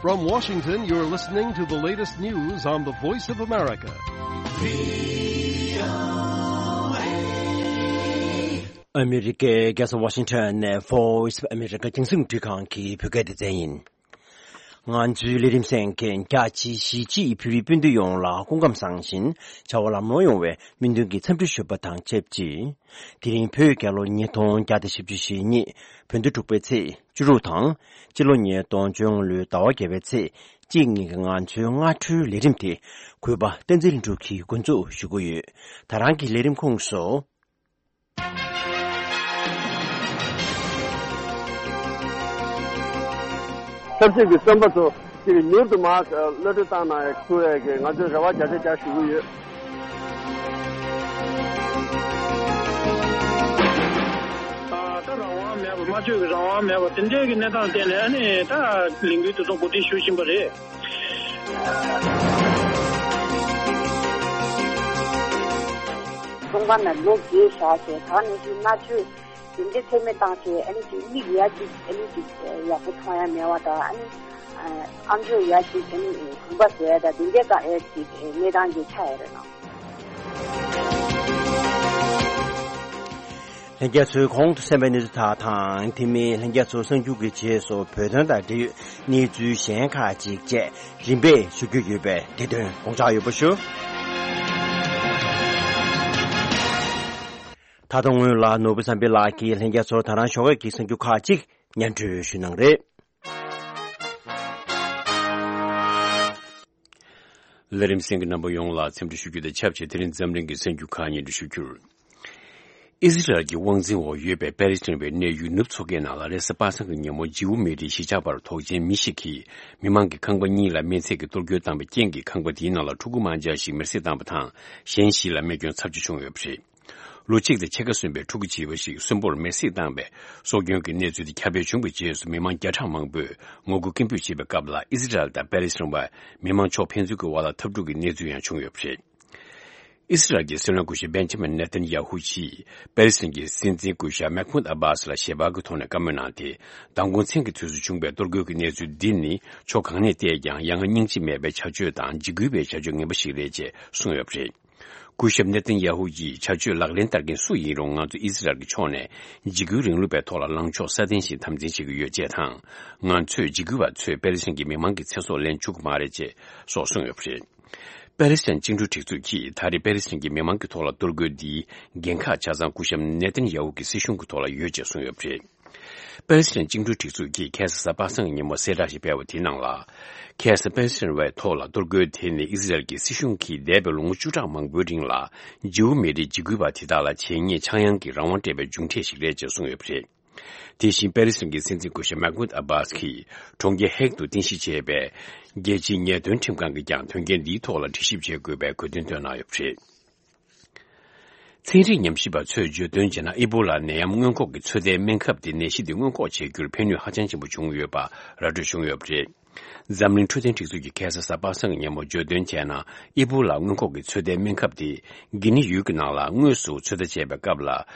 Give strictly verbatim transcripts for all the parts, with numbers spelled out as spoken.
From Washington, you're listening to the latest news on the Voice of America. ཨ་མི་རི་ཀའི་རྒྱལ་ས་ཝ་ཤིང་ཊོན་ནས་Voice of America་རྒྱང་སྲིང་རླུང་འཕྲིན་ཁང་གི་བོད་སྐད་སྡེ་ཚན་ཡིན། ང་ཚོའི་ལས་རིམ་གསན་མཁན་རྒྱ་ཆེའི་གཞིས་བྱེས་བོད་རིགས་སྤུན་ཟླ་ཡོངས་ལ་སྐུ་ཁམས་བཟང་ཞིང་བྱ་བ་ལམ་ལྷོང་ཡོང་བའི་སྨོན་འདུན་གྱི་འཚམས་འདྲི་ཞུ་བ་དང་ཆབས་ཅིག་དེ་རིང་བོད་རྒྱལ་ལོ་ཉིས་སྟོང་བརྒྱ་དང་བཞི་བཅུ་ཞེ་གཉིས་བོད་ཟླ་དྲུག་པའི་ཚེས་བཅུ་དྲུག་དང་། སྤྱི་ལོ་ཉིས་སྟོང་བཅོ་ལྔ་ལོའི་ཟླ་བ་བརྒྱད་པའི་ཚེས་གཅིག་ཉིན་གྱི་ང་ཚོའི་སྔ་དྲོའི་ལས་རིམ་དེ་གུས་པ་བསྟན་འཛིན་ལྷུན་གྲུབ་ཀྱིས་འགོ་འཛུགས་ཞུ་གི་ཡོད། ད་རང་གི་ལས་རིམ་ཁོངས་སུ། ཆབ་སྲིད་ཀྱི་བཙོན་པ་ཚོ་ཅིག་མྱུར་དུ་མར་གློད་གྲོལ་བཏང་གནང་ཡ་ཐུབ་ཡ་གི་ང་ཚོས་རེ་བ་བརྒྱ་ཆ་བརྒྱ་ཞུ་གི་ཡོད། ད་རང་དབང་མེད་པ། སྨྲ་བརྗོད་ཀྱི་རང་དབང་མེད་པ་དེ་འདྲའི་གི་གནས་སྟངས་བརྟེན་ནས་ཨ་ནི་ད་ལས་འགུལ་དེ་ཚོ་གོ་སྒྲིག་ཞུ་བཞིན་པ་རེད། ཚོང་པ་ན་ལོ་རྒས་བཞག་བྱས་ད་ནས་ཅིག་མནར་གཅོད་དེ་འདྲའི་ཚད་མེད་བཏང་བྱས་ཨ་ནི་ཅིག་མིག་ཡ་ཅིག་ཨ་ནི་ཅིག་ཡག་པོ་མཐོང་ཡ་མེད་པ་དང་ཨ་ནི་ཨམ་ཅོག་ཡ་ཅིག་ཨ་ནི་གོམ་པ་བཟོ་ཡ་དང་དེ་འདྲའི་ག་ཨེ་ཅིག་གནས་སྟངས་ཅིག་ཆགས་ཡོད་རེད་ན། ལྷན་རྒྱས་ཚོས་གོང་དུ་གསན་པའི་གནས་ཚུལ་དག་དང་དེ་མིན་ལྷན་རྒྱས་ཚོ་གསར་འགྱུར་གྱི་རྗེས་སུ་བོད་དོན་དང་འབྲེལ་ཡོད་གནས་ཚུལ་གཞན་ཁག་ཅིག་བཅས་རིམ་པས་ཞུ་རྒྱུ་ཡོད་པས་དེ་དོན་དགོངས་འཇགས་ཡོད་པ་ཞུ། ད་དུང་སྔོན་ལ་ནོར་བུ་བསམ་འཕེལ་ལགས་ཀྱིས་ལྷན་རྒྱས་ཚོར་ད་རང་ཞོགས་ཀས་ཀྱི་གསར་འགྱུར་ཁག་ཅིག་སྙན་སྒྲོན་ཞུ་གནང་རེད། ལས་རིམ་གསན་མཁན་རྣམ་པ་ཡོངས་ལ་འཚམས་འདྲི་ཞུ་རྒྱུ་དང་ཆབས་ཅིག་དེ་རིང་འཛམ་གླིང་གི་གསར་འགྱུར་ཁག་སྙན་སྒྲོན་ཞུ་རྒྱུར། ཨི་ཟི་རལ་གྱི་དབང་འཛིན་འོག་ཡོད་པའི་པེ་ལི་སི་ཐན་པའི་གནས་ཡུལ་ནུབ་མཚོ་ཁའི་ནང་ལ་རེས་གཟའ་པ་སངས་ཀྱི་ཉིན་མོ་ཇིའུ་མི་རིགས་གཞིས་ཆགས་པར་དོགས་ཅན་མི་ཞིག་གིས་མི་མང་གི་ཁང་པ་གཉིས་ལ་མེ་མཚེར་གྱིས་གཏོར་རྒོལ་བཏང་བའི་རྐྱེན་གྱིས་ཁང་པ་དེའི་ནང་ལ་ཕྲུ་གུ་མང་ཆེ་བ་ཞིག་མེར་སྲེག་བཏང་བ་དང་གཞན་བཞི་ལ་རྨས་སྐྱོན་ཚབས་ཆེ་བྱུང་ཡོད་པ་རེད། ལོ་གཅིག་དང་ཕྱེད་ཀ་སོན་པའི་ཕྲུ་གུ་བྱིས་པ་ཞིག་གསོན་པོར་མེར་སྲེག་བཏང་བའི་སྲོག་སྐྱོན་གྱི་གནས་ཚུལ་དེ་ཁྱབ་སྤེལ་བྱུང་བའི་རྗེས་སུ་མི་མང་བརྒྱ་ཕྲག་མང་པོས་ངོ་རྒོལ་སྐད་འབོད་བྱེད་པའི་སྐབས་ལ་ཨི་ཟི་རལ་དང་པེ་ལི་སི་ཐན་བར་མི་མང་ཕྱོགས་ཕན་ཚུན་གྱི་དབར་ལ་འཐབ་འཁྲུག་གི་གནས་ཚུལ་ཡང་བྱུང་ཡོད་པ་རེད། ཨི་སི་རལ་གྱི་སྲིད་བློན་སྐུ་ཞབས་བན་ཇི་མིན་ནེ་ཐན་ཡ་ཧུ་གྱིས་པེ་ལི་སི་ཐན་གྱི་སྲིད་འཛིན་སྐུ་ཞབས་མེག་མུད་ཨ་བྷ་སི་ལ་ཞལ་པར་གྱི་ཐོག་ནས་བཀའ་མོལ་གནང་སྟེ། མདང་དགོང་མཚན་གྱི་དུས་སུ་བྱུང་བའི་གཏོར་རྒོལ་གྱི་གནས་ཚུལ་འདི་ནི་ཕྱོགས་གང་ནས་བལྟས་ཀྱང་ཡ་ང་སྙིང་རྗེ་མེད་པའི་བྱ་སྤྱོད་དང་འཇིགས་སྐུལ་བའི་བྱ་སྤྱོད་ངན་པ་ཞིག་རེད་ཅེས་གསུངས་ཡོད་པ་རེད། སྐུ་ཞབས་ནེ་ཐན་ཡ་ཧུ་ཡིས་བྱ་སྤྱོད་ལག་ལེན་བསྟར་མཁན་སུ་ཡིན་རུང་ང་ཚོ་ཨི་སི་རལ་གྱི་ཕྱོགས་ནས་འཇིགས་སྐུལ་རིང་ལུགས་པའི་ཐོག་ལ་ལངས་ཕྱོགས་སྲ་བརྟན་ཞིག་དམ་འཛིན་བྱེད་ཀྱི་ཡོད་ཅེས་དང་། ང་ཚོས་འཇིགས་སྐུལ་བ་ཚོས་པེ་ལི་སི་ཐན་གྱི་མི་མང་གི་ཚེ་སྲོག་ལེན་བཅུག་གི་མ་རེད་ཅེས་སོགས་གསུངས་ཡོད་པ་རེད། པེ་ལི་སི་ཐན་བཅིངས་འགྲོལ་སྒྲིག་འཛུགས་ཀྱིས་ད་རེས་པེ་ལི་སི་ཐན་གྱི་མི་མང་གི་ཐོག་ལ་གཏོར་རྒོལ་འདིའི་འགན་ཁག་ཆ་ཚང་སྐུ་ཞབས་ནེ་ཐན་ཡ་ཧུ་གི་སྲིད་གཞུང་གི་ཐོག་ལ་ཡོད་ཅེས་གསུངས་ཡོད་པ་རེད། པེ་ལི་སི་ཐན་བཅིངས་འགྲོལ་སྒྲིག་འཛུགས་ཀྱིས་ཁ་སང་གཟའ་པ་སངས་ཀྱི་ཉིན་མོ་གསལ་བསྒྲགས་ཤིག་སྤེལ་བ་དེའི་ནང་ལ། ཁ་སང་པེ་ལི་སི་ཐན་བའི་ཐོག་ལ་གཏོར་རྒོལ་དེ་ནི་ཨི་སི་རལ་གྱི་སྲིད་གཞུང་གིས་འདས་པའི་ལོ་ངོ་བཅུ་ཕྲག་མང་པོའི་རིང་ལ་ཇིའུ་མི་རིགས་འཇིགས་སྐུལ་བ་དེ་དག་ལ་བྱས་ཉེས་ཆག་ཡང་གི་རང་དབང་སྤྲད་པའི་མཇུག་འབྲས་ཤིག་རེད་ཅེས་གསུངས་ཡོད་པ་རེད། དེ་བཞིན་པེ་ལི་སི་ཐན་གྱི་སྲིད་འཛིན་སྐུ་ཞབས་མེག་མུད་ཨ་བྷ་སི་གིས་གྲོང་ཁྱེར་ཧེག་ཏུ་རྟེན་གཞི་བྱས་པའི་རྒྱལ་སྤྱིའི་ཉེས་དོན་ཁྲིམས་ཁང་གིས་ཀྱང་དོན་རྐྱེན་འདིའི་ཐོག་ལ་དྲི་ཞིབ་བྱེད་དགོས་པའི་དགོས་འདུན་བཏོན་གནང་ཡོད་པ་རེད། ཚན་རིག་ཉམས་ཞིབ་པ་ཚོས་བརྗོད་དོན་བྱས་ན་ཨི་བྷོ་ལ་ནད་ཡམས་སྔོན་འགོག་གི་ཚོད་ལྟའི་སྨན་ཁབ་དེ་ནད་གཞི་འདི་སྔོན་འགོག་བྱེད་རྒྱུར་ཕན་ནུས་ཧ་ཅང་ཆེན་པོ་བྱུང་ཡོད་པ་ར་སྤྲོད་བྱུང་ཡོད་པ་རེད། འཛམ་གླིང་འཕྲོད་བསྟེན་སྒྲིག་འཛུགས་ཀྱིས་ཁ་སང་གཟའ་པ་སངས་ཀྱི་ཉིན་མོ་བརྗོད་དོན་བྱས་ན་ཨི་བྷོ་ལ་སྔོན་འགོག་གི་ཚོད་ལྟའི་སྨན་ཁབ་དེ་གྷི་ནི་ཡུལ་གྱི་ནང་ལ་དངོས་སུ་ཚོད་ལྟ་བྱས་པའི་སྐབས་ལ་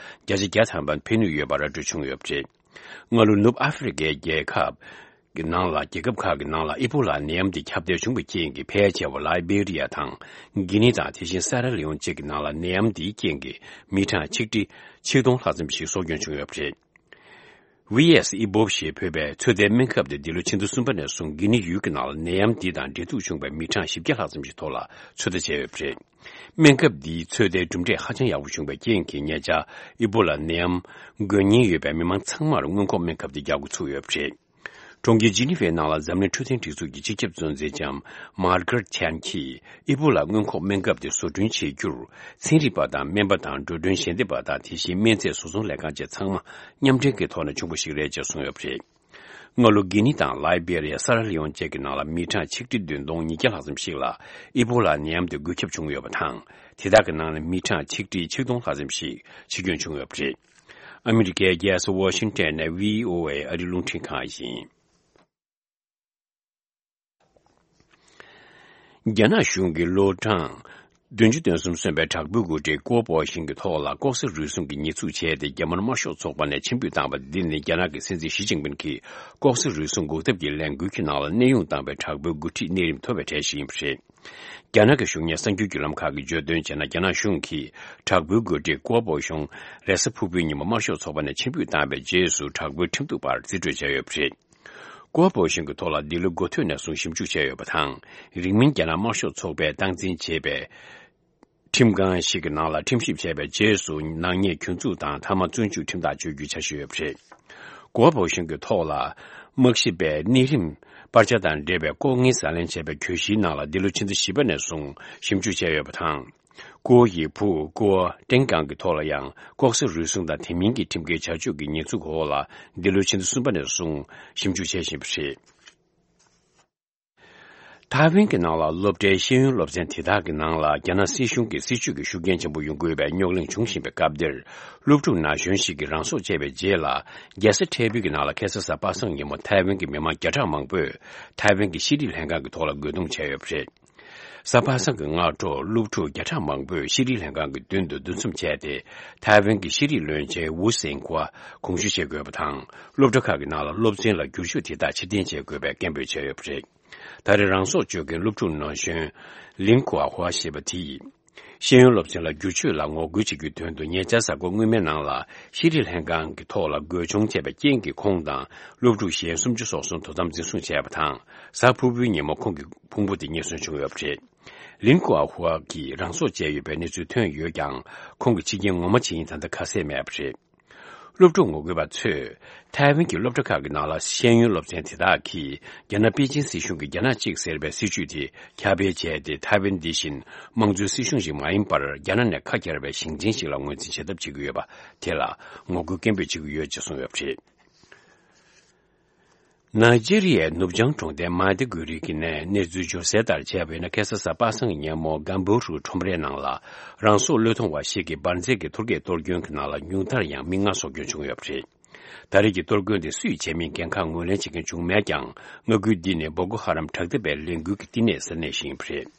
བརྒྱ་ཆ་བརྒྱ་ཐམ་པ་ཕན་ནུས་ཡོད་པ་ར་སྤྲོད་བྱུང་ཡོད་པ་རེད། སྔ་ལོ་ནུབ་ཨ་ཧྥེ་རི་ཁའི་རྒྱལ་ཁབ་ཀྱི་ནང་ལ་རྒྱལ་ཁབ་ཁག་གི་ནང་ལ་ཨི་བྷོ་ལ་ནད་ཡམས་འདི་ཁྱབ་གདལ་བྱུང་བའི་རྐྱེན་གྱིས་ཕལ་ཆེ་བ་ལའི་བེ་རི་ཡ་དང་གྷི་ནི་དང་དེ་བཞིན་སེ་ར་ལི་ཡོན་བཅས་ཀྱི་ནང་ལ་ནད་ཡམས་འདིའི་རྐྱེན་གྱིས་མི་གྲངས་ཆིག་ཁྲི་ཆིག་སྟོང་ལྷག་ཙམ་ཞིག་སྲོག་སྐྱོན་བྱུང་ཡོད་པ་རེད། ཝི་ཨེས་ཨི་བྷོབ་ཞེས་འབོད་པའི་ཚོད་ལྟའི་སྨན་ཁབ་དེ་འདི་ལོ་ཕྱི་ཟླ་གསུམ་པ་ནས་བཟུང་གྷི་ནི་ཡུལ་གྱི་ནང་ལ་ནད་ཡམས་འདི་དང་འབྲེལ་གཏུག་བྱུང་བའི་མི་གྲངས་བཞི་བརྒྱ་ལྷག་ཙམ་ཞིག་ཐོག་ལ་ཚོད་ལྟ་བྱས་ཡོད་པ་རེད། སྨན་ཁབ་འདིའི་ཚོད་ལྟའི་གྲུབ་འབྲས་ཧ་ཅང་ཡག་པོ་བྱུང་བའི་རྐྱེན་གྱིས་ཉེ་ཆར་ཨི་བྷོ་ལ་ནད་ཡམས་འགོས་ཉེན་ཡོད་པའི་མི་མང་ཚང་མར་སྔོན་འགོག་སྨན་ཁབ་དེ་རྒྱག་འགོ་ཚུགས་ཡོད་པ་རེད། གྲོང་ཁྱེར་ཇི་ནི་ཝའི་ནང་ལ་འཛམ་གླིང་འཕྲོད་བསྟེན་སྒྲིག་འཛུགས་ཀྱི་སྤྱི་ཁྱབ་གཙོ་འཛིན་ལྕམ་མར་གྷ་རེད་ཆན་གྱིས་ཨི་བྷོ་ལ་སྔོན་འགོག་སྨན་ཁབ་དེ་བཟོ་སྐྲུན་བྱེད་རྒྱུར་ཚན་རིག་པ་དང་སྨན་པ་དང་འགྲོ་གྲོན་ཞལ་འདེབས་པ་དང་དེ་བཞིན་སྨན་རྫས་བཟོ་ཚོང་ལས་ཁང་བཅས་ཚང་མ་མཉམ་འབྲེལ་གྱི་ཐོག་ནས་བྱུང་བ་ཞིག་རེད་ཅེས་གསུངས་ཡོད་པ་རེད། སྔ་ལོ་གྷི་ནི་དང་ལའི་བེ་རི་ཡ། སེ་ར་ལི་ཡོན་བཅས་ཀྱི་ནང་ལ་མི་གྲངས་ཆིག་ཁྲི་བདུན་སྟོང་ཉིས་བརྒྱ་ལྷག་ཙམ་ཞིག་ལ་ཨི་བྷོ་ལ་ནད་ཡམས་དེ་འགོས་ཁྱབ་བྱུང་ཡོད་པ་དང་། དེ་དག་གི་ནང་ནས་མི་གྲངས་ཆིག་ཁྲི་ཆིག་སྟོང་ལྷག་ཙམ་ཞིག་འཆི་སྐྱོན་བྱུང་ཡོད་པ་རེད། ཨ་མི་རི་ཀའི་རྒྱལ་ས་ཝ་ཤིང་ཊོན་ནས་ཝི་ཨོ་ཨེ་ཨ་རིའི་རླུང་འཕྲིན་ཁང་ཡིན། རྒྱ་ནག་གཞུང་གིས་ལོ་གྲངས་ བདུན་ཅུ་དོན་གསུམ་སོན་པའི་དྲག་པོའི་འགོ་ཁྲིད་ཀོ་པོ་ཤིན་གྱི་ཐོག་ལ་ལྐོག་ཟ་རུལ་སུངས་ཀྱི་ཉེས་འཛུགས་བྱས་ཏེ། རྒྱ་དམར་དམར་ཤོག་ཚོགས་པ་ནས་ཕྱིར་འབུད་བཏང་བ་འདི་ནི། རྒྱ་ནག་གི་སྲིད་འཛིན་ཞི་ཅིན་ཕིན་གྱིས་ལྐོག་ཟ་རུལ་སུངས་འགོག་ཐབས་ཀྱི་ལས་འགུལ་གྱི་ནང་ལ་གནས་དབྱུང་བཏང་བའི་དྲག་པོའི་འགོ་ཁྲིད་གནས་རིམ་མཐོ་བའི་གྲས་ཤིག་ཡིན་པ་རེད། རྒྱ་ནག་གི་གཞུང་གཉེར་གསར་འགྱུར་བརྒྱུད་ལམ་ཁག་གིས་བརྗོད་དོན་བྱས་ན། རྒྱ་ནག་གཞུང་གིས་དྲག་པོའི་འགོ་ཁྲིད་ཀོ་པོ་ཤིན་རེས་གཟའ་ཕུར་བུའི་ཉིན་མོ་དམར་ཤོག་ཚོགས་པ་ནས་ཕྱིར་འབུད་བཏང་བའི་རྗེས་སུ། དྲག་པོའི་ཁྲིམས་གཏུག་པར་རྩིས་སྤྲོད་བྱས་ཡོད་པ་རེད། ཀོ་པོ་ཤིན་གྱི་ཐོག་ལ་འདི་ལོའི་འགོ་སྟོད་ནས་བཟུང་ཞིབ་འཇུག་བྱས་ཡོད་པ་དང་། རིང་མིན་རྒྱ་ནག་དམར་ཤོག་ཚོགས་པས་སྟངས་འཛིན་བྱས་པའི་ཁྲིམས་ཁང་ཞིག་གི་ནང་ལ་ཁྲིམས་ཞིབ་བྱས་པའི་རྗེས་སུ། ནག་ཉེས་གྱོང་འཛུགས་དང་། མཐའ་མ་བཙོན་འཇུག་ཁྲིམས་ཐག་གཅོད་རྒྱུའི་འཆར་གཞི་ཡོད་པ་རེད། ཀོ་པོ་ཤིན་གྱི་ཐོག་ལ་དམག་ཞིབ་པས་གནས་རིམ་སྤར་ཆ་དང་འབྲེལ་བའི་ལྐོག་རྔན་ཟ་ལེན་བྱས་པའི་གྱོད་གཞིའི་ནང་ལ། འདི་ལོའི་ཕྱི་ཟླ་བཞི་པ་ནས་བཟུང་ཞིབ་འཇུག་བྱས་ཡོད་པ་དང་། ཀོ་ཡི་བུ་ཀོ་ཀྲེང་ཀང་གི་ཐོག་ལ་ཡང་ལྐོག་ཟ་རུལ་སུངས་དང་དེ་མིན་གྱི་ཁྲིམས་འགལ་བྱ་སྤྱོད་ཀྱི་ཉེས་འཛུགས་འོག་ལ། འདི་ལོའི་ཕྱི་ཟླ་གསུམ་པ་ནས་བཟུང་ཞིབ་འཇུག་བྱེད་བཞིན་པ་རེད། ཐའེ་ཝན་གྱི་ནང་ལ་སློབ་གྲྭའི་ཤེས་ཡོན་སློབ་ཚན་དེ་དག་གི་ནང་ལ་རྒྱ་ནག་སྲིད་གཞུང་གི་སྲིད་བྱུས་ཀྱི་ཤུགས་རྐྱེན་ཆེན་པོ་ཡོང་གི་ཡོད་པའི་རྙོག་གླེང་བྱུང་བཞིན་པའི་སྐབས་འདིར། སློབ་ཕྲུག་ན་གཞོན་ཞིག་གིས་རང་སྲོག་བཅད་པའི་རྗེས་ལ། རྒྱལ་ས་ཐའེ་པེ་གི་ནང་ལ་ཁ་སང་གཟའ་པ་སངས་ཉིན་མོ་ཐའེ་ཝན་གྱི་མི་མང་བརྒྱ་ཕྲག་མང་པོས་ཐའེ་ཝན་གྱི་ཤེས་རིག་ལྷན་ཁང་གི་ཐོག་ལ་རྒོལ་རྡུང་བྱས་ཡོད་པ་རེད། གཟའ་པ་སངས་ཀྱི་སྔ་དྲོ། སློབ་ཕྲུག་བརྒྱ་ཕྲག་མང་པོས་ཤེས་རིག་ལྷན་ཁང་གི་མདུན་དུ་འདུ་འཛོམས་བྱས་ཏེ། ཐའེ་ཝན་གྱི་ཤེས་རིག་བློན་ཆེན་ཝུ་སེང་ཁོ་དགོངས་ཞུ་བྱེད་དགོས་པ་དང་། སློབ་གྲྭ་ཁག་གི་ནང་ལ་སློབ་ཚན་ལ་བསྒྱུར་བཅོས་དེ་དག་ཕྱིར་འཐེན་བྱེད་དགོས་པའི་སྐད་འབོད་བྱས་ཡོད་པ་རེད། ད་རེས་རང་སྲོག་གཅོད་མཁན་སློབ་ཕྲུག་ན་གཞོན་ལིན་ཀུའ་ཧྭ་ཞེས་པ་དེ་ཡིས། ཤེས་ཡོན་སློབ་ཚན་ལ་བསྒྱུར་བཅོས་ལ་ངོ་རྒོལ་བྱེད་རྒྱུའི་དོན་དུ། ཉེ་ཆར་གཟའ་འཁོར་སྔོན་མའི་ནང་ལ་ཤེས་རིག་ལྷན་ཁང་གི་ཐོག་ལ་རྒོལ་བྱུང་བྱས་པའི་རྐྱེན་གྱིས། ཁོང་དང་སློབ་ཕྲུག་གཞན་སུམ་ཅུ་སོ་གསུམ་དོ་དམ་འཛིན་བཟུང་བྱས་པ་དང་། གཟའ་ཕུར་བུའི་ཉིན་མོ་ཁོང་གི་ཕུང་པོ་དེ་རྙེད་སོན་བྱུང་ཡོད་པ་རེད། ལིན་ཀུའ་ཧྭ་གིས་རང་སྲོག་བཅད་ཡོད་པའི་གནས་ཚུལ་ཐོན་ཡོད་ཀྱང་། ཁོང་གི་འཆི་རྐྱེན་ངོ་མ་ཇི་ཡིན་ད་ལྟ་ཁ་གསལ་མེད་པ་རེད། སློབ་ཕྲུག་ངོ་རྒོལ་པ་ཚོས་ཐའེ་ཝན་གྱི་སློབ་གྲྭ་ཁག་གི་ནང་ལ་ཤེས་ཡོན་སློབ་ཚན་དེ་དག་གིས། རྒྱ་ནག་པེ་ཅིན་སྲིད་གཞུང་གི་རྒྱ་ནག་གཅིག་ཟེར་བའི་སྲིད་བྱུས་དེ་ཁྱབ་སྤེལ་བྱས་ཏེ། ཐའེ་ཝན་འདི་བཞིན་དམངས་གཙོའི་སྲིད་གཞུང་ཞིག་མ་ཡིན་པར། རྒྱ་ནག་ནས་ཁ་གྱེས་པའི་ཞིང་ཆེན་ཞིག་ལ་ངོས་འཛིན་བྱེད་ཐབས་བྱེད་ཀྱི་ཡོད་པ་དེ་ལ་ངོ་རྒོལ་སྐད་འབོད་བྱེད་ཀྱི་ཡོད་ཅེས་གསུངས་ཡོད་པ་རེད། ནཱི་ཇེ་རི་ཡའི་ནུབ་བྱང་གྲོང་རྡལ་མཱ་དི་གུ་རི་གི་ནས་གནས་ཚུལ་འབྱོར་གསལ་ལྟར་བྱས་པ་ཡིན་ན། ཁ་སང་གཟའ་པ་སངས་ཀྱི་ཉིན་མོ་གམ་བུ་རུ་ཁྲོམ་རའི་ནང་ལ་རང་སྲོག་བློས་གཏོང་བ་ཞིག་གིས་འབར་རྫས་ཀྱི་ཐོལ་རྒྱག་གཏོར་སྐྱོན་གྱི་ནང་ལ་ཉུང་མཐར་ཡང་མི་ལྔ་སྲོག་སྐྱོན་བྱུང་ཡོད་པ་རེད། ད་རེས་ཀྱི་གཏོར་སྐྱོན་དེ་སུས་བྱས་མིན་འགན་ཁག་ངོས་ལེན་བྱེད་མཁན་བྱུང་མེད་ཀྱང་། མངའ་ཁུལ་འདི་ནི་བོ་ཀོ་ཧ་རམ་དྲག་འཐབ་པའི་ལས་འགུལ་གྱི་བསྟི་གནས་ས་གནས་ཤིག་ཡིན་པ་རེད།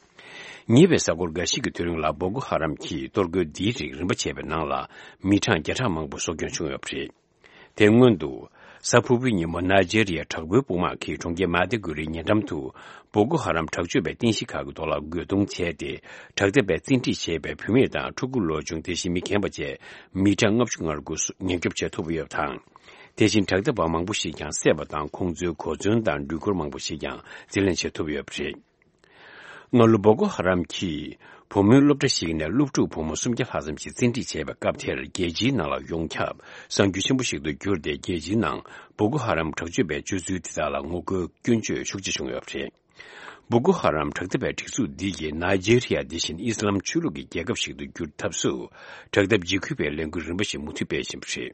ཉེ་བའི་གཟའ་འཁོར་འགའ་ཞིག་གི་དུས་རིང་ལ་བོ་ཀོ་ཧ་རམ་གྱིས་གཏོར་རྒོལ་འདིའི་རིགས་རིམ་པ་བྱས་པའི་ནང་ལ་མི་གྲངས་བརྒྱ་ཕྲག་མང་པོ་སྲོག་སྐྱོན་བྱུང་ཡོད་པ་རེད། དེ་སྔོན་དུ། གཟའ་ཕུར་བུའི་ཉིན་མོ་ནཱི་ཇེ་རི་ཡའི་དྲག་པོའི་དཔུང་དམག་གིས་གྲོང་ཁྱེར་མཱ་དི་གུ་རིའི་ཉེ་འགྲམ་དུ་བོ་ཀོ་ཧ་རམ་དྲག་སྤྱོད་པའི་རྟེན་གཞི་ཁག་གི་ཐོག་ལ་རྒོལ་རྡུང་བྱས་ཏེ། དྲག་འཐབ་པས་བཙན་ཁྲིད་བྱས་པའི་བུད་མེད་དང་ཕྲུ་གུ་ལོ་ཆུང་དེ་བཞིན་མི་རྒན་པ་བཅས་མི་གྲངས་ལྔ་བཅུ་ང་དགུ་ཉེན་སྐྱོབ་བྱེད་ཐུབ་ཡོད་པ་དང་། དེ་བཞིན་དྲག་འཐབ་པ་མང་པོ་ཞིག་ཀྱང་བསད་པ་དང་། ཁོང་ཚོའི་གོ་མཚོན་དང་འགྲུལ་འཁོར་མང་པོ་ཞིག་ཀྱང་རྩིས་ལེན་བྱེད་ཐུབ་ཡོད་པ་རེད། སྔ་ལོ་བོ་ཀོ་ཧ་རམ་གྱིས་བུ་མོའི་སློབ་གྲྭ་ཞིག་ནས་སློབ་ཕྲུག་བུ་མོ་སུམ་བརྒྱ་ལྷག་ཙམ་ཞིག་བཙན་ཁྲིད་བྱས་པའི་སྐབས་དེར། རྒྱལ་སྤྱིའི་ནང་ལ་ཡོངས་ཁྱབ་གསར་འགྱུར་ཆེན་པོ་ཞིག་ཏུ་གྱུར་ཏེ། རྒྱལ་སྤྱིའི་ནང་བོ་ཀོ་ཧ་རམ་དྲག་སྤྱོད་པའི་སྤྱོད་ཚུལ་དེ་དག་ལ་ངོ་རྒོལ་སྐྱོན་བརྗོད་ཤུགས་ཆེ་བྱུང་ཡོད་པ་རེད། བོ་ཀོ་ཧ་རམ་དྲག་འཐབ་པའི་སྒྲིག་འཛུགས་འདི་ཡིས་ནཱི་ཇེ་རི་ཡ་འདི་བཞིན་ཨི་སི་ལམ་ཆོས་ལུགས་ཀྱི་རྒྱལ་ཁབ་ཞིག་ཏུ་འགྱུར་ཐབས་སུ། དྲག་འཐབ་འཇིགས་སྐུལ་བའི་ལས་འགུལ་རིམ་པ་ཞིག་མུ་མཐུད་སྤེལ་བཞིན་པ་རེད།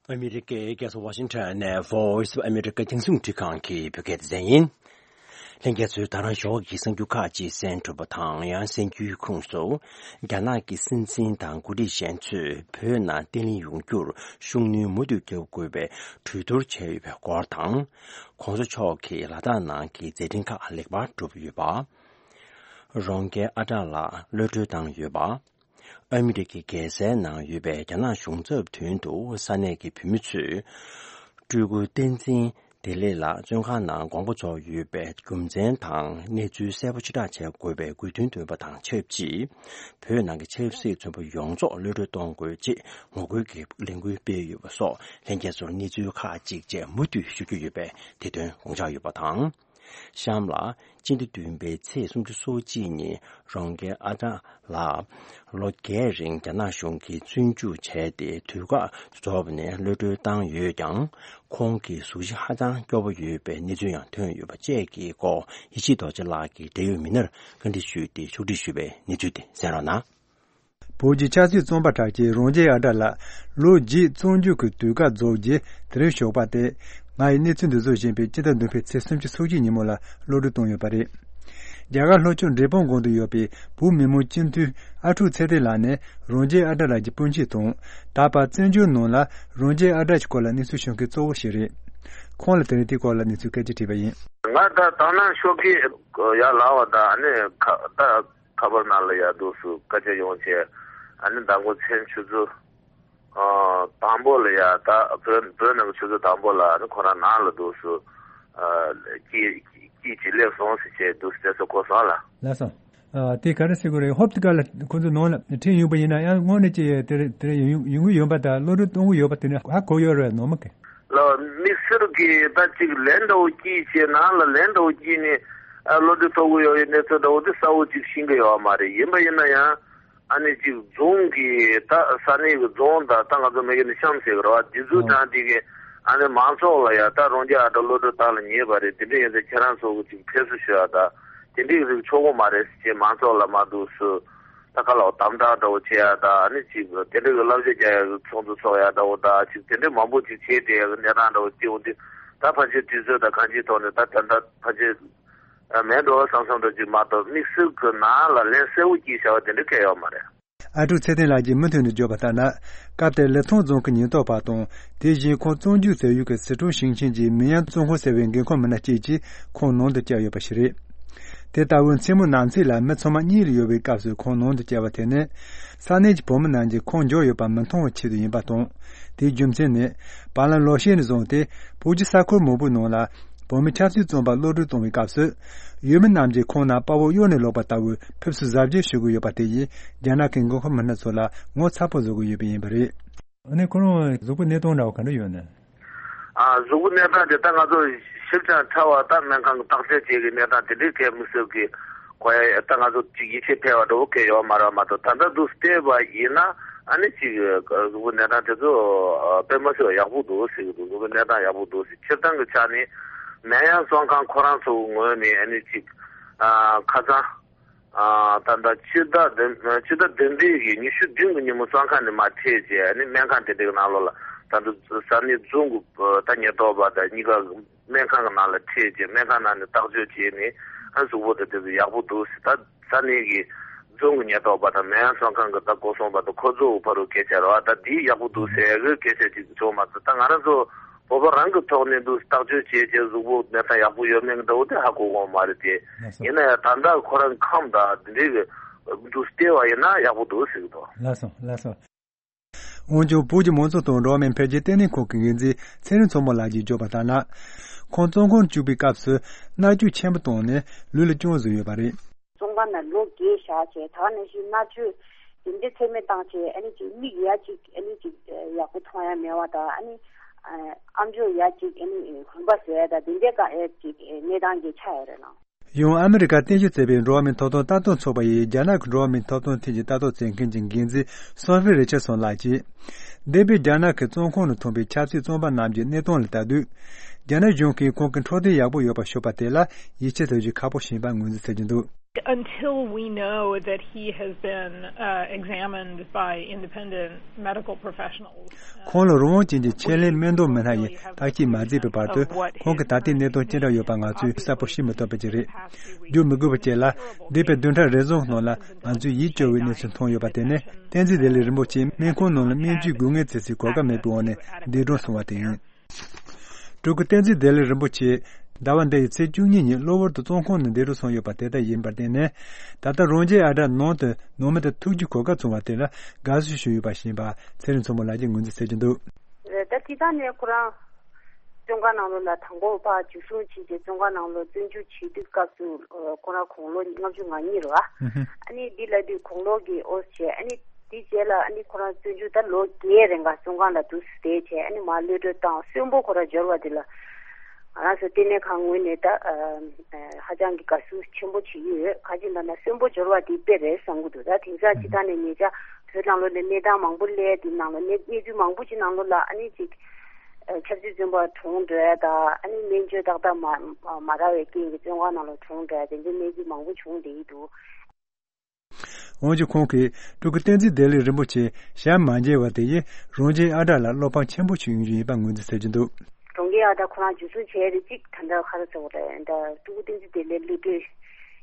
ཨ་མི་རི་ཀའི་རྒྱལ་ས་ཝ་ཤིང་ཊོན་ནས་Voice of America རྒྱང་སྲིང་རླུང་འཕྲིན་ཁང་གི་བོད་སྐད་སྡེ་ཚན་ཡིན། ལྷན་རྒྱས་ཚོས་ད་རང་ཞོགས་ཀྱི་གསར་འགྱུར་ཁག་ཅིག་གསན་གྲུབ་པ་དང་། ཡང་གསན་རྒྱུའི་ཁོངས་སུ། རྒྱ་ནག་གི་སྲིད་འཛིན་དང་འགོ་ཁྲིད་གཞན་ཚོས་བོད་ནང་བརྟན་ལྷིང་ཡོང་རྒྱུར་ཤུགས་སྣོན་མུ་མཐུད་རྒྱག་དགོས་པའི་གྲོས་བསྡུར་བྱས་ཡོད་པའི་སྐོར་དང་། གོང་ས་མཆོག་གིས་ལ་དྭགས་ནང་གི་མཛད་འཕྲིན་ཁག་ལེགས་པར་གྲུབ་ཡོད་པ། རོང་རྒྱལ་ཨ་བྲག་ལ་གློད་གྲོལ་བཏང་ཡོད་པ། ཨ་མི་རི་ཀའི་རྒྱལ་སའི་ནང་ཡོད་པའི་རྒྱ་ནག་གཞུང་ཚབ་མདུན་དུ་ས་གནས་ཀྱི་བོད་མི་ཚོས་སྤྲུལ་སྐུ་བསྟན་འཛིན་བདེ་ལེགས་ལགས་བཙོན་ཁང་ནང་དགོངས་པ་རྫོགས་ཡོད་པའི་རྒྱུ་མཚན་དང་གནས་ཚུལ་གསལ་པོ་ཕྱིར་བསྒྲགས་བྱེད་དགོས་པའི་དགོས་འདུན་བཏོན་པ་དང་ཆབས་ཅིག་བོད་ནང་གི་ཆབ་སྲིད་བཙོན་པ་ཡོངས་རྫོགས་གློད་གྲོལ་གཏོང་དགོས་ཅེས་ངོ་རྒོལ་གྱི་ལས་འགུལ་སྤེལ་ཡོད་པ་སོགས་ལྷན་རྒྱས་ཚོར་གནས་ཚུལ་ཁག་ཅིག་བཅས་མུ་མཐུད་ཞུ་རྒྱུ་ཡོད་པས་དེ་དོན་དགོངས་འཇགས་ཡོད་པ་དང་། གཤམ་ལ། སྤྱི་ཟླ་བདུན་པའི་ཚེས་སུམ་ཅུ་སོ་གཅིག་ཉིན་རོང་རྒྱལ་ཨ་བྲག་ལགས་ལོ་བརྒྱད་རིང་རྒྱ་ནག་གཞུང་གིས་བཙོན་འཇུག་བྱས་ཏེ། དུས་བཀག་རྫོགས་པ་ནས་གློད་གྲོལ་བཏང་ཡོད་ཀྱང་། ཁོང་གི་གཟུགས་གཞི་ཧ་ཅང་སྐྱོ་པོ་ཡོད་པའི་གནས་ཚུལ་ཡང་ཐོན་ཡོད་པ་བཅས་ཀྱི་སྐོར། ཡེ་ཤེས་རྡོ་རྗེ་ལགས་ཀྱིས་འབྲེལ་ཡོད་མི་སྣར་བཀའ་འདྲི་ཞུས་ཏེ་ཕྱོགས་སྒྲིག་ཞུས་པའི་གནས་ཚུལ་དེ་གསན་རོགས་གནང་། བོད་ཀྱི་ཆབ་སྲིད་བཙོན་པ་གྲགས་ཅན་རོང་རྒྱལ་ཨ་བྲག་ལགས་ལོ་བརྒྱད་བཙོན་འཇུག་གི་དུས་བཀག་རྫོགས་རྗེས། དེ་རིང་ཞོགས་པ་སྟེ། ང་ཡི་གནས་ཚུལ་འདི་ཚོ་བཞིན་པའི་སྤྱི་ཟླ་བདུན་པའི་ཚེས་སུམ་ཅུ་སོ་གཅིག་ཉིན་མོ་ལ་གློད་གྲོལ་བཏང་ཡོད་པ་རེད། རྒྱ་གར་ལྷོ་ཕྱོགས་འབྲས་སྤུངས་གོང་དུ་ཡོད་པའི་བོད་མི་མང་སྤྱི་འཐུས་ཨ་ཁྲུག་ཚེ་བརྟན་ལགས་ནི་རོང་རྒྱལ་ཨ་བྲག་ལགས་ཀྱི་སྤུན་མཆེད་དང་། ད་བར་བཙན་བྱོལ་ནང་ལ་རོང་རྒྱལ་ཨ་བྲག་གི་སྐོར་ལ་གནས་ཚུལ་ཤོད་མཁན་གཙོ་བོ་ཞིག་རེད། ཁོང་ལ་དེ་རིང་དེའི་སྐོར་ལ་གནས་ཚུལ་སྐད་ཆ་དྲིས་པ་ཡིན། ང་ད་དང་ནང་ཤོག་གི་ཡར་ལ་བ་ད་ཨ་ནི་ཁ་ད་ཁ་པར་ནང་ལ་ཡར་འདུག་སུ་སྐད་ཆ་ཡོང་བྱས་ཨ་ནི་མདང་དགོང་མཚན་ཆུ་ཚོད་ཨ་དང་པོ་ལ་ཡར་ད་བོད་བོད་ནང་གི་ཆུ་ཚོད་དང་པོ་ལ་ཨ་ནི་ཁོ་རང་ནང་ལ་འདུག་སུ་ཨ་སྐྱིད་སྐྱིད་ཅིག་སླེབས་སོང་ཟེར་བྱས་འདུག་སུ་དེ་ཚོ་གོ་སོང་ལ། ལགས་སོ། ཨ་དེ་ག་རེ་ཟེར་དགོས་རེད། ཧོབ་ཏེ་ག་ལ་ཁོ་ཚོ་ནང་ལ་ཁྲིད་ཡོང་པ་ཡིན་ན་ཡང་དངོས་གནས་ཀྱི་དེ་རེད་དེ་རེད་ཡོང་ཡོང་གི་ཡོད་པ་དང་གློད་གྲོལ་གཏོང་གི་ཡོད་པ་དེ་ནི་ཧ་གོ་ཡོད་རེད་ནོར་མ་གི། ལ་དམིགས་བསལ་གྱི་ད་ཅིག་ལན་འདྲ་བོ་སྐྱིད་བྱས་ནང་ལ་ལན་འདྲ་བོ་སྐྱིད་ནས་ཨ་གློད་གྲོལ་ཐོབ་གི་ཡོད་པའི་གནས་ཚུལ་འདྲ་བོ་དེ་གསལ་བོ་ཅིག་ཤེས་ཀྱི་ཡོད་མ་རེད། ཡིན་པ་ཡིན་ན་ཡང་ཨ་ནི་ཅིག་རྫོང་གི་ད་ས་གནས་ཀྱི་རྫོང་དང་ད་ང་ཚོ་མེ་གི་ནི་གཤམ་ཟེར་གི་རེད་བ། དེ་ཚོ་ཨ་དང་དེ་གི་ཨ་ནི་མང་ཚོགས་ལ་ཡ་ད་རང་རྒྱལ་ཨ་ད་གློད་གྲོལ་བཏང་ལ་ཉེས་པ་རེད། དེ་འདྲ་ཡིན་ཙང་ཁྱེད་རང་ཚོ་གི་ཅིག་ཕེབས་བསུ་ཞུ་ཡ་ད་དེ་འདྲའི་རིགས་ཆོག་གི་མ་རེད་ཟེར་བྱས་མང་ཚོགས་ལ་མ་འདུག་སུ། ད་ག་ལ་དམ་དྲག་འདྲ་བོ་བྱེད་ཡ་ད་ཨ་ནི་ཅིག་དེ་འདྲ་གི་བསླབ་བྱ་རྒྱག་ཡ་གི་ཚོགས་འདུ་ཚོགས་ཡ་འདྲ་བོ་ད་ཅིག་དེ་འདྲ་མང་པོ་ཅིག་བྱས་བསྡད་ཡ་གི་གནས་སྟངས་འདྲ་བོ་སྐྱེ་འོང་དུས་ད་ཕལ་ཆེར་དུས་ཚོད་དང་གང་ཅིའི་ཐོག་ནས་ད་ད་ལྟ་ཕལ་ཆེར་མེད་འགྲོ་བསམ་བསམ་འདྲ་ཅིག་མ་གཏོགས་དམིགས་བསལ་གི་ནང་ལ་ལན་གསལ་བོ་སྐྱིད་བྱ་བ་དེ་འདྲ་གལ་ཡོད་མ་རེད། ཨ་ཀྲུག་ཚེ་བརྟན་ལགས་ཀྱིས་མུ་མཐུད་ནས་བརྗོད་པ་ལྟར་ན། སྐབས་དེར་ལི་ཐང་རྫོང་གི་ཉེན་རྟོག་པ་དང་དེ་བཞིན་ཁོང་བཙོན་འཇུག་མཛད་ཡུལ་གྱི་སི་ཁྲོན་ཞིང་ཆེན་གྱི་མིན་ཡང་བཙོན་ཁང་ཟེར་བའི་འགན་ཁུར་མི་སྣ་བཅས་ཀྱིས་ཁོང་ནང་དུ་བསྐྱལ་ཡོད་པ་ཞིག་རེད། དེ་ལྟ་བུའི་མཚན་མོ་ནག་འཚིག་ལ་མི་ཚང་མ་གཉིད་ལ་ཡོད་པའི་སྐབས་སུ་ཁོང་ནང་དུ་བསྐྱལ་བ་དེ་ནི། ས་གནས་ཀྱི་བོད་མི་རྣམས་ཀྱིས་ཁོང་འབྱོར་ཡོད་པ་མི་མཐོང་བའི་ཆེད་དུ་ཡིན་པ་དང་། དེའི་རྒྱུ་མཚན་ནི། བར་ལམ་ལོ་ཤས་ནས་བཟུང་སྟེ་བོད་ཀྱི་ས་ཁུལ་མང་པོའི་ནང་ལ་བོད་མི་ཆབ་སྲིད་བཙོན་པ་གློད་གྲོལ་གཏོང་བའི་སྐབས་སུ། ཡུལ་མི་རྣམས་ཀྱིས་ཁོང་རྣམས་དཔའ་བོ་གཡོ་ནས་ལོག་པ་ལྟ་བུའི་ཕེབས་བསུ་གཟབ་རྒྱས་ཞུ་གི་ཡོད་པ་དེ་ཡིས་རྒྱ་ནག་གི་འགན་ཁུར་མི་སྣ་ཚོ་ལ་ངོ་ཚ་པོ་བཟོ་གི་ཡོད་པ་ཡིན་པ་རེད། ཨ་ནི་ཁོ་རང་གཟུགས་པོ་གནས་སྟངས་འདྲ་བ་ག་འདྲ་ཡོད་ན། ཨ་གཟུགས་པོ་གནས་སྟངས་དེ་ད་ང་ཚོ་ཞིབ་ཅིང་ཕྲ་བ་ད་སྨན་ཁང་གི་བརྟག་དཔྱད་བྱེད་ཀྱི་གནས་སྟངས་དེ་འདྲའི་གལ་མི་གསལ་གི་གོ་ཡ་ད་ང་ཚོ་ཅིག་ཡིད་ཆེས་འཕེར་བ་འདྲ་བོ་གལ་ཡོད་མ་རེད་མ་གཏོགས་ད་ལྟ་འདུག་བལྟས་པ་ཡིན་ན་ཨ་ནི་ཅིག་གཟུགས་པོ་གནས་སྟངས་དེ་ཚོ་དཔེ་མ་སྲིད་པ་ཡག་པོ་འདུག་ཟེར་གི་འདུག་གཟུགས་པོ་གནས་སྟངས་ཡག་པོ་འདུག་ཟེར། སྤྱིར་བཏང་གི་ཆ་ནས་ནན་ཡང་བཙོན་ཁང་ཁོ་རང་ཚོ་གི་ངོས་ནས་ཨ་ནི་ཅིག་ཨ་ཁ་སང་ཨ་ད་ལྟ་ཕྱི་ཟླ་བདུན་ཕྱི་ཟླ་བདུན་པའི་གི་ཉི་ཤུ་བདུན་གི་ཉིན་མོ་བཙོན་ཁང་ནས་མར་ཁྲིད་བྱས་ཨ་ནི་སྨན་ཁང་དེ་འདྲའི་གི་ནང་ལོགས་ལ་ད་ལྟ་ས་གནས་རྫོང་གི་ད་ཉེན་རྟོག་པ་དང་གཉིས་ཀ་སྨན་ཁང་གི་ནང་ལ་ཁྲིད་བྱས་སྨན་ཁང་ནང་ནས་བརྟག་དཔྱད་བྱས་ནས་ཨ་གཟུགས་པོ་དེ་དེ་ཚོ་ཡག་པོ་འདུག་ཟེར། ད་ས་གནས་ཀྱི་རྫོང་གི་ཉེན་རྟོག་པ་དང་ནན་ཡང་བཙོན་ཁང་གི་ད་སྐོར་སོང་པ་དང་ཁོ་ཚོ་བར་དུ་སྐད་ཆ་རེད་བ། ད་འདི་ཡག་པོ་འདུག་ཟེར་གི་སྐད་ཆ་ཅིག་བྱུང་མ་ཐུབ། ད་ང་རང་ཚོ་བོད་པ་རང་གི་ཐོག་ནས་འདུག་བརྟག་དཔྱད་བྱས་རྗེས་གཟུགས་པོ་གནས་སྟངས་ཡག་པོ་ཡོད་མེད་ཀྱི་འདྲ་བོ་དེ་ཧ་གོ་གོ་མ་རེད་དེ། ལགས་སོ། ཡིན་ན་ཡང་ད་ལྟ་ཁོ་རང་ཁམས་དང་འདི་འདྲའི་གི་འདུག་བལྟས་པ་ཡིན་ན་ཡག་པོ་འདུག་ཟེར་གི་འདུག་ལགས་སོ་ལགས་སོ། འོན་ཀྱང་བོད་ཀྱི་མང་གཙོ་དང་འགྲོ་བ་མིའི་འཕེལ་རྒྱས་ལྟེ་གནས་ཁང་གི་འགན་འཛིན་ཚེ་རིང་མཚོ་མོ་ལགས་ཀྱིས་བརྗོད་པ་ལྟར་ན། ཁོང་བཙོན་ཁང་བཅུག་པའི་སྐབས་སུ་མནར་གཅོད་ཆེན་པོ་བཏང་ནས་ལུས་ལ་སྐྱོན་བཟོས་ཡོད་པ་རེད། བཙོན་ཁང་ནང་ལོ་བརྒྱད་བཞག་བྱས་ད་ག་ནང་བཞིན་མནར་གཅོད་དེ་འདྲ་ཚད་མེད་བཏང་བྱས་ཨ་ནི་ཅིག་མིག་ཡ་གཅིག་ཨ་ནི་ཅིག་ཡག་པོ་མཐོང་ཡ་མེད་པ་དང་ཨ་ནི་ཨམ་ཅོག་ཡ་གཅིག་ཨ་ནི་གོན་པ་བཟོ་ཡ་དང་དེ་འདྲའི་ག་ཨེ་ཅིག་གནས་སྟངས་ཀྱི་ཆགས་ཡོད་རེད་ལགས། ཡང་ཨ་མི་རི་ཀ་རྟེན་གཞི་བྱས་པའི་འགྲོ་བ་མིའི་ཐོབ་ཐང་ལྟ་རྟོག་ཚོགས་པ་ཡིས་རྒྱ་ནག་གི་འགྲོ་བ་མིའི་ཐོབ་ཐང་ཐད་ཀྱི་ལྟ་རྟོག་བྱེད་མཁན་གྱི་འགན་འཛིན་སོ་ཧྥི་རི་ཆར་སོན་ལགས་ཀྱིས། འདས་པའི་རྒྱ་ནག་གི་བཙོན་ཁང་ནང་ཐོན་པའི་ཆབ་སྲིད་བཙོན་པ་རྣམས་ཀྱི་གནས་སྟངས་ལ་ལྟ་དུས། རྒྱ་ནག་གཞུང་གིས་ཁོང་གི་འཕྲོད་བསྟེན་ཡག་པོ་ཡོད་པ་ཤོད་པ་དེ་ལ་ཡིད་ཆེས་ཐོབ་རྒྱུ་ཁག་པོ་ཞིག་ཡིན་པ་ངོས་འཛིན་བྱེད་ཀྱི་འདུག Until we know that he has been, uh, examined by independent medical professionals. ཁོང་ལ་རང་དབང་ཅན་གྱི་ཆེད་ལས་སྨན་དོན་མི་སྣ་ཡིས་བརྟག་དཔྱད་མ་མཛད་པའི་བར་དུ་ཁོང་གི་ད་ལྟའི་གནས་སྟངས་ཅི་འདྲ་ཡོད་པ་ང་ཚོས་གསལ་པོ་ཤེས་མི་ཐུབ་པ་ཅིག་རེད། བརྗོད་མི་དགོས་པ་བཅས་ལ། འདས་པའི་བདུན་ཕྲག་རེ་ཟུང་ནང་ལ་ང་ཚོས་ཡིད་སྐྱོ་བའི་གནས་ཚུལ་མཐོང་ཡོད་པ་དེ་ནི་བསྟན་འཛིན་བདེ་ལེགས་རིན་པོ་ཆེ་སྨན་ཁང་ནང་ལ་སྨན་བཅོས་དགོས་ངེས་ཚེ་སྲོག་གོ་སྐབས་མེད་པའི་འོག་ནས་འདས་གྲོངས་སོང་བ་དེ་ཡིན། སྤྲུལ་སྐུ་བསྟན་འཛིན་བདེ་ལེགས་རིན་པོ་ཆེ་ཟླ་བ་འདི་ཡི་ཚེས་བཅུ་གཉིས་ཉིན་གློ་བུར་དུ་བཙོན་ཁང་ནས་འདས་གྲོངས་སོང་ཡོད་པ་དེ་ལྟར་ཡིན་པར་བརྟེན་ནས། ད་ལྟ་རང་རྒྱལ་ཨ་བྲ་ནང་དུ་ནང་མི་དང་ཐུག་རྒྱུའི་གོ་སྐབས་བྱུང་བ་དེ་ལ་དགའ་བསུ་ཞུས་ཡོད་པ་ཞིག་ཡིན་པ་ཚེ་རིང་མཚོ་མོ་ལགས་ཀྱིས་ངོས་འཛིན་བྱེད་ཀྱི་འདུག་ད་དེ་དག་ནས་ཁོ་རང་བཙོན་ཁང་ནང་ལོགས་ལ་དང་པོ་ཕར་འཇུ་བཟུང་བྱས་རྗེས་བཙོན་ཁང་ནང་ལོགས་བཙོན་འཇུག་བྱེད་དུས་སྐབས་སུ་ཁོ་རང་དགུང་ལོ་ལྔ་བཅུ་ང་གཉིས་རེད་བ། ཨ་ནི་འདི་ལ་དུས་དགུང་ལོ་གི་ཨོ་བྱས་ཨ་ནི་དེ་རྗེས་ལ་ཨ་ནི་ཁོ་རང་བཙོན་འཇུག་ད་ལོ་བརྒྱད་རིང་ག་བཙོན་ཁང་ལ་འདུག་སེ་བསྡད་བྱས་ཨ་ནི་མར་གློད་གྲོལ་བཏང་གསོན་པོ་ཁོ་རང་འབྱོར་བ་དེ་ལ་ང་རང་ཚོ་ལྟེ་གནས་ཁང་ངོས་ནས་ད་ཧ་ཅང་གི་དགའ་བསུ་ཆེན་པོ་བྱེད་ཀྱི་ཡོད། ག་ཅི་ལབ་ན་གསོན་པོ་འབྱོར་བ་དེ་དཔེ་རེད་བསམ་གྱི་འདུག་ད་དེང་སང་སྤྱི་བཏང་ནས་ཉེ་ཆར་བོད་ནང་ལོགས་ནས་གནས་སྟངས་མང་པོ་སླེབས་དེ་ནང་ལ་གནས་གནས་ཚུལ་མང་པོ་ཅིག་ནང་ལོགས་ལ་ཨ་ནི་ཅིག་ཆབ་སྲིད་བཙོན་པ་གྲོངས་འགྲོ་ཡ་དང་ཨ་ནི་སྨན་བཅོས་ཏག་ཏག་མ་མ་རག་པའི་རྐྱེན་གྱིས་བཙོན་ཁང་ནང་ལ་གྲོངས་འགྲོ་ཡ་དེ་འདྲའི་གནས་ཚུལ་མང་པོ་བྱུང་བསྡད་ཀྱི་འདུག་འོན་ཀྱང་ཁོང་གིས་སྤྲུལ་སྐུ་བསྟན་འཛིན་བདེ་ལེགས་རིན་པོ་ཆེ་ཞལ་མ་མཇལ་བ་དེ་ཡིས་རང་བཞིན་ཨ་བྲ་ལ་བློ་ཕམ་ཆེན་པོ་ཞིག་ཡོང་རྒྱུ་ཡིན་པ་ངོས་འཛིན་བྱེད་ཀྱི་འདུག་རང་བཞིན་ཨ་བྲ་ཁོ་རང་འཇུ་བཟུང་བྱས་རེད་ཅིག་ད་ལྟ་ག་རེ་ཟེར་དགོས་རེད་ད་སྤྲུལ་སྐུ་བསྟན་འཛིན་བདེ་ལེགས་གློད་གྲོལ་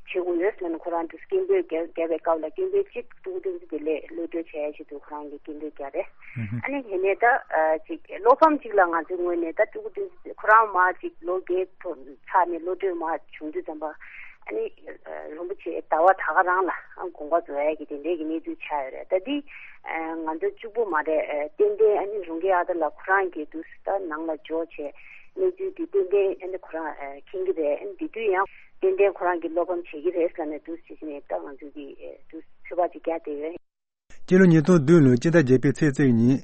བྱེད་དགོས་ཡོད་ཟེར་ནས་ཁོ་རང་དུ་སྐད་འབོད་རྒྱག་རྒྱག་པའི་སྐབས་ལ་སྐད་འབོད་གཅིག་ཀྲུའུ་ཏུང་ཙི་དེ་ལས་གློད་གྲོལ་བྱས་ཡ་ཆེད་དུ་ཁོ་རང་གིས་སྐད་འབོད་རྒྱག་རེད། ཨ་ནི་དེ་ནས་ད་ཅིག་བློ་ཕམ་ཅིག་ལ་ང་ཚོའི་ངོས་ནས་ད་ཀྲུའུ་ཏུང་ཙི་ཁོ་རང་མར་ཅིག་ལོ་བརྒྱད་ཐོག་ཚར་ནས་གློད་གྲོལ་མར་བྱུང་དུས་ཙམ་པ་ཨ་ནི་རིན་པོ་ཆེ་ཟླ་བ་ད་ག་རང་ལ་དགོངས་པ་རྫོགས་ཡ་གི་དེ་འདྲའི་གི་གནས་ཚུལ་ཆགས་ཡོད་རེད། ད་འདི་ང་ཚོ་གཅིག་པུ་མ་རེད། ཏན་ཏན་ཨ་ནི་རུང་གི་ཨ་ད་ལ་ཁོ་རང་གི་དུས་ད་ནང་ལ་འབྱོར་བྱས་གནས་ཚུལ་འདི་ཏན་ཏན་ཨ་ནི་ཁོ་རང་མཁྱེན་གི་རེད། ཨ་ནི་འདི་དུས་ཡང་ཏན་ཏན་ཁོ་རང་གི་བློ་ཕམ་བྱེད་ཀྱི་རེད་ཟེར་ནས་དུས་ཕྱིས་ནས་ད་ང་ཚོ་གི་དུས་ཚོད་པ་ཅིག་བརྒྱབ་བསྡད་ཡོད། སྤྱི་ལོ་ཉིས་སྟོང་བདུན་ལོའི་སྤྱི་ཟླ་བརྒྱད་པའི་ཚེས་གཅིག་ཉིན།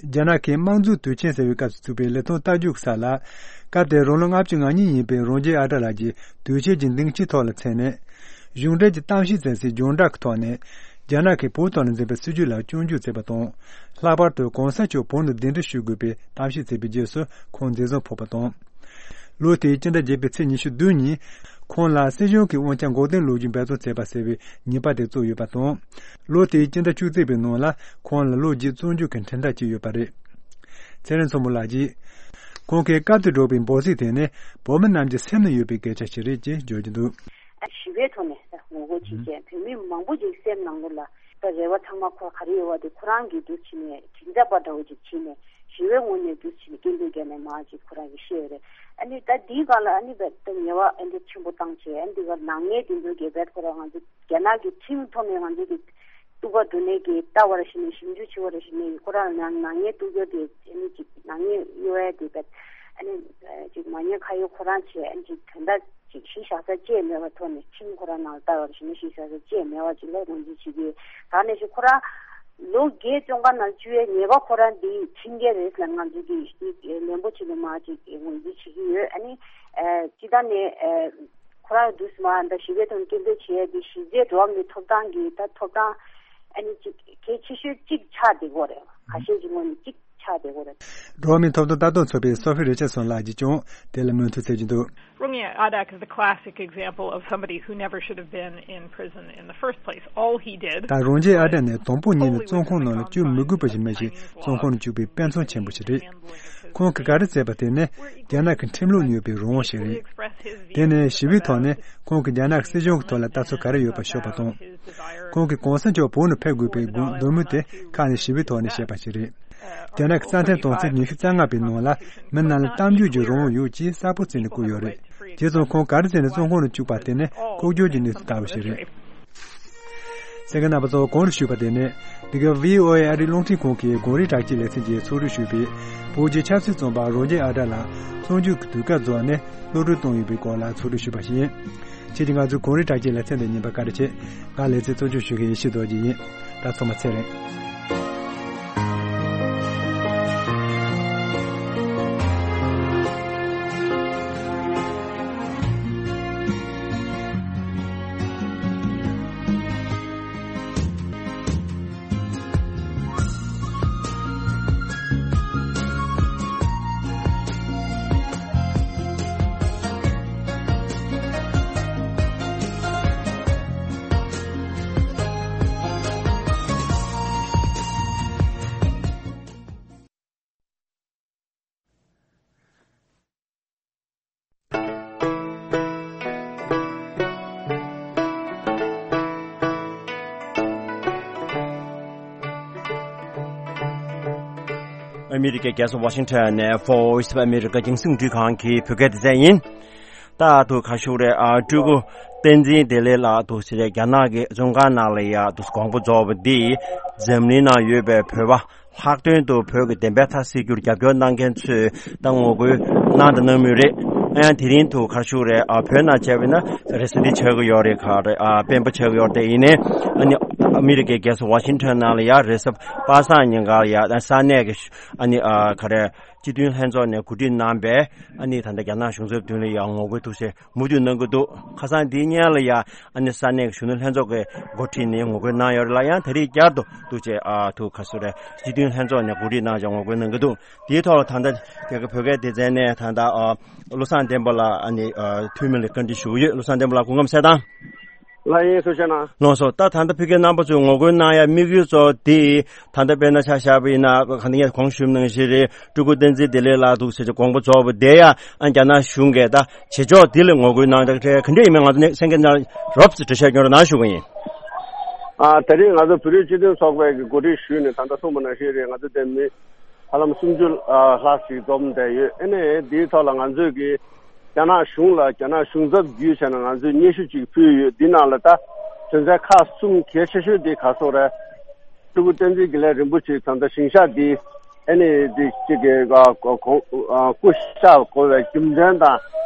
རྒྱ་ནག་གི་དམངས་གཙོའི་དུས་ཆེན་ཟེར་བའི་སྐབས་སུ་བཙུགས་པའི་ལི་ཐང་རྟ་རྒྱུག་ས་ལ། སྐབས་དེར་རང་ལོ་ལྔ་བཅུ་ང་གཉིས་ཡིན་པའི་རོང་རྒྱས་ཨ་བྲ་ལགས་ཀྱིས་དུས་ཆེན་གྱི་སྡིངས་ཆའི་ཐོག་ལ་མཚན་ནས། གཞུང་འབྲེལ་གྱི་གཏམ་བཤད་ཚན་སའི་སྦྱོང་བརྡར་གྱི་ཐོག་ནས། རྒྱ་ནག་གིས་བོད་ཐོག་ལ་འཛིན་པའི་སྲིད་བྱུས་ལ་སྐྱོན་བརྗོད་མཛད་པ་དང་། ལྷག་པར་དུ་གོང་ས་མཆོག་བོད་ནང་གདན་འདྲེན་ཞུ་དགོས་པའི་གཏམ་བཤད་མཛད་པའི་རྗེས་སུ་ཁོང་འཛིན་བཟུང་ཕོག་པ་དང་། ལོ་དེའི་སྤྱི་ཟླ་བརྒྱད་པའི་ཚེས་ཉི་ཤུ་བདུན་ཉིན། ཁོང་ལ་སྲིད་གཞུང་གི་དབང་ཆ་འགོག་སྡེམ་ལོ་རྒྱུས་འབད་བརྩོན་བྱས་པ་ཟེར་བའི་ཉེས་པ་དེ་བཙུགས་ཡོད་པ་དང་། ལོ་དེའི་སྤྱི་ཟླ་བཅུ་གཅིག་པའི་ནང་ལ་ཁོང་ལ་ལོ་བརྒྱད་བཙོན་འཇུག་གི་ཁྲིམས་ཐག་བཅད་ཡོད་པ་རེད། ཚེ་རིང་མཚོ་མོ་ལགས་ཀྱིས། ཁོང་གིས་སྐབས་དེར་སྒྲོག་པའི་འབོད་ཚིག་དེ་ནི་བོད་མི་རྣམས་ཀྱི་སེམས་ནང་ཡོད་པའི་སྐད་ཆ་ཞིག་རེད་ཅེས་བརྗོད་ཀྱི་འདུག་ཞི་བའི་ཐོག་ནས་ངོ་རྒོལ་བྱེད་མཁན་བོད་མི་མང་པོ་ཞིག་སེམས་ནང་ལོགས་ལ། ད་རེ་བ་ཚང་མ་ཁོ་ག་རེ་ཡོད་པ་དེ་ཁོ་རང་གིས་འདུག་བྱས་ནས་མགྲིན་ཚབ་པ་འདྲ་བོ་ཅིག་བྱས་ནས་ཞི་བའི་ངོས་ནས་འདུག་བྱས་ནས་སྐད་འབོད་བརྒྱབ་ནས་མར་ཅིག་ཁོ་རང་གིས་བཤད་ཡོད་རེད། ཨ་ནི་ད་འདིའི་སྒང་ལ་ཨ་ནི་ད་ད་ཉེས་པ་ཨ་འདི་ཆེན་པོ་བཏང་བྱས་ཨ་འདི་ག་ནག་ཉེས་འདི་འདུག་རྒྱལ་བལ་ཁོ་རང་ང་ཚོ་རྒྱ་ནག་གི་ཁྲིམས་ཐོག་ནས་ང་ཚོ་གི་གཏུག་པ་འདུག་ནས་གི་ལྟ་བར་ཞིག་ནས་ཞིབ་འཇུག་བྱེད་པར་ཞིག་ནས་ཁོ་རང་ནང་ནག་ཉེས་གཏུག་རྒྱུ་དེ་ཨ་ནི་ཅིག་ནག་ཉེས་གཡོ་ཡ་དེ་བས་ཨ་ནི་ཅིག་མ་ཉེས་ཁ་གཡོག་ཁོ་རང་བྱས་ཨ་ནི་ཅིག་དོན་དག་ཅིག་གཞི་བཞག་ས་བཅས་མེད་པ་ཐོག་ནས་ཁྲིམས་ཁོ་རང་ནང་ལ་ལྟ་བར་ཞིག་ནས་གཞི་བཞག་ས་བཅས་མེད་པ་ཅིག་ལ་ངོས་འཛིན་བྱེད་ཀྱི་ད་ནས་ཞིག་ཁོ་རང་ལོ་བརྒྱད་བཙོན་ཁང་ནང་བཅུག་ཡའི་ཉེས་པ་ཁོ་རང་འདི་ཁྲིམས་འགལ་རེད་ལ་ང་ཚོ་གི་ལན་པོ་ཆེ་གི་མ་ཅིག་ངོས་འཛིན་བྱེད་ཀྱི་ཡོད། ཨ་ནི་སྤྱི་བཏང་ནས་ཁོ་རང་དུས་མ་འདི་ཞི་བའི་ཐོག་སྐད་འབོད་བྱེད་ཡ་འདི་གཞི་རྩའི་འགྲོ་བ་མིའི་ཐོབ་ཐང་གི་ད་ཐོབ་ཐང་ཨ་ནི་ཅིག་གལ་ཆེ་ཤོས་གཅིག་ཆགས་བསྡད་ཀྱི་ཡོད་རེད། ཁ་ཤས་ཀྱི་ངོས་ནས་གཅིག་ཆགས་བསྡད་ཀྱི་ཡོད་རེད། འགྲོ་བ་མིའི་ཐོབ་ཐང་ལྟ་རྟོག་ཚོགས་པའི་སོ་ཕི་རི་ཆར་སོན་ལགས་ཀྱིས་ཀྱང་དེ་ལ་མོས་མཐུན་བྱེད་ཀྱི་འདུག Rongi Adak is the classic example of somebody who never should have been in prison in the first place. All he did ད་རོང་རྒྱས་ཨ་བྲ་ནི་དང་པོ་ཉིད་ནས་བཙོན་ཁང་ནང་ལ་བཅུག་མི་དགོས་པ་ཞིག་མ་ཞིག་བཙོན་ཁང་ནང་བཅུག་པའི་དཔེ་མཚོན་ཆེན་པོ་ཞིག་རེད། ཁོང་གིས་ག་རེ་མཛད་པ་དེ་ནི་རྒྱ་ནག་གི་ཁྲིམས་ལུགས་ནས་ཡོད་པའི་རང་དབང་ཞིག་རེད། དེ་ནི་ཞི་བའི་ཐོག་ནས་ཁོང་གིས་རྒྱ་ནག་གི་སྲིད་གཞུང་གི་ཐོག་ལ་ལྟ་ཚུལ་ག་རེ་ཡོད་པ་ཤོད་པ་དང་། ཁོང་གིས་གོང་ས་མཆོག་བོད་ནང་ཕེབས་དགོས་པའི་དགོངས་འདོད་མོས་དེ་ཁ་ནས་ཞི་བའི་ཐོག་ནས་བཤད་པ་ཞིག་རེད། རྒྱ་ནག་གི་རྩ་མཐུན་དོན་ཚན་ཉི་ཤུ་རྩ་ལྔ་པའི་ནང་ལ་མི་རྣམས་ལ་གཏམ་བརྗོད་ཀྱི་རང་དབང་ཡོད་ཅེས་གསལ་པོ་བརྩིས་ནས་བཀོད་ཡོད་རེད། དེ་ཙང་ཁོང་ག་རེ་བྱས་ནས་བཙོན་ཁང་ནང་བཅུག་པ་དེ་ནི་ལྐོག་གྱུར་གྱི་གནས་ཚུལ་ལྟ་བུ་ཞིག་རེད། གསན་མཁན་རྣམ་པ་ཚོ་གོང་དུ་ཞུས་པ་དེ་ནི་འདི་ག་ཝི་ཨོ་ཨེ་ཨ་རིའི་རླུང་འཕྲིན་ཁང་གི་གངས་རི་བྲག་ཅའི་ལེ་ཚན་གྱིས་ཚོགས་སྒྲིག་ཞུས་པའི་བོད་ཀྱི་ཆབ་སྲིད་བཙོན་པ་རོང་རྒྱས་ཨ་བྲ་ལགས་བཙོན་འཇུག་གི་དུས་བཀག་རྫོགས་ནས་གློད་གྲོལ་བཏང་ཡོད་པའི་སྐོར་ལ་ཚོགས་སྒྲིག་ཞུས་པ་ཞིག་ཡིན། ཁྱེད་ཀྱིས་ང་ཚོའི་གངས་རི་བྲག་ཅའི་ལེ་ཚན་དེ་ཉན་པར་བཀའ་དྲིན་ཆེ། ང་ལེ་ཚན་གཙོ་སྐྱོང་ཞུ་མཁན་ཡེ་ཤེས་རྡོ་རྗེ་ཡིན། ད་ཚང་མ་ཚེ་རིང་། ཨ་མི་རི་ཀའི་རྒྱལ་ས་ཝ་ཤིང་ཊོན་ནས་Voice of America་རྒྱང་སྲིང་འཕྲིན་ཁང་གི་བོད་སྐད་སྡེ་ཚན་ཡིན། ད་ཐུག་ཁ་ཤུག་རེད་ཨ། སྤྲུལ་སྐུ་བསྟན་འཛིན་བདེ་ལེགས་ལགས་འདུག་ཟེར་རྒྱ་ནག་གི་བཙོན་ཁང་ནང་ལ་ཡ་འདུག་དགོངས་པ་རྫོགས་པ་འདི་འཛམ་གླིང་ནང་ཡོད་པའི་བོད་པ་ལྷག་དོན་དུ་བོད་ཀྱི་བདེན་པའི་མཐའ་གསལ་རྒྱུར་རྒྱབ་སྐྱོར་གནང་མཁན་ཚོས་ད་ངོ་རྒོལ་གནང་དང་གནང་མུས་རེད། ཨ་ཡང་དེ་རིང་ཐུག་ཁ་ཤུག་རེད་ཨ། བོད་ནང་བྱས་པ་ན་རེས་གཟའ་འདི་ཆགས་ཀྱི་ཡོད་རེད་ག་རེད་ཨ། སྤེན་པ་ཆགས་ཀྱི་ཡོད་རེད་དེ་ཡིན་ནའི་ཨ་ནི་ཨ་མི་རི་ཀའི་རྒྱལ་ས་ཝ་ཤིང་ཊོན་ནང་ལ་ཡ་རེས་གཟའ་པ་སངས་ཉིན་ག་ལ་ཡ་ས་གནས་ཀྱི་ཨ་ནི་ཨ་ག་རེད། སྤྱི་མཐུན་ལྷན་ཚོགས་ནས་གོ་སྒྲིག་གནང་བའི་ཨ་ནི་ད་ལྟ་རྒྱ་ནག་གཞུང་ཚབ་མདུན་ལ་ཡང་ངོ་རྒོལ་ཐུགས་སེ་མུ་མཐུད་གནང་གི་འདུག་ཁ་སང་འདིའི་སྔོན་ལ་ཡང་ཨ་ནི་ས་གནས་ཀྱི་གཞོན་ནུ་ལྷན་ཚོགས་ཀྱི་འགོ་ཁྲིད་ནས་ངོ་རྒོལ་གནང་ཡོད་རེད་ལ་ཡང་ད་རེས་བསྐྱར་དུ་འདུག་ཅེས་ཨ་ཐུག་ཁ་སུ་རེད་སྤྱི་མཐུན་ལྷན་ཚོགས་ནས་གོ་སྒྲིག་གནང་བྱས་ངོ་རྒོལ་གནང་གི་འདུག་དེའི་ཐོག་ལ་ད་ལྟ་དེ་ག་བོད་སྐད་སྡེ་ཚན་ནས་ད་ལྟ་ཨ་བློ་བཟང་བསྟན་པ་ལགས་ཨ་ནི་ཨ་འཐུས་མི་ལ་བཀའ་འདྲི་ཞུ་གི་ཡོད། བློ་བཟང་བསྟན་པ་ལགས་སྐུ་ཁམས་གསལ་ཐང་། ལགས་ཡིན། ཐུགས་རྗེ་གནང་། ལགས་སོ། ད་ད་ལྟ་ཕ་གིའི་རྣམ་པ་ཚོས་ངོ་རྒོལ་གནང་ཡ་དམིགས་ཡུལ་གཙོ་བོ་དེ་ད་ལྟ་དཔེར་ན་ཆ་བཞག་པ་ཡིན་ན་ག་འདི་ངས་གོང་ཞུས་ནང་བཞིན་རེད། སྤྲུལ་སྐུ་བསྟན་འཛིན་བདེ་ལེགས་ལགས་འདུག་ཟེར་གྱི་དགོངས་པ་རྫོགས་པ་དེ་ཡ་ཨ་རྒྱ་ནག་གཞུང་གིས་ད་བྱེད་ཕྱོགས་དེ་ལ་ངོ་རྒོལ་གནང་ཡ་ག་འདྲ་ཡིན་མིན་ང་ཚོ་གསན་མཁན་རྣམས་རོབ་ཙམ་འགྲེལ་བཤད་སྐྱོན་རོགས་གནང་ཞུ་གི་ཡིན། ཨ་ད་རེས་ང་ཚོ་བོད་རིགས་སྤྱི་མཐུན་ཚོགས་པའི་གི་འགོ་ཁྲིད་ཞུས་ནས་ད་ལྟ་གསུངས་པ་ནང་བཞིན་རེད། ང་ཚོ་དེ་མི་ཧ་ལམ་སུམ་ཅུ་ལྷག་ཞིག་འཛོམས་བསྡད་ཡོད། ཨ་ནི་དེའི་ཐོག་ལ་ང་ཚོས་གི་རྒྱ་ནག་གཞུང་ལ་རྒྱ་ནག་གཞུང་ཚབ་བརྒྱུད་བྱས་ནས་ང་ཚོས་སྙན་ཞུ་ཅིག་ཕུལ་ཡོད། འདི་ནང་ལ་ད་དོན་ཚན་ཁག་གསུམ་གལ་ཆེ་ཤོས་དེ་ག་སོག་རེད། སྤྲུལ་སྐུ་བསྟན་འཛིན་དགེ་ལེགས་རིན་པོ་ཆེ་ད་ལྟ་ཞིང་གཤེགས་འདི་ཨ་ནི་དེ་གཅིག་གི་ཨ་གོ་གོ་ཨ་སྐུ་གཤེགས་དགོས་པའི་རྒྱུ་མཚན་དང་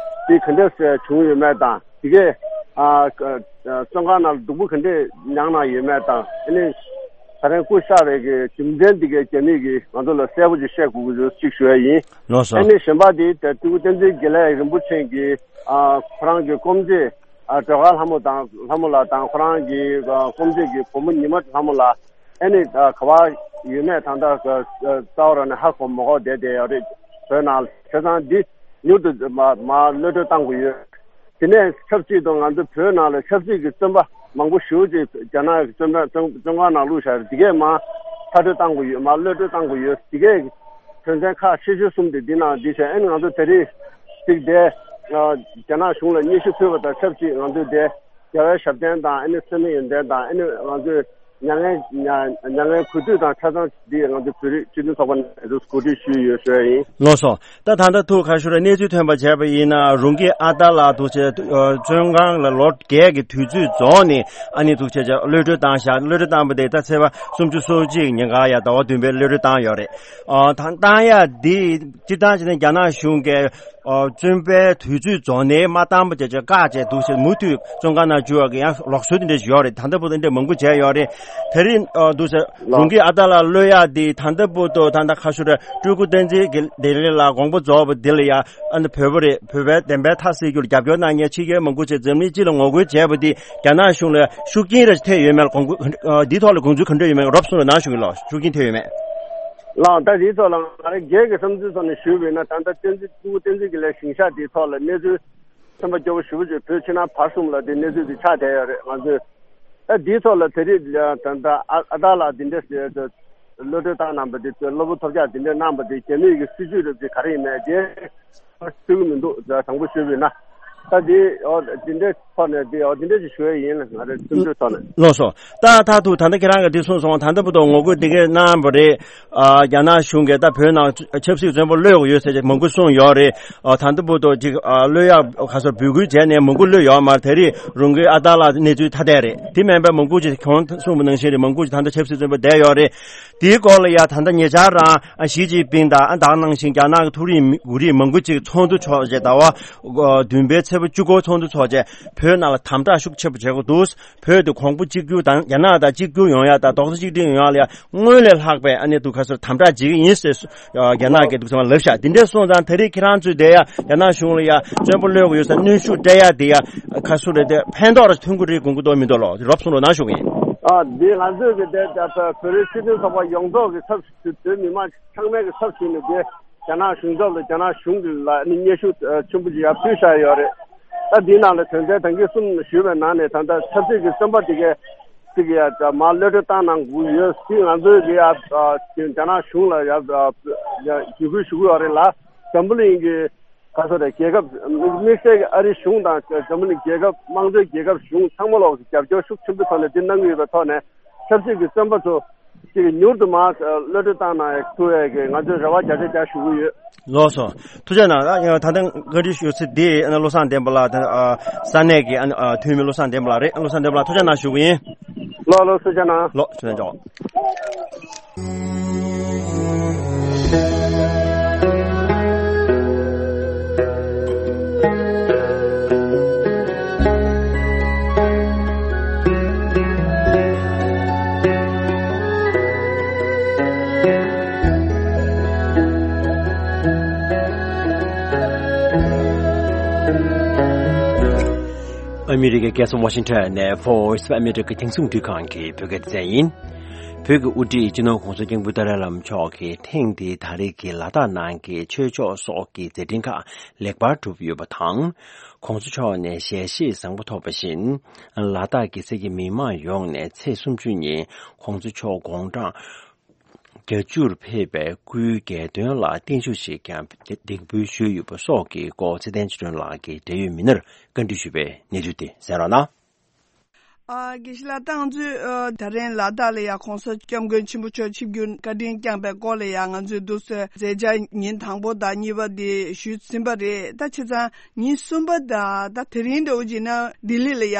དེ་ག་འདྲས་བྱུང་ཡོད་མེད་དང་དེ་གས་ཨ་བཙོན་ཁང་ནང་ལ་སྡུག་པོ་ག་འདྲས་མྱངས་གནང་ཡོད་མེད་དང་ཨ་ནི་ད་རེས་སྐུ་གཤེགས་པའི་གི་རྒྱུ་མཚན་དེ་གས་རྒྱ་མི་གིས་ང་ཚོ་ལ་གསལ་པོ་ཅིག་བཤད་དགོས་ཀྱི་ཡོད་ཅིག་ཞུ་ཡ་ཡིན། ལགས་སོ། ཨ་ནི་གཞན་པ་དེ་ད་སྤྲུལ་སྐུ་བསྟན་འཛིན་དགེ་ལེགས་རིན་པོ་ཆེ་གི་ཨ་ཁོ་རང་གི་སྐུ་མཆེད་ཨ་སྒྲོལ་དཀར་ལྷ་མོ་དང་ལྷ་མོ་ལགས་དང་ཁོ་རང་གི་ཨ་སྐུ་མཆེད་ཀྱི་བུ་མོ་ཉི་མ་ལྷ་མོ་ལགས། ཨ་ནི་ད་ག་བ་ཡོད་མེད་ད་ལྟ་རྩ་བ་རང་ནས་ཧ་གོ་མ་གོ་བསྡད་བསྡད་ཡོད་རེད། བོད་ནང་བྱས་ཙང་འདི་མྱུར་དུ་མ་མ་གློད་གྲོལ་གཏང་དགོས་ཡོད། དེ་ནས་ཆབ་སྲིད་དང་ང་ཚོ་བོད་ནང་ལ་ཆབ་སྲིད་ཀྱི་བཙོན་པ་མང་པོ་ཞེ་པོ་ཅིག་རྒྱ་ནག་གི་བཙོན་པ་བཙོན་བཙོན་ཁང་ནང་བླུགས་བཞག་རེད། འདི་གས་མ་མཐར་སྐྲོད་གཏང་དགོས་ཡོད། མ་གློད་གྲོལ་གཏང་དགོས་ཡོད། འདི་གས་དོན་ཚན་ཁག་ཆེ་ཤོས་གསུམ་དེ་འདི་ནང་འདི་བྱས། ཨ་ནི་ང་ཚོ་དེ་རིང་ཅིག་བསྡད་རྒྱ་ནག་གཞུང་ལ་སྙན་ཞུ་ཕུལ་བ་དང་ཆབས་ཅིག་ང་ཚོ་བསྡད། རྒྱལ་བའི་ཞབས་བརྟན་དང་ཨ་ནི་འཚེ་མེད་ཡོན་ཏན་དང་ཨ་ནི་ང་ཚོའི་མྱ་ངན་མྱ་མྱ་ངན་གུས་འདུད་དང་ཆ་ཚང་འདི་ང་ཚོ་བོད་རིགས་སྤྱི་མཐུན་ཚོགས་པ་ནས་ང་ཚོ་གོ་སྒྲིག་ཞུས་ཡོད་ཞུ་ཡ་ཡིན། ལགས་སོ། ད་ད་ལྟ་ཐུགས་ཁ་ཤོར་གནས་ཚུལ་ཐོན་པ་བྱས་པ་ཡིན་ན་རུང་གི་ཨ་ཏཱ་ལ་འདུག་བྱས་བཙོན་ཁང་ལ་ལོ་བརྒྱད་ཀྱི་དུས་ཚོད་རྫོགས་ནས་ཨ་ནི་འདུག་བྱས་བྱས་གློད་གྲོལ་བཏང་བཞག་གློད་གྲོལ་བཏང་པ་དེ་ད་ཚེས་པ་སུམ་ཅུ་སོ་གཅིག་ཉིན་ག་ཡ་ཟླ་བ་བདུན་པའི་གློད་གྲོལ་བཏང་ཡོད་རེད། ཨ་ད་བཏང་ཡ་འདི་སྤྱིར་བཏང་བྱས་ན་རྒྱ་ནག་གཞུང་གིས་ཨོ་བཙོན་པའི་དུས་ཚོད་རྫོགས་ནས་མ་བཏང་པ་བྱས་བྱས་བཀག་བྱས་འདུག་ཟེར། མུ་མཐུད་བཙོན་ཁང་ནང་འཇུ་བ་གི་ཡང་ལུགས་སྲོལ་དེ་འདྲ་ཞིག་ཡོད་རེད། ད་ལྟ་བར་དུ་འདྲ་མང་པོ་བྱས་ཡོད་རེད། དེ་རིང་ཨོ་འདུག་ཟེར་རུང་གི་ཨ་ཏཱ་ལ་གློད་ཡག་དེ་ད་ལྟ་བར་དུ་ད་ལྟ་ཁ་ཤོར་སྤྲུལ་སྐུ་བསྟན་འཛིན་གྱི་བདེ་ལེགས་ལ་དགོངས་པ་རྫོགས་པ་འདི་ལ་ཡ་ཨ་ནི་བོད་པ་རེད། བོད་པའི་བདེན་པའི་མཐའ་གསལ་རྒྱུར་རྒྱབ་སྐྱོར་གནང་མཁན་ཕྱི་རྒྱལ་མང་པོ་བྱས་འཛམ་གླིང་སྤྱི་ལ་ངོ་རྒོལ་བྱས་པ་འདི་རྒྱ་ནག་གཞུང་ལ་ཤུགས་རྐྱེན་རེ་ཐེབས་ཡོད་མེད་ལ་དགོངས་འདིའི་ཐོག་ལ་དགོངས་ཚུལ་ག་འདྲ་ཡོད་མེད་རོབ་གསུངས་རོགས་གནང་ཞུ་གི་ལགས། ཤུགས་རྐྱེན་ཐེབས་ཡོད་མེད། ལགས། ད་དེའི་ཐོག་ལ་ང་རང་སྒེར་གྱི་བསམ་ཚུལ་ཐོག་ནས་ཞུས་པ་ཡིན་ན་ད་ལྟ་བསྟན་འཛིན་སྤྲུལ་སྐུ་བསྟན་འཛིན་དགེ་ལེགས་ཞིང་གཤེགས་དེའི་ཐོག་ལ་གནས་ཚུལ་ཚན་པ་སྐྱོ་པོ་ཞེ་པོ་ཅིག་བོད་ཕྱི་ནང་བར་གསུམ་ལ་དེ་གནས་ཚུལ་དེ་ཆགས་བསྡད་ཡོད་རེད། ང་ཚོས་ད་དེའི་ཐོག་ལ་དེ་རིང་ད་ལྟ་ཨ་ཨ་ཏཱ་ལ་དེ་འདྲ་ཞིག་གློད་གྲོལ་བཏང་གནང་པ་དེ་གློ་བུར་ཐོལ་རྒྱག་དེ་འདྲ་གནང་པ་དེ་རྒྱ་མིའི་གི་སྲིད་ཇུས་རེད་དེ་ག་རེ་ཡིན་མེད་དེ་ཤེས་ཀྱི་མི་འདུག་དྲང་པོ་ཞུས་པ་ཡིན་ན། ད་དེ་འོ་དེ་འདྲའི་ཐོག་ནས་དེ་འོ་དེ་འདྲ་ཞིག་ཞུ་ཡ་ཡིན། ང་རའི་སེམས་ཚོར་ཐོག་ནས། ལགས་སོ། ད་མཐར་ཐུག་ད་ལྟ་ཁྱེད་རང་གིས་འདི་གསུངས་སོང་། ད་ལྟ་བར་དུ་ངོ་རྒོལ་འདི་གས་གནང་བ་རེད། ཨ་རྒྱ་ནག་གཞུང་གིས་ད་བོད་ནང་ཆབ་སྲིད་བཙོན་པ་གློད་དགོས་ཡོད་ཟེར་མང་པོ་གསུངས་ཡོད་རེད། ཨ་ད་ལྟ་བར་དུ་ཅིག་ཨ་གློད་ཡག་ག་ཚོད་འབོད་སྐུལ་བྱས་ནས་མང་པོ་གློད་ཡོད་མ་རེད། དེ་རིང་རུང་གི་ཨ་ཏཱ་ལ་གནས་ཚུལ་ཐ་དད་རེད། དེ་མིན་པའི་མང་པོ་ཅིག་གོང་གསུངས་པ་ནང་བཞིན་རེད། མང་པོ་ཅིག་ད་ལྟ་ཆབ་སྲིད་བཙོན་པ་བསྡད་ཡོད་རེད། དེའི་སྐོར་ལ་ཡ་ད་ལྟ་ཉེ་ཆར་རང་ཨ་ཞི་ཅིན་ཕིང་དང་ཨ་ད་ག་ནང་བཞིན་རྒྱ་ནག་གི་མཐོ་རིམ་མི་རིགས་མང་པོ་ཅིག་ཚོགས་འདུ་འཚོགས་བྱས་ཟླ་བ་བདུན་པའི་ཚེས་པ་བཅུ་དགུ་ཚོགས་འདུ་འཚོགས་བྱས་བོད་ནང་ལ་དམ་དྲག་ཤུགས་ཆེ་པོ་བྱེད་དགོས་འདུག་བོད་དེ་གོང་བུ་གཅིག་གྱུར་དང་རྒྱ་ནག་དང་གཅིག་གྱུར་ཡོང་ཡ་དང་རྡོག་རྩ་གཅིག་སྒྲིལ་ཡོང་ཡ་ལ་ཡ་སྔོན་ལས་ལྷག་པའི་ཨ་ནི་དུ་ཁ་སོར་དམ་དྲག་བྱེད་ཀྱི་ཡིན་ཟེར་རྒྱ་ནག་གིས་འདུག་སེ་ལབ་ཤག་དེ་འདྲ་སོང་ཙང་དེ་རིང་ཁྱེད་རང་ཚོས་དེ་ཡ་རྒྱ་ནག་གཞུང་ལ་ཡ་བཙོན་པ་གློད་དགོས་ཡོད་ས་གནོན་ཤུགས་སྤྲད་ཡ་དེ་ཡ་ཁ་སོ་རེ་དེ་ཕན་ཐོགས་རེ་ཐོན་གི་རེད་དགོངས་གི་འདུག་མི་འདུག་ལོ། རོབ་གསུངས་རོགས་གནང་ཞུ་གི་ཡིན། ཨ་འདི་ང་ཚོས་གི་དེ་ད་བོད་རིགས་སྤྱི་མཐུན་ཚོགས་པ་ཡོངས་རྫོགས་ཀྱི་ཚབ་ཞུས་བོད་མི་མང་ཚང་མའི་གི་ཚབ་ཞུས་ནས་དེ་རྒྱ་ནག་གཞུང་ཚབ་ལ་རྒྱ་ནག་གཞུང་གི་ལ་ནི་སྙན་ཞུ་ཆེན་པོ་ཅིག་ཡར་ཕུལ་བཞག་ཡོད་རེད། ད་འདིའི་ནང་ལ་དོན་ཚན་དང་གི་གསུམ་ཞུས་པའི་ནང་ནས་ད་ལྟ་ཆབ་སྲིད་ཀྱི་བཙོན་པ་དེ་གས་ཅིག་ཡ་མར་གློད་གྲོལ་བཏང་གནང་དགོས་ཡོད་ཟེར། ང་ཚོས་གི་ཡ་རྒྱ་ནག་གཞུང་ལ་ཡ་ཡ་འཇུ་སྐུལ་ཞུ་གི་ཡོད་རེད་ལ། འཛམ་བུ་གླིང་གི་ག་ཚོད་རེད། རྒྱལ་ཁབ་དམིགས་བསལ་གྱི་ཨ་རི་གཞུང་དང་འཛམ་བུ་གླིང་རྒྱལ་ཁབ་དམངས་གཙོའི་རྒྱལ་ཁབ་གཞུང་ཚང་མ་ལོག་གི་རྒྱབ་སྐྱོར་ཤུགས་ཆེན་པོའི་ཐོག་ནས་འདི་གནང་གི་ཡོད་པའི་ཐོག་ནས་ཆབ་སྲིད་ཀྱི་བཙོན་པ་ཚོ་ཅིག་མྱུར་དུ་མར་གློད་གྲོལ་བཏང་གནང་ཐུབ་ཡས་ཀྱི་ང་ཚོས་རེ་བ་རྒྱ་ཆེ་རྒྱ་ཞུ་གི་ཡོད། ལགས་སོ། ཐུགས་རྗེ་གནང་། ད་ལྟ་བཀའ་འདྲི་ཞུ་ཚེ་འདི་བློ་བཟང་བསྟན་པ་ལགས་ས་གནས་ཀྱི་འཐུས་མི་བློ་བཟང་བསྟན་པ་ལགས་རེད། བློ་བཟང་བསྟན་པ་ལགས་ཐུགས་རྗེ་གནང་ཞུ་གི་ཡིན། ལགས་ལགས་ཐུགས་རྗེ་གནང་། ལགས་ཐུགས་རྗེ་གནང་། ཨ་མི་རི་ཀའི་རྒྱལ་ས་ཝ་ཤིང་ཊོན་ནས་Voice of America དེང་སང་འདུས་ཁང་གི་བོད་སྐད་སྡེ་ཚན་ཡིན། བོད་ཀྱི་དབུ་ཁྲིད་སྤྱི་ནོར་༸གོང་ས་༸སྐྱབས་མགོན་ཏཱ་ལའི་བླ་མ་མཆོག་གིས་ཐེངས་འདིའི་ད་རེས་ཀྱི་ལ་དྭགས་ནང་གི་ཆོས་ཕྱོགས་སོགས་ཀྱི་མཛད་འཕྲིན་ཁག་ལེགས་པར་གྲུབ་ཡོད་པ་དང་། ༸གོང་ས་མཆོག་ནས་ཞལ་བཞེས་བཟང་པོ་ཐོབ་པ་བཞིན། ལ་དྭགས་ཀྱི་ས་ཁུལ་མི་མང་ཡོངས་ནས་ཚེས་སུམ་ཅུ་ཉིན་༸གོང་ས་མཆོག་དགུང་གྲངས་བརྒྱད་ཅུར་ཕེབས་པའི་སྐུའི་རྒྱལ་དོན་ལ་བརྟན་བཞུགས་ཤིག་ཀྱང་འདེགས་འབུལ་ཞུས་ཡོད་པ་སོགས་ཀྱི་སྐོར་ཚེ་བརྟན་ཆོས་སྒྲོན་ལགས་ཀྱིས་འབྲེལ་ཡོད་མི་སྣར་བཀའ་འདྲི་ཞུས་པའི་གནས་ཚུལ་དེ་གསན་རོགས་གནང་། ཨ། དགེ་བཤེས་ལགས། ད་ང་ཚོས་ཨ་ད་རིང་ལ་དྭགས་ལ་ཡ་༸གོང་ས་༸སྐྱབས་མགོན་ཆེན་པོ་མཆོག་ཆིབས་བསྒྱུར་བཀའ་དྲིན་བསྐྱངས་པའི་སྐོར་ལ་ཡ་ང་ཚོས་འདུག་སེ་མཛད་འཆར་ཉིན་དང་པོ་དང་གཉིས་པ་དེ་ཞུས་ཟིན་པ་རེད། ད་བྱས་ཙང་ཉིན་གསུམ་པ་དང་ད་དེ་རིང་འདྲ་བོ་བྱས་ན་ལྡི་ལི་ལ་ཡ་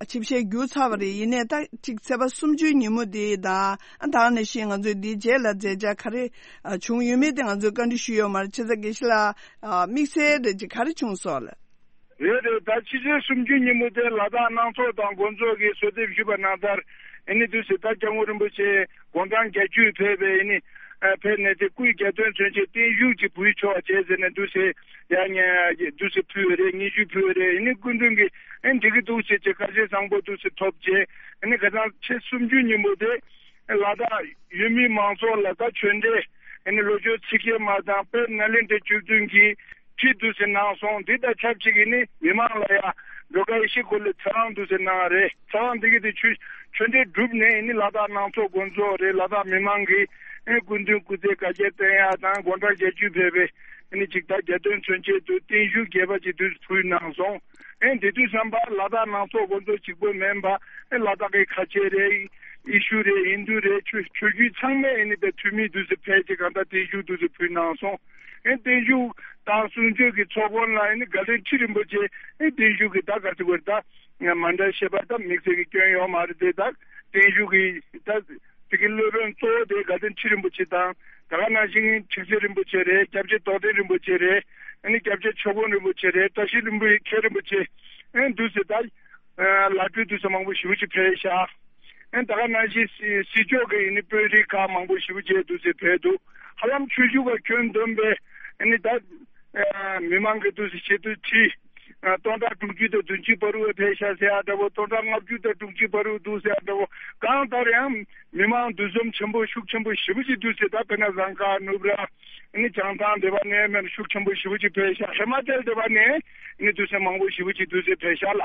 ཆིབས་ཞལ་བསྒྱུར་ཚར་བ་རེད། ཡིན་ནའི་ད་ཅིག་ཚེས་པ་སུམ་ཅུའི་ཉིན་མོ་དེ་དང་ཨ་ད་ག་ནང་བཞིན་ང་ཚོས་འདིའི་རྗེས་ལ་མཛད་འཆར་ག་རེ་ཨ་བྱུང་ཡོད་མེད་དེ་ང་ཚོས་བཀའ་འདྲི་ཞུས་ཡོད་མ་རེད། བྱས་ཙང་དགེ་བཤེས་ལགས། ཨ་དམིགས་བསལ་རེ་ཅིག་ག་རེ་བྱུང་སོང་ལ། རེད་རེད། ད་ཕྱི་ཚེས་སུམ་ཅུ་ཉིན་མོ་དེ་ལ་དྭགས་སྣ་ཚོགས་དང་དགོན་ཚོགས་ཀྱིས་གསོལ་འདེབས་ཞུས་པ་ནང་ལྟར་ཨ་ནི་དུས་སུ་ད་སྐྱབས་མགོན་རིན་པོ་ཆེ་དགུང་གྲངས་བརྒྱད་ཅུ་ཕེབས་པའི་ཨ་ནི་ཨ་ཕེབས་ནས་དེ་སྐུའི་རྒྱལ་དོན་མཚོན་ཆེད་བརྟན་བཞུགས་ཀྱི་འབུལ་ཆོག་བྱས་ཟེར་ནས་དུས་སུ་ཡང་ཉེ་དུས་སུ་ཕུལ་བ་རེད། སྙན་ཞུ་ཕུལ་བ་རེད། ཨ་ནི་སྐུ་མདུན་གྱིས་ཨ་ནི་འགྲིག་གི་འདུག་ཅེས་ཀྱི་བཀའ་ཆད་བཟང་པོ་དུས་སུ་ཐོབ་རྗེས་ཨ་ནི་ཁ་སང་ཕྱི་ཚེས་སུམ་ཅུ་ཉིན་མོ་དེ་ལ་དྭགས་ཡུལ་མི་མང་ཚོགས་ལ་ད་ཆོས་འབྲེལ་ཨ་ནི་ལོ་ཆུང་ཚིག་བརྒྱད་མ་དང་དཔལ་ནཱ་ལེནྡྲའི་བཅུ་བདུན་གྱིས་ཁྲིད་དུ་ཟིན་གནང་སོང་། འདི་དང་ཆབས་ཅིག་གིས་ནི་མི་མང་ལ་ཡང་ཌོ་ཀ་ཡེ་ཤེས་སྐོར་ལ་ཚེ་དབང་དུ་ཟིན་གནང་རེད། ཚེ་དབང་འདི་གི་དེ་ཆོས་ཆོས་འབྲེལ་གྲུབ་ནས་ནི་ལ་དྭགས་ནང་ཚོགས་དགོན་ཚོགས་རེད། ལ་དྭགས་མི་མང་གིས་ཨེ་སྐུ་མདུན་སྐུ་ཚེ་བསྐལ་བརྒྱར་བརྟན་ཡག་དང་དགུང་གྲངས་བརྒྱད་ཅུ་ཕེབས་པའི་ཨེ་ནི་ཅིག་ད་རྒྱལ་དོན་མཚོན་ཆེད་དུ་བརྟན་བཞུགས་རྒྱས་པ་ཅིག་དུས་ཕུལ་གནང་སོང་། ཨེ་དེ་དུས་བསམ་པ་ལ་དྭགས་ནང་ཚོགས་དགོན་ཚོགས་གཅིག་པོ་མིན་པ་ཨེ་ལ་དྭགས་ཀྱི་ཁ་ཆེ་རེད། ཡེ་ཤུ་རེད། ཧིན་དུ་རེད། ཆོས་ཆོས་བརྒྱུད་ཚང་མས་ཨེ་ནི་དེ་འཐུས་མི་དུས་སུ་ཕེབས་ཅིག་གང་ལྟར་བརྟན་བཞུགས་དུས་སུ་ཕུལ་གནང་སོང་། ཨེ་བརྟན་བཞུགས་དང་གསུང་ཆོས་ཀྱི་ཚོགས་མགོན་ལ་ཨེ་ནི་དགའ་ལྡན་ཁྲི་རིན་པོ་ཆེ་ཨེ་བརྟན་བཞུགས་ཀྱི་ད་ག་ཚོད་དགོས་ད་མཎྜལ་བཞེས་པ་ད་དམིགས་བསལ་གྱི་སྐྱོན་ཡོད་མ་རེད་དེ། ད་བརྟན་བཞུགས་ཀྱི་ད་དེ་གི་སློབ་དཔོན་གཙོ་བོ་དེ་དགའ་ལྡན་ཁྲི་རིན་པོ་ཆེ་དང་ད་ག་ནང་བཞིན་ཁྲི་ཟུར་རིན་པོ་ཆེ་རེད། སྐྱབས་རྗེ་རྟོགས་ལྡན་རིན་པོ་ཆེ་རེད། ཨེ་ནི་སྐྱབས་རྗེ་ཆོས་དབང་རིན་པོ་ཆེ་རེད། བཀྲ་ཤིས་ལྷུན་པོ་མཁྱེན་རིན་པོ་ཆེ་ཨེ་འདུག་སེ་ད་ལ་སྤྲུལ་དུས་སུ་མང་པོ་ཞེ་པོ་ཅིག་ཕེབས་ཤག་ཨེ་ད་ག་ནང་བཞིན་སྲིད་སྲིད་ཕྱོགས་ཀྱི་ཨེ་ནི་དཔོན་རིགས་ཁག་མང་པོ་ཞེ་པོ་ཅིག་འདུག་སེ་ཕེབས་འདུག་ཧ་ལམ་ཆོས་ཞུ་བ་ཁྱོན་བསྡོམས་པས་ཨེ་ནི་ད་མི་མང་གི་འདུག་སེ་ཆེད་དུ་ཁྲི་སྟོང་ཕྲག་དྲུག་ཅུ་དང་བདུན་ཅུ་བར་དུ་ཕེབས་ཤག་ཟེར་ཡག་འདྲ་བོ། སྟོང་ཕྲག་ལྔ་བཅུ་དང་དྲུག་ཅུ་བར་དུ་འདུག་ཟེར་ཡག་འདྲ་བོ། གང་ལྟར་ཡང་མི་མང་འདུ་འཛོམས་ཆེན་པོ་ཤུགས་ཆེན་པོ་ཞེ་པོ་ཅིག་འདུག་སེ་ད་དཔེར་ན་རྫོང་ཁག་ནུབ་ར་ཨེ་ནི་བྱང་ཐང་དེ་བ་ནས་མེད་ཤུགས་ཆེན་པོ་ཞེ་པོ་ཅིག་ཕེབས་ཤག་ཧི་མ་ཅལ་དེ་བ་ནས་ཨེ་ནི་འདུག་སེ་མང་པོ་ཞེ་པོ་ཅིག་འདུག་སེ་ཕེབས་ཤག་ལ།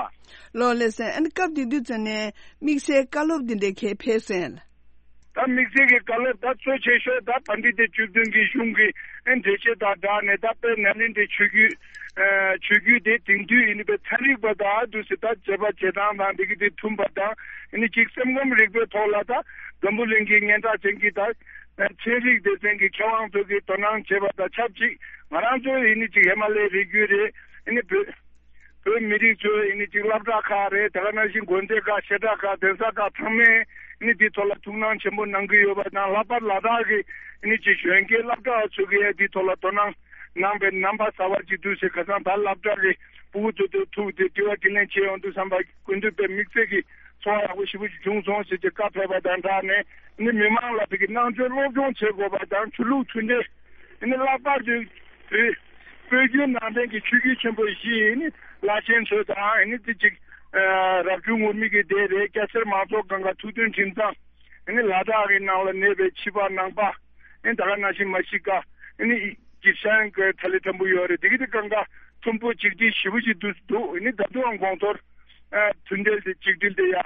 ལགས་ལགས་སོ། ཨ་ནི་སྐབས་དེ་དུས་ཙམ་ནས་དམིགས་བསལ་བཀའ་སློབ་འདི་འདྲའི་གས་ཕེབས་སོང་ལགས། ད་དམིགས་བསལ་གྱི་བཀའ་སློབ་ད་གཙོ་ཆེ་ཤོས་ད་བན་དེ་སྡེ་བཅུ་བདུན་གྱི་གཞུང་གི་ཨེ་འགྲེལ་བཤད་དང་སྦྲགས་ནས་ད་དཔལ་ནཱ་ལེནྡྲའི་ཆོས་བརྒྱུད་ཨེ་ཆོས་བརྒྱུད་དེ་དེང་དུས་ཡིན་པའི་ཚན་རིག་པ་དང་དུས་སུ་ད་བྱེད་པ་བྱེད་སྟངས་དང་འདི་གི་དེ་མཐུན་པ་དང་ཨེ་ནི་གཅིག་སེམས་ཁམས་རིག་པའི་ཐོག་ལ་ད་འཛམ་བུ་གླིང་གི་སྙན་གྲགས་ཅན་གྱི་ད་ཚན་རིག་སྡེ་ཚན་གྱི་མཁས་དབང་ཚོ་གིས་དོ་སྣང་བྱེད་པ་དང་ཆབས་ཅིག་ང་རང་ཚོ་ཡིན་ནི་ཅིག་ཧི་མ་ལའི་རི་རྒྱུད་རེད། ཨེ་ནི་བོད་བོད་མི་རིགས་ཚོས་ཨེ་ནི་ཅིག་སློབ་གྲྭ་ཁག་རེད། དེ་ག་ནང་བཞིན་དགོན་སྡེ་ཁག་བཤད་གྲྭ་ཁག་གདན་ས་ཁག་ཚང་མས་ཨེ་ནི་འདིའི་ཐོག་ལ་ཐུགས་སྣང་ཆེན་པོ་གནང་གི་ཡོད་པ་དང་། ལྷག་པར་ལ་དྭགས་ཀྱི་ཨེ་ནི་ཅིག་གཞོན་སྐྱེས་སློབ་གྲྭ་བ་ཚོ་གིས་འདིའི་ཐོག་ལ་དོ་སྣང་གནང་པའི་རྣམ་པ་གསར་པ་ཅིག་འདུག་ཟེར། ཁ་སང་ད་སློབ་གྲྭ་གི་ཕྲུ་གུ་ཚོ་དེ་ཐུག་སྟེ་དྲི་བ་དྲིས་ལན་བྱེད་ཡོང་དུས་ཙམ་པ་སྐུ་མདུན་དཔེ་དམིགས་བསལ་གྱི་ཚོར་བ་ཡག་པོ་ཞེ་པོ་ཅིག་བྱུང་སོང་ཟེར་གྱི་བཀའ་ཕེབས་པ་དང་སྦྲགས་ནས་ཨེ་ནི་མི་མང་ལ་དེ་གི་སྣང་ཆོས་སློབ་སྦྱོང་བྱེད་དགོས་པ་དང་ཆོས་ལུགས་མཐུན་སྒྲིལ། ཨེ་ནི་ལྷག་པར་དུ་བོད་བོད་བརྒྱུད་ནང་བསྟན་གྱི་ཆོས་བརྒྱུད་ཆེན་པོ་བཞི་ཨེ་ནི་བླ་ཆེན་ཚོ་དང་ཨེ་ནི་དེ་གཅིག་རབ་བྱུང་ངུར་སྨྲིག་གི་སྡེ་རེད། སྐྱ་སེར་མང་ཚོགས་སྒང་ག་ཐུགས་མཐུན་ཁྲིམས་གཙང་ཨེ་ནི་ལ་དྭགས་ཀྱི་ནང་ལ་གནས་པའི་ཕྱི་པ་ནང་པ་ཨེ་ནི་ད་ག་ནང་བཞིན་མ་ཤི་ཀ་ཨེ་ནི་ཇི་ཤང་གི་ཐ་ལི་ཐམ་བུ་ཡོད་རེད། དེ་གི་དེ་སྒང་ག་མཐུན་པོ་གཅིག་སྒྲིལ་ཞེ་པོ་ཅིག་འདུག་འདུག་ཨེ་ནི་ད་དུང་གོང་མཐོར་མཐུན་སྒྲིལ་དེ་གཅིག་སྒྲིལ་དེ་ཡ།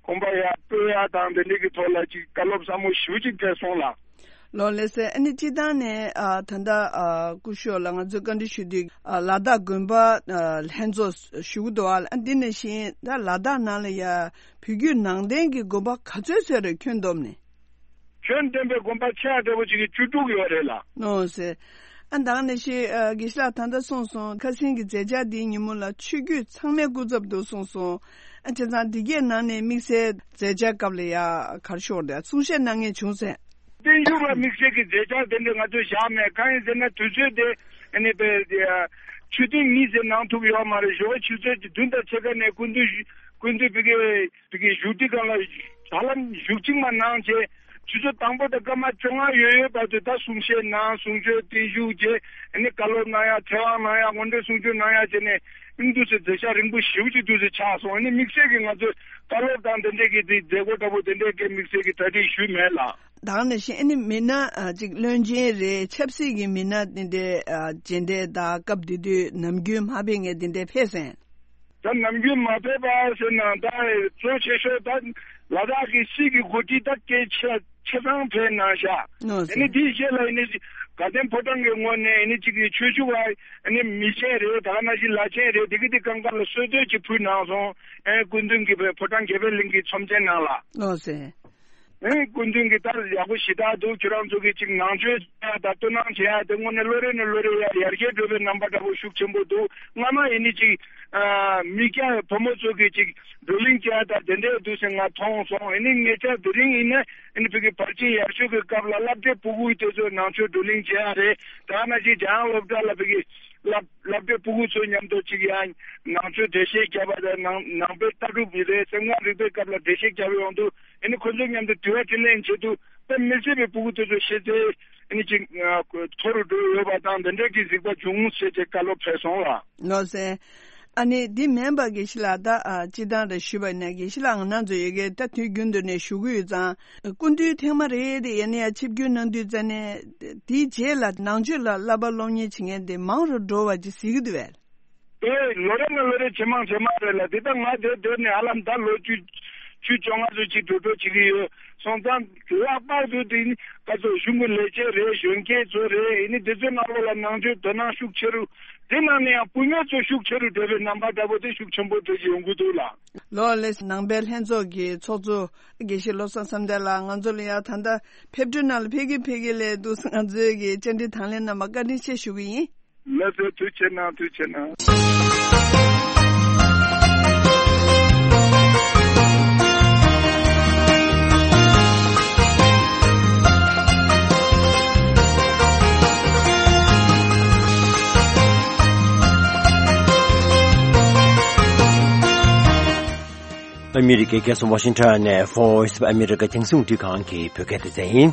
གོམ་པ་ཡར་སྤོས་ཡག་དང་དེ་འདྲའི་གི་ཐོག་ལ་ཅིག་བཀའ་སློབ་ཟབ་མོ་ཞེ་པོ་ཅིག་ཕེབས་སོང་ལགས། ལགས་ལགས་སོ། ཨ་ནི་སྤྱིར་བཏང་ནས་ཨ་ད་ལྟ་ཨ་སྐུ་ཞབས་ལ་ང་ཚོས་བཀའ་འདྲི་ཞུ་དུས་ཨ་ལ་དྭགས་དགོན་པ་ཨ་ལྷན་ཚོགས་ཞུ་གི་འདུག་ཨ། ཨ་འདི་ནང་བཞིན་ད་ལ་དྭགས་ནང་ལ་ཡ་བོད་བརྒྱུད་ནང་བསྟན་གྱི་དགོན་པ་ག་ཚོད་ཚོད་རེད་ཁྱོན་བསྡོམས་ནས། ཁྱོན་བསྡོམས་པའི་དགོན་པ་ཆེ་ཡ་འདྲ་བོ་ཅིག་གི་བཅུ་དྲུག་ཡོད་རེད་ལགས། ནོ་སེ། ཨ་ད་ག་ནང་བཞིན་ཨ་དགེ་བཤེས་ལགས་ད་ལྟ་གསུངས་སོང་། ཁ་སང་གི་མཛད་འཆར་འདིའི་ཉིན་མོ་ལ་ཆོས་བརྒྱུད་ཚང་མའི་སྐུ་ཚབ་འདུག་གསུངས་སོང་། ཨ་བྱས་ཙང་འདི་གའི་ནང་ནས་དམིགས་བསལ་མཛད་འཆར་སྐབས་ལ་ཡ་ག་རེ་ཤོར་འདུག་གསུང་བཤད་གནང་མཁན་བྱུང་ཟེར། བརྟན་བཞུགས་ལ་དམིགས་བསལ་གྱི་མཛད་འཆར་དེ་འདྲ་ང་ཚོས་བཞག་མེད། གང་ཡིན་ཟེར་ན་དུས་ཚོད་དེ་ཨ་ནི་པའི་ཆོས་ཐུན་གཉིས་ཙམ་གནང་ཐུབ་ཡོད་མ་རེད། ཞོགས་པ་ཆུ་ཚོད་བདུན་དང་ཕྱེད་ཀ་ནས་སྐུ་མདུན་སྐུ་མདུན་ཕ་གི་ཕ་གི་བཞུགས་ཁྲི་སྒང་ལ་ཧ་ལམ་བཞུགས་ཁྲི་མ་གནང་བྱས། དུས་ཚོད་དང་པོ་དང་སྐར་མ་བཅོ་ལྔ་ཡོད་ཡོད་བར་དུ་ད་གསུང་བཤད་གནང་། གསུང་ཆོས་བརྟན་བཞུགས་བྱས། ཨ་ནི་བཀའ་སློབ་གནང་ཡ། ཚེ་དབང་གནང་ཡ། ངོ་སྤྲོད་གསུང་ཆོས་གནང་ཡ་བྱས་ནས། ཨིན་དུས་ཚོད་མཛད་བྱ་རིང་པོ་ཞེ་པོ་ཅིག་དུས་ཚོད་ཆགས་སོང་། ཨ་ནི་དམིགས་བསལ་གྱི་ང་ཚོས་བཀའ་སློབ་དང་དེ་འདྲས་ཀྱི་དེ་མཛད་སྒོ་འདྲ་པོ་དེ་འདྲས་ཀྱི་དམིགས་བསལ་གྱི་གྲ་སྒྲིག་ཞུས་མེད་ལགས། ད་ག་ནང་བཞིན་ཨ་ནི་མི་སྣ་ཨ་ཅིག་བློན་ཆེན་རེད། ཆབ་སྲིད་ཀྱི་མི་སྣ་དེ་འདྲས་ཨ་མཇལ་འཕྲད་དང་སྐབས་དེ་དུས་ནམ་རྒྱུན་མ་ཕེབས་མཁན་དེ་འདྲས་ཕེབས་སོང་། ད་ནམ་རྒྱུན་མ་ཕེབས་པ་ཟེར་ན། ད་གཙོ་ཆེ་ཤོས་ད་ལ་དྭགས་ཀྱི་སྲིད་ཀྱི་འགོ་ཁྲིད་ད་གལ་ཆེ་ཆ་ཚང་ཕེབས་གནང་ཤག་ཨ་ནི་དེའི་རྗེས་ལ་ཨ་ནི་དགའ་ལྡན་ཕོ་བྲང་གི་ངོས་ནས་ཨ་ནི་གཅིག་གི་ཆོས་ཞུ་བ་ཨ་ནི་མི་ཆེན་རེད། ད་ག་ནང་བཞིན་བླ་ཆེན་རེད། དེ་གི་དེ་གང་ག་ལ་གསོལ་སྟོན་ཅིག་ཕུལ་གནང་སོང་། ཨེ་སྐུ་མདུན་གྱི་ཕོ་བྲང་རྒྱལ་པོའི་གླིང་གི་ཚོམས་ཆེན་ནང་ལ། ཨེ་སྐུ་མདུན་གྱིས་ད་ཡག་པོ་ཞེ་དྲག་འདུག་ཁྱོད་རང་ཚོ་གིས་ཅིག་ནང་ཆོས་བྱེད་ཡ་དང་སྤྲོ་སྣང་བྱེད་ཡ་དེ་དངོས་གནས་ལོ་རེ་ནས་ལོ་རེ་ཡར་ཡར་རྒྱས་འགྲོ་བའི་རྣམ་པ་འདྲ་པོ་ཤུགས་ཆེན་པོ་འདུག་སྔ་མ་ཨ་ནི་ཅིག་ཨ་མི་སྐྱ་བུ་མོ་ཚོ་གིས་ཅིག་བགྲོ་གླེང་བྱེད་ཡ་དང་དེ་འདྲས་འདུག་ཟེར་ང་མཐོང་སོང་། ཨ་ནི་ཉེ་ཆར་དེ་རིང་ཡིན་ན་ཨ་ནི་བོད་ཀྱི་བར་ཆད་ཡར་ཞུ་གི་སྐབས་ལ་སློབ་གྲྭའི་སྤུ་གུ་དེ་ཚོ་ནང་ཆོས་བགྲོ་གླེང་བྱེད་ཡ་རེད། ད་ག་ནང་བཞིན་འཇམ་དབྱངས་སློབ་གྲྭ་ལ་བོད་ཀྱི་སློབ་སློབ་གྲྭའི་སྤུ་གུ་ཚོ་མཉམ་དུ་གཅིག་ཡང་ནང་ཆོས་འགྲེལ་བཤད་བརྒྱབ་པ་དང་། ནང་ནང་པའི་ལྟ་གྲུབ་ཀྱི་རེད། སེམས་ཁམས་རིག་པའི་སྐབས་ལ་འགྲེལ་བཤད་བརྒྱབ་ཡོང་དུས་ཨ་ནི་ཁོ་ཚོ་མཉམ་དུ་དྲི་བ་དྲིས་ལན་བྱེད་དུས་ད་མི་སེར་བའི་སྤུ་གུ་དེ་ཚོ་ཤེས་ཚད་ཨ་ནི་ཅིག་མཐོ་རུ་འགྲོ་ཡོད་པ་དང་། འདི་འདྲའི་གི་གཟིགས་པ་བྱུང་ཟེར་ཏེ་བཀའ་སློབ་ཕེབས་སོང་ལགས། ལགས་སེ། ཨ་ནི་འདི་མིན་པ་དགེ་བཤེས་ལགས། ད་ཨ་སྤྱིར་བཏང་རེ་ཞུས་པ་ཡིན་ན། དགེ་བཤེས་ལགས་ང་རང་ཚོ་ཡ་གི་ད་དུས་རྒྱུན་དུ་ནས་ཞུ་གི་ཡོད་ཙང་། སྐུ་མདུན་ཐེངས་མ་རེ་རེ་ཡ་ནས་ཡ་ཆིབས་བསྒྱུར་གནང་དུས་ཙ་ནས། དེའི་རྗེས་ལ་ནང་ཆོས་ལ་བསླབ་པ་སློབ་གཉེར་བྱེད་མཁན་དེ་མང་རུ་འགྲོ་བ་ཅིག་གཟིགས་ཀྱི་འདུག་པས། ཨེ་ལོ་རེ་ནས་ལོ་རེ་ཇེ་མང་ཇེ་མང་རེད་ལགས། དེ་ལྟར་ང་དེ་དེ་ནས་ཧ་ལམ་ད་ལོ་བཅུ་བཅུ་བཅོ་ལྔ་ཙམ་ཅིག་འགྲོ་འགྲོ་བྱེད་ཀྱི་ཡོད། སོང་ཙང་ལྷག་པར་དུ་དེ་ནི་ག་ཚོད་གཞུང་གི་ལས་བྱེད་རེད། གཞོན་སྐྱེས་ཚོ་རེད། ཨེ་ནི་དེ་ཚོའི་ནང་ལོགས་ལ་ནང་ཆོས་དོ་སྣང་ཤུགས་ཆེ་རུ། དེ་ནང་ནས་ཡང་བུད་མེད་ཚོ་ཤུགས་ཆེ་རུ་འགྲོ་བའི་རྣམ་པ་འདྲ་པོ་དེ་ཤུགས་ཆེན་པོ་འགྲོ་བཞིན་ཡོང་གི་འདུག་ལགས། ལགས་ལགས། ནང་པའི་ལྷན་ཚོགས་ཀྱི་ཚོགས་གཙོ་དགེ་བཤེས་བློ་བཟང་བསམ་གཏན་ལགས། ང་ཚོ་ལ་ཡང་ད་ལྟ་ཕེབས་འཕྲོ་ནང་ལ་ཕེབས་ཀྱི་ཕེབས་ཀྱི་ལས་འདུག་ང་ཚོའི་གི་བཅར་འདྲི་དང་ལེན་གནང་བར་བཀའ་དྲིན་ཆེ་ཞུ་གི་ཡིན། ལགས་སོ། ཐུགས་རྗེ་གནང་། ཐུགས་རྗེ་གནང་། ཨ་མི་རི་ཀའི་རྒྱལ་ས་ཝ་ཤིང་ཊོན་ནས་Voice of America རྒྱང་སྲིང་རླུང་འཕྲིན་ཁང་གི་བོད་སྐད་སྡེ་ཚན་ཡིན།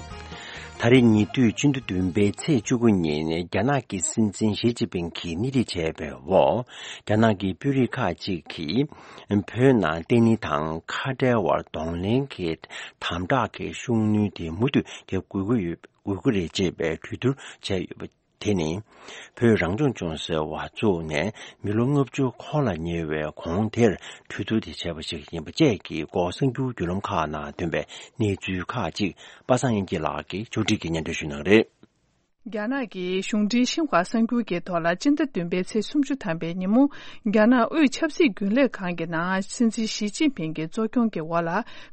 ད་རེས་ཉེ་དུས་ཕྱི་ཟླ་བདུན་པའི་ཚེས་བཅུ་དགུ་ཉིན་རྒྱ་ནག་གི་སྲིད་འཛིན་ཞི་ཅིན་ཕིང་གིས་སྣེ་ཁྲིད་བྱས་པའི་འོག་རྒྱ་ནག་གི་དཔོན་རིགས་ཁག་ཅིག་གིས་བོད་ནང་བརྟན་ལྷིང་དང་ཁ་བྲལ་བར་གདོང་ལེན་གྱི་དམ་དྲག་གི་ཤུགས་སྣོན་དེ་མུ་མཐུད་རྒྱག་དགོས་ཀྱི་ཡོད་དགོས་ཀྱི་རེད་ཅེས་པའི་གྲོས་བསྡུར་བྱས་ཡོད་པ། དེ་ནི་བོད་རང་སྐྱོང་ལྗོངས་ཟེར་བ་བཙུགས་ནས་མི་ལོ་ལྔ་བཅུ་འཁོར་ལ་ཉེ་བའི་གོང་དེར་གྲོས་བསྡུར་དེ་བྱས་པ་ཞིག་ཡིན་པ་བཅས་ཀྱི་སྐོར་གསར་འགྱུར་བརྒྱུད་ལམ་ཁག་ནང་ཐོན་པའི་གནས་ཚུལ་ཁག་ཅིག་པ་སངས་དབྱངས་སྐྱིད་ལགས་ཀྱིས་ཕྱོགས་སྒྲིག་གིས་སྙན་སྒྲོན་ཞུ་གནང་གི་རེད། རྒྱ་ནག་གི་གཞུང་འབྲེལ་ཤིན་ཧྭ་གསར་འགྱུར་གྱི་ཐོག་ལ་སྤྱི་ཟླ་བདུན་པའི་ཚེས་སུམ་ཅུ་ཐམ་པའི་ཉིན་མོ། རྒྱ་ནག་དབུས་ཆབ་སྲིད་རྒྱུན་ལས་ཁང་གི་ནང་སྲིད་འཛིན་ཞི་ཅིན་ཕིང་གི་གཙོ་སྐྱོང་གི་འོག་ལ་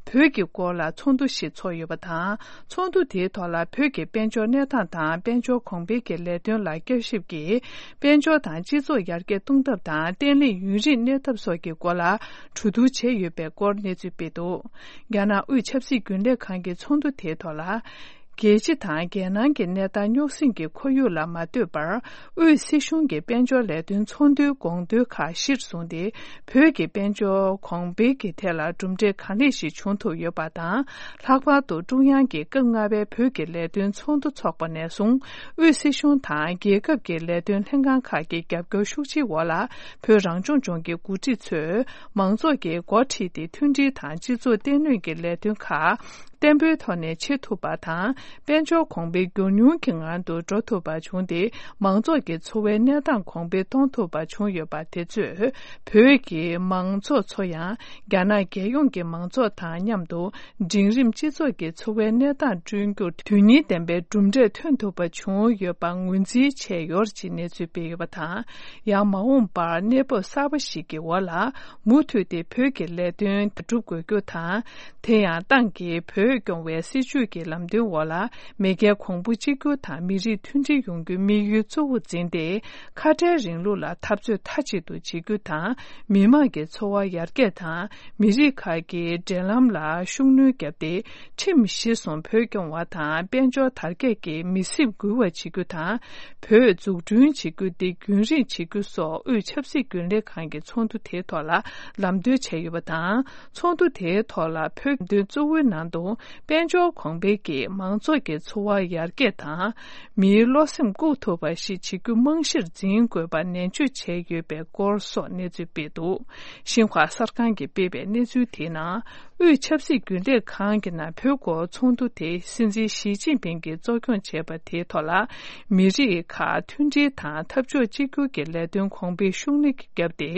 བོད་ཀྱི་སྐོར་ལ་ཚོགས་འདུ་ཞིག་ཚོགས་ཡོད་པ་དང་། ཚོགས་འདུ་དེའི་ཐོག་ལ་བོད་ཀྱི་དཔལ་འབྱོར་གནས་སྟངས་དང་དཔལ་འབྱོར་གོང་འཕེལ་གྱི་ལས་དོན་ལ་བསྐྱར་ཞིབ་ཀྱིས་དཔལ་འབྱོར་དང་སྤྱི་ཚོགས་ཡར་རྒྱས་གཏོང་ཐབས་དང་བརྟན་ལྷིང་ཡུན་རིང་གནས་ཐབས་སོགས་ཀྱི་སྐོར་ལ་གྲོས་བསྡུར་བྱས་ཡོད་པའི་སྐོར་གནས་ཚུལ་སྤེལ་འདུག་རྒྱ་ནག་དབུས་ཆབ་སྲིད་རྒྱུན་ལས་ཁང་གི་ཚོགས་འདུ་དེའི་ཐོག་ལ། རྒྱལ་སྤྱི་དང་རྒྱལ་ནང་གི་གནས་སྟངས་རྙོག་ཟིང་གི་ཁོར་ཡུག་ལ་མ་ལྟོས་པར། དབུས་སྲིད་གཞུང་གི་དཔལ་འབྱོར་ལས་དོན་ཚོགས་འདུའི་དགོངས་དོན་ཁག་གཞིར་བཟུང་སྟེ། བོད་ཀྱི་དཔལ་འབྱོར་གོང་འཕེལ་གྱི་ཐད་ལ་གྲུབ་འབྲས་གང་ལེགས་ཤིག་བྱུང་ཐུབ་ཡོད་པ་དང་། ལྷག་པར་དུ་ཀྲུང་དབྱང་གི་སྐབས་ལྔ་པའི་བོད་ཀྱི་ལས་དོན་ཚོགས་འདུ་འཚོགས་པ་ནས་བཟུང་། དབུས་སྲིད་གཞུང་དང་རྒྱལ་ཁབ་ཀྱི་ལས་དོན་ལྷན་ཁང་ཁག་གི་རྒྱབ་སྐྱོར་ཤུགས་ཆེའི་འོག་ལ། བོད་རང་སྐྱོང་ལྗོངས་ཀྱི་འགོ་ཁྲིད་ཚོས་མང་ཚོགས་ཀྱི་འགོ་ཁྲིད་དེ་མཐུན་སྒྲིལ་དང་སྤྱི་ཚོགས་བརྟན་ལྷིང་གི་ལས་དོན་ཁག་བརྟན་པོའི་ཐོག་ནས་བྱེད་ཐུབ་པ་དང་། དཔལ་འབྱོར་གོང་འཕེལ་མགྱོགས་མྱུར་གྱི་ངང་དུ་འགྲོ་ཐུབ་པ་བྱུང་སྟེ། མང་ཚོགས་ཀྱི་འཚོ་བའི་གནས་སྟངས་གོང་འཕེལ་གཏོང་ཐུབ་པ་བྱུང་ཡོད་པ་དེ་ཚོས། བོད་ཀྱི་མང་ཚོགས་ཚོ་ཡང་རྒྱ་ནག་རྒྱལ་ཡོངས་ཀྱི་མང་ཚོགས་དང་མཉམ་དུ། འབྲིང་རིམ་སྤྱི་ཚོགས་ཀྱི་འཚོ་བའི་གནས་སྟངས་བསྐྲུན་རྒྱུར་དོན་སྙིང་ལྡན་པའི་གྲུབ་འབྲས་ཐོན་ཐུབ་པ་བྱུང་ཡོད་པ་ངོས་འཛིན་བྱས་ཡོད་ཅེས་གནས་ཚུལ་སྤེལ་ཡོད་པ་དང་། ཡང་མ་འོངས་པར་གནས་བབ་གསར་པ་ཞིག་གི་འོག་ལ། མུ་མཐུད་དེ་བོད་ཀྱི་ལས་དོན་སྒྲུབ་དགོས་རྒྱུ་དང་། དེ་ཡང་ཏང་གིས་བོད་སྐྱོང་བའི་སྲིད་བྱུས་ཀྱི་ལམ་སྟོན་འོག་ལ། མེས་རྒྱལ་གོང་བུ་གཅིག་གྱུར་དང་མི་རིགས་མཐུན་སྒྲིལ་ཡོང་རྒྱུའི་དམིགས་ཡུལ་གཙོ་བོར་འཛིན་ཏེ། ཁ་བྲལ་རིང་ལུགས་ལ་འཐབ་རྩོད་མཐའ་གཅིག་ཏུ་བྱེད་རྒྱུ་དང་། མི་དམངས་ཀྱི་འཚོ་བ་ཡར་རྒྱས་དང་། མི་རིགས་ཁག་གི་འབྲེལ་ལམ་ལ་ཤུགས་སྣོན་བརྒྱབ་སྟེ། ཁྲིམས་གཞིར་བཟུང་བོད་སྐྱོང་བ་དང་། དཔལ་འབྱོར་དར་རྒྱས་ཀྱི་མི་སེར་འགུལ་བ་བྱེད་རྒྱུ་དང་། བོད་འཛུགས་སྐྲུན་བྱེད་རྒྱུ་དེ་རྒྱུན་རིང་བྱེད་རྒྱུ་སོགས། དབུས་ཆབ་སྲིད་རྒྱུན་ལས་ཁང་གི་ཚོགས་འདུ་དེའི་ཐོག་ལ་ལམ་སྟོན་བྱས་ཡོད་པ་དང་། ཚོགས་འདུ་དེའི་ཐོག་ལ་བོད་དོན་གཙོ་བོའི་ནང་དུ། དཔལ་འབྱོར་གོང་འཕེལ་གྱིས་མང་ཚོགས་ཀྱི་འཚོ་བ་ཡར་རྒྱས་དང་། མིའི་བློ་སེམས་བཀུག་ཐུབ་པ་ཞིག་བྱེད་རྒྱུ་རྨང་གཞིར་འཛིན་དགོས་པ་ནན་བརྗོད་བྱས་ཡོད་པའི་སྐོར་སོགས་གནས་ཚུལ་སྤེལ་འདུག་ཤིན་ཧྭ་གསར་ཁང་གིས་སྤེལ་བའི་གནས་ཚུལ་དེའི་ནང་། དབུས་ཆབ་སྲིད་རྒྱུན་ལས་ཁང་གི་ནང་བོད་སྐོར་ཚོགས་འདུ་དེ་སྲིད་འཛིན་ཞི་ཅིན་ཕིང་གིས་གཙོ་སྐྱོང་བྱས་པ་དེའི་ཐོག་ལ། མི་རིགས་ཁག་མཐུན་སྒྲིལ་དང་འཐབ་ཕྱོགས་གཅིག་གྱུར་གྱི་ལས་དོན་གོང་འཕེལ་ཤུགས་སྣོན་བརྒྱབ་སྟེ།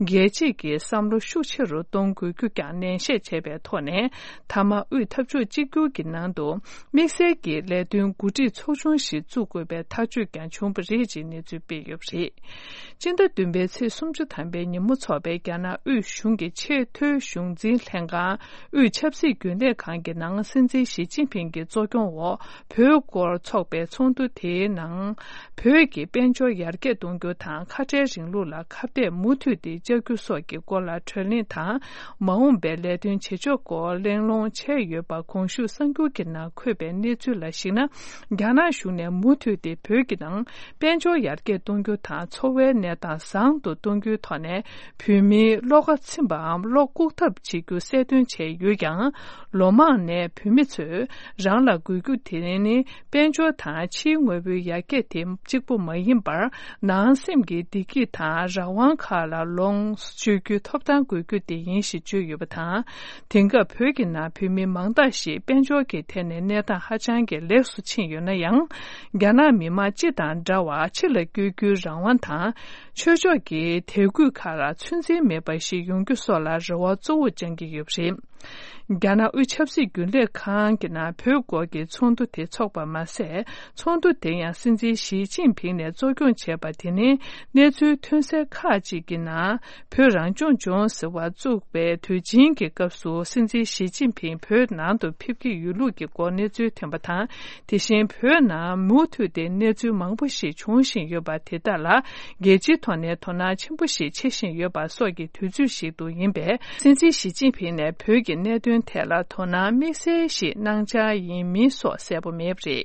རྒྱལ་སྤྱིས་ཀྱི་བསམ་བློ་ཤུགས་ཆེ་རུ་གཏོང་དགོས་རྒྱུ་ཀྱང་ནན་བཤད་བྱས་པའི་ཐོག་ནས། མཐའ་མ་དབུས་འཐབ་ཕྱོགས་གཅིག་གྱུར་གྱི་ནང་དུ་དམིགས་བསལ་གྱི་ལས་དོན་འགོ་ཁྲིད་ཚོགས་ཆུང་ཞིག་བཙུགས་དགོས་པའི་ཐག་གཅོད་ཀྱང་བྱུང་བ་རེད་ཅེས་གནས་ཚུལ་སྤེལ་ཡོད་པ་རེད། སྤྱི་ཟླ་བདུན་པའི་ཚེས་སུམ་ཅུ་ཐམ་པའི་ཉིན་མོ་འཚོགས་པའི་རྒྱ་ནག་དབུས་གཞུང་གི་ཆེས་མཐོའི་གཞུང་འཛིན་ལྷན་ཁང་དབུས་ཆབ་སྲིད་རྒྱུན་ལས་ཁང་གི་ནང་སྲིད་འཛིན་ཞི་ཅིན་ཕིང་གི་གཙོ་སྐྱོང་འོག་བོད་སྐོར་འཚོགས་པའི་ཚོགས་འདུ་དེའི་ནང་། བོད་ཀྱི་དཔལ་འབྱོར་ཡར་རྒྱས་གཏོང་རྒྱུ་དང་ཁ་བྲལ་རིང་ལུགས་ལ་ཁ་གཏད་མུ་མཐུད་དེ་བཅག་རྒྱུ་སོགས་ཀྱི་སྐོར་ལ་གྲོས་གླེང་དང་། མ་འོངས་པའི་ལས་དོན་བྱེད་ཕྱོགས་སྐོར་གླེང་སློང་བྱས་ཡོད་པ་གོང་ཞུས་གསར་འགྱུར་གྱི་ནང་འཁོད་པའི་གནས་ཚུལ་ལ་གཞིགས་ན། རྒྱ་ནག་གཞུང་ནས་མུ་མཐུད་དེ་བོད་ཀྱི་ནང་དཔལ་འབྱོར་ཡར་རྒྱས་གཏོང་རྒྱུ་དང་འཚོ་བའི་གནས་སྟངས་བཟང་དུ་གཏོང་རྒྱུའི་ཐོག་ནས། བོད་མིའི་བློ་ཁ་ཚིམ་པའམ་བློ་བཀུག་ཐབས་བྱེད་རྒྱུ་གསལ་སྟོན་བྱས་ཡོད་ཀྱང་། ལོ་མང་ནས་བོད་མི་ཚོས་རང་ལ་དགོས་རྒྱུ་དེ་ནི་དཔལ་འབྱོར་དང་ཕྱིའི་དངོས་པོའི་ཡར་རྒྱས་དེ་གཅིག་པུ་མ་ཡིན་པར། ནང་སེམས་ཀྱི་བདེ་སྐྱིད་དང་རང་དབང་ཁག་ལ་ལོངས་སྤྱོད་རྒྱུའི་ཐོབ་ཐང་དགོས་རྒྱུ་དེ་ཡིན་ཞེས་བརྗོད་ཡོད་པ་དང་། དེང་སྐབས་བོད་ཀྱི་ནང་བོད་མི་མང་དག་ཞིག་དཔལ་འབྱོར་གྱི་ཐད་ནས་གནས་སྟངས་ཧ་ཅང་གི་ལེགས་སུ་ཕྱིན་ཡོད་ན་ཡང་། རྒྱ་ནག་མི་དམངས་སྤྱི་དང་འདྲ་བར་ཕྱི་ལ་བསྐྱོད་རྒྱུའི་རང་དབང་དང་། ཆོས་ཕྱོགས་ཀྱི་དད་གུས་ཁག་ལ་ཚོད་འཛིན་མེད་པ་ཞིག་ཡོང་རྒྱུ་སོགས་ལ་རེ་བ་གཙོ་བོ་བཅང་གི་ཡོད་པ་རེད། རྒྱ་ནག་དབུས་ཆབ་སྲིད་རྒྱུན་ལས་ཁང་གི་ནང་བོད་སྐོར་གྱི་ཚོགས་འདུ་དེ་འཚོགས་པ་མ་ཟད། ཚོགས་འདུ་དེ་ཡང་སྲིད་འཛིན་ཞི་ཅིན་ཕིང་ནས་གཙོ་སྐྱོང་བྱས་པ་དེ་ནི། གནས་ཚུལ་ཐོན་གསལ་ཁག་ཅིག་གི་ནང་། བོད་རང་སྐྱོང་ལྗོངས་ཟེར་བ་བཙུགས་པའི་དུས་ཆེན་གྱི་སྐབས་སུ། སྲིད་འཛིན་ཞི་ཅིན་ཕིང་བོད་ནང་དུ་ཕེབས་ཀྱི་ཡོད་ལུགས་ཀྱི་སྐོར་གནས་ཚུལ་ཐོན་པ་དང་། དེ་བཞིན་བོད་ནང་མུ་མཐུད་དེ་གནས་ཚུལ་མང་པོ་ཞིག་འབྱུང་བཞིན་ཡོད་པ་དེ་དག་ལ། རྒྱལ་སྤྱིའི་ཐོག་ནས་དོ་སྣང་ཆེན་པོ་ཞིག་བྱེད་བཞིན་ཡོད་པ་སོགས་ཀྱི་དུས་ཚོད་ཞིག་ཏུ་ཡིན་པས། སྲིད་འཛིན་ཞི་ཅིན་ཕིང་ནས་བོད་ཀྱི་གནད་དོན་ཐད་ལ་དོ་སྣང་དམིགས་བསལ་ཞིག་གནང་འཆར་ཡིན་མིན་སོགས་གསལ་པོ་མེད་པ་རེད།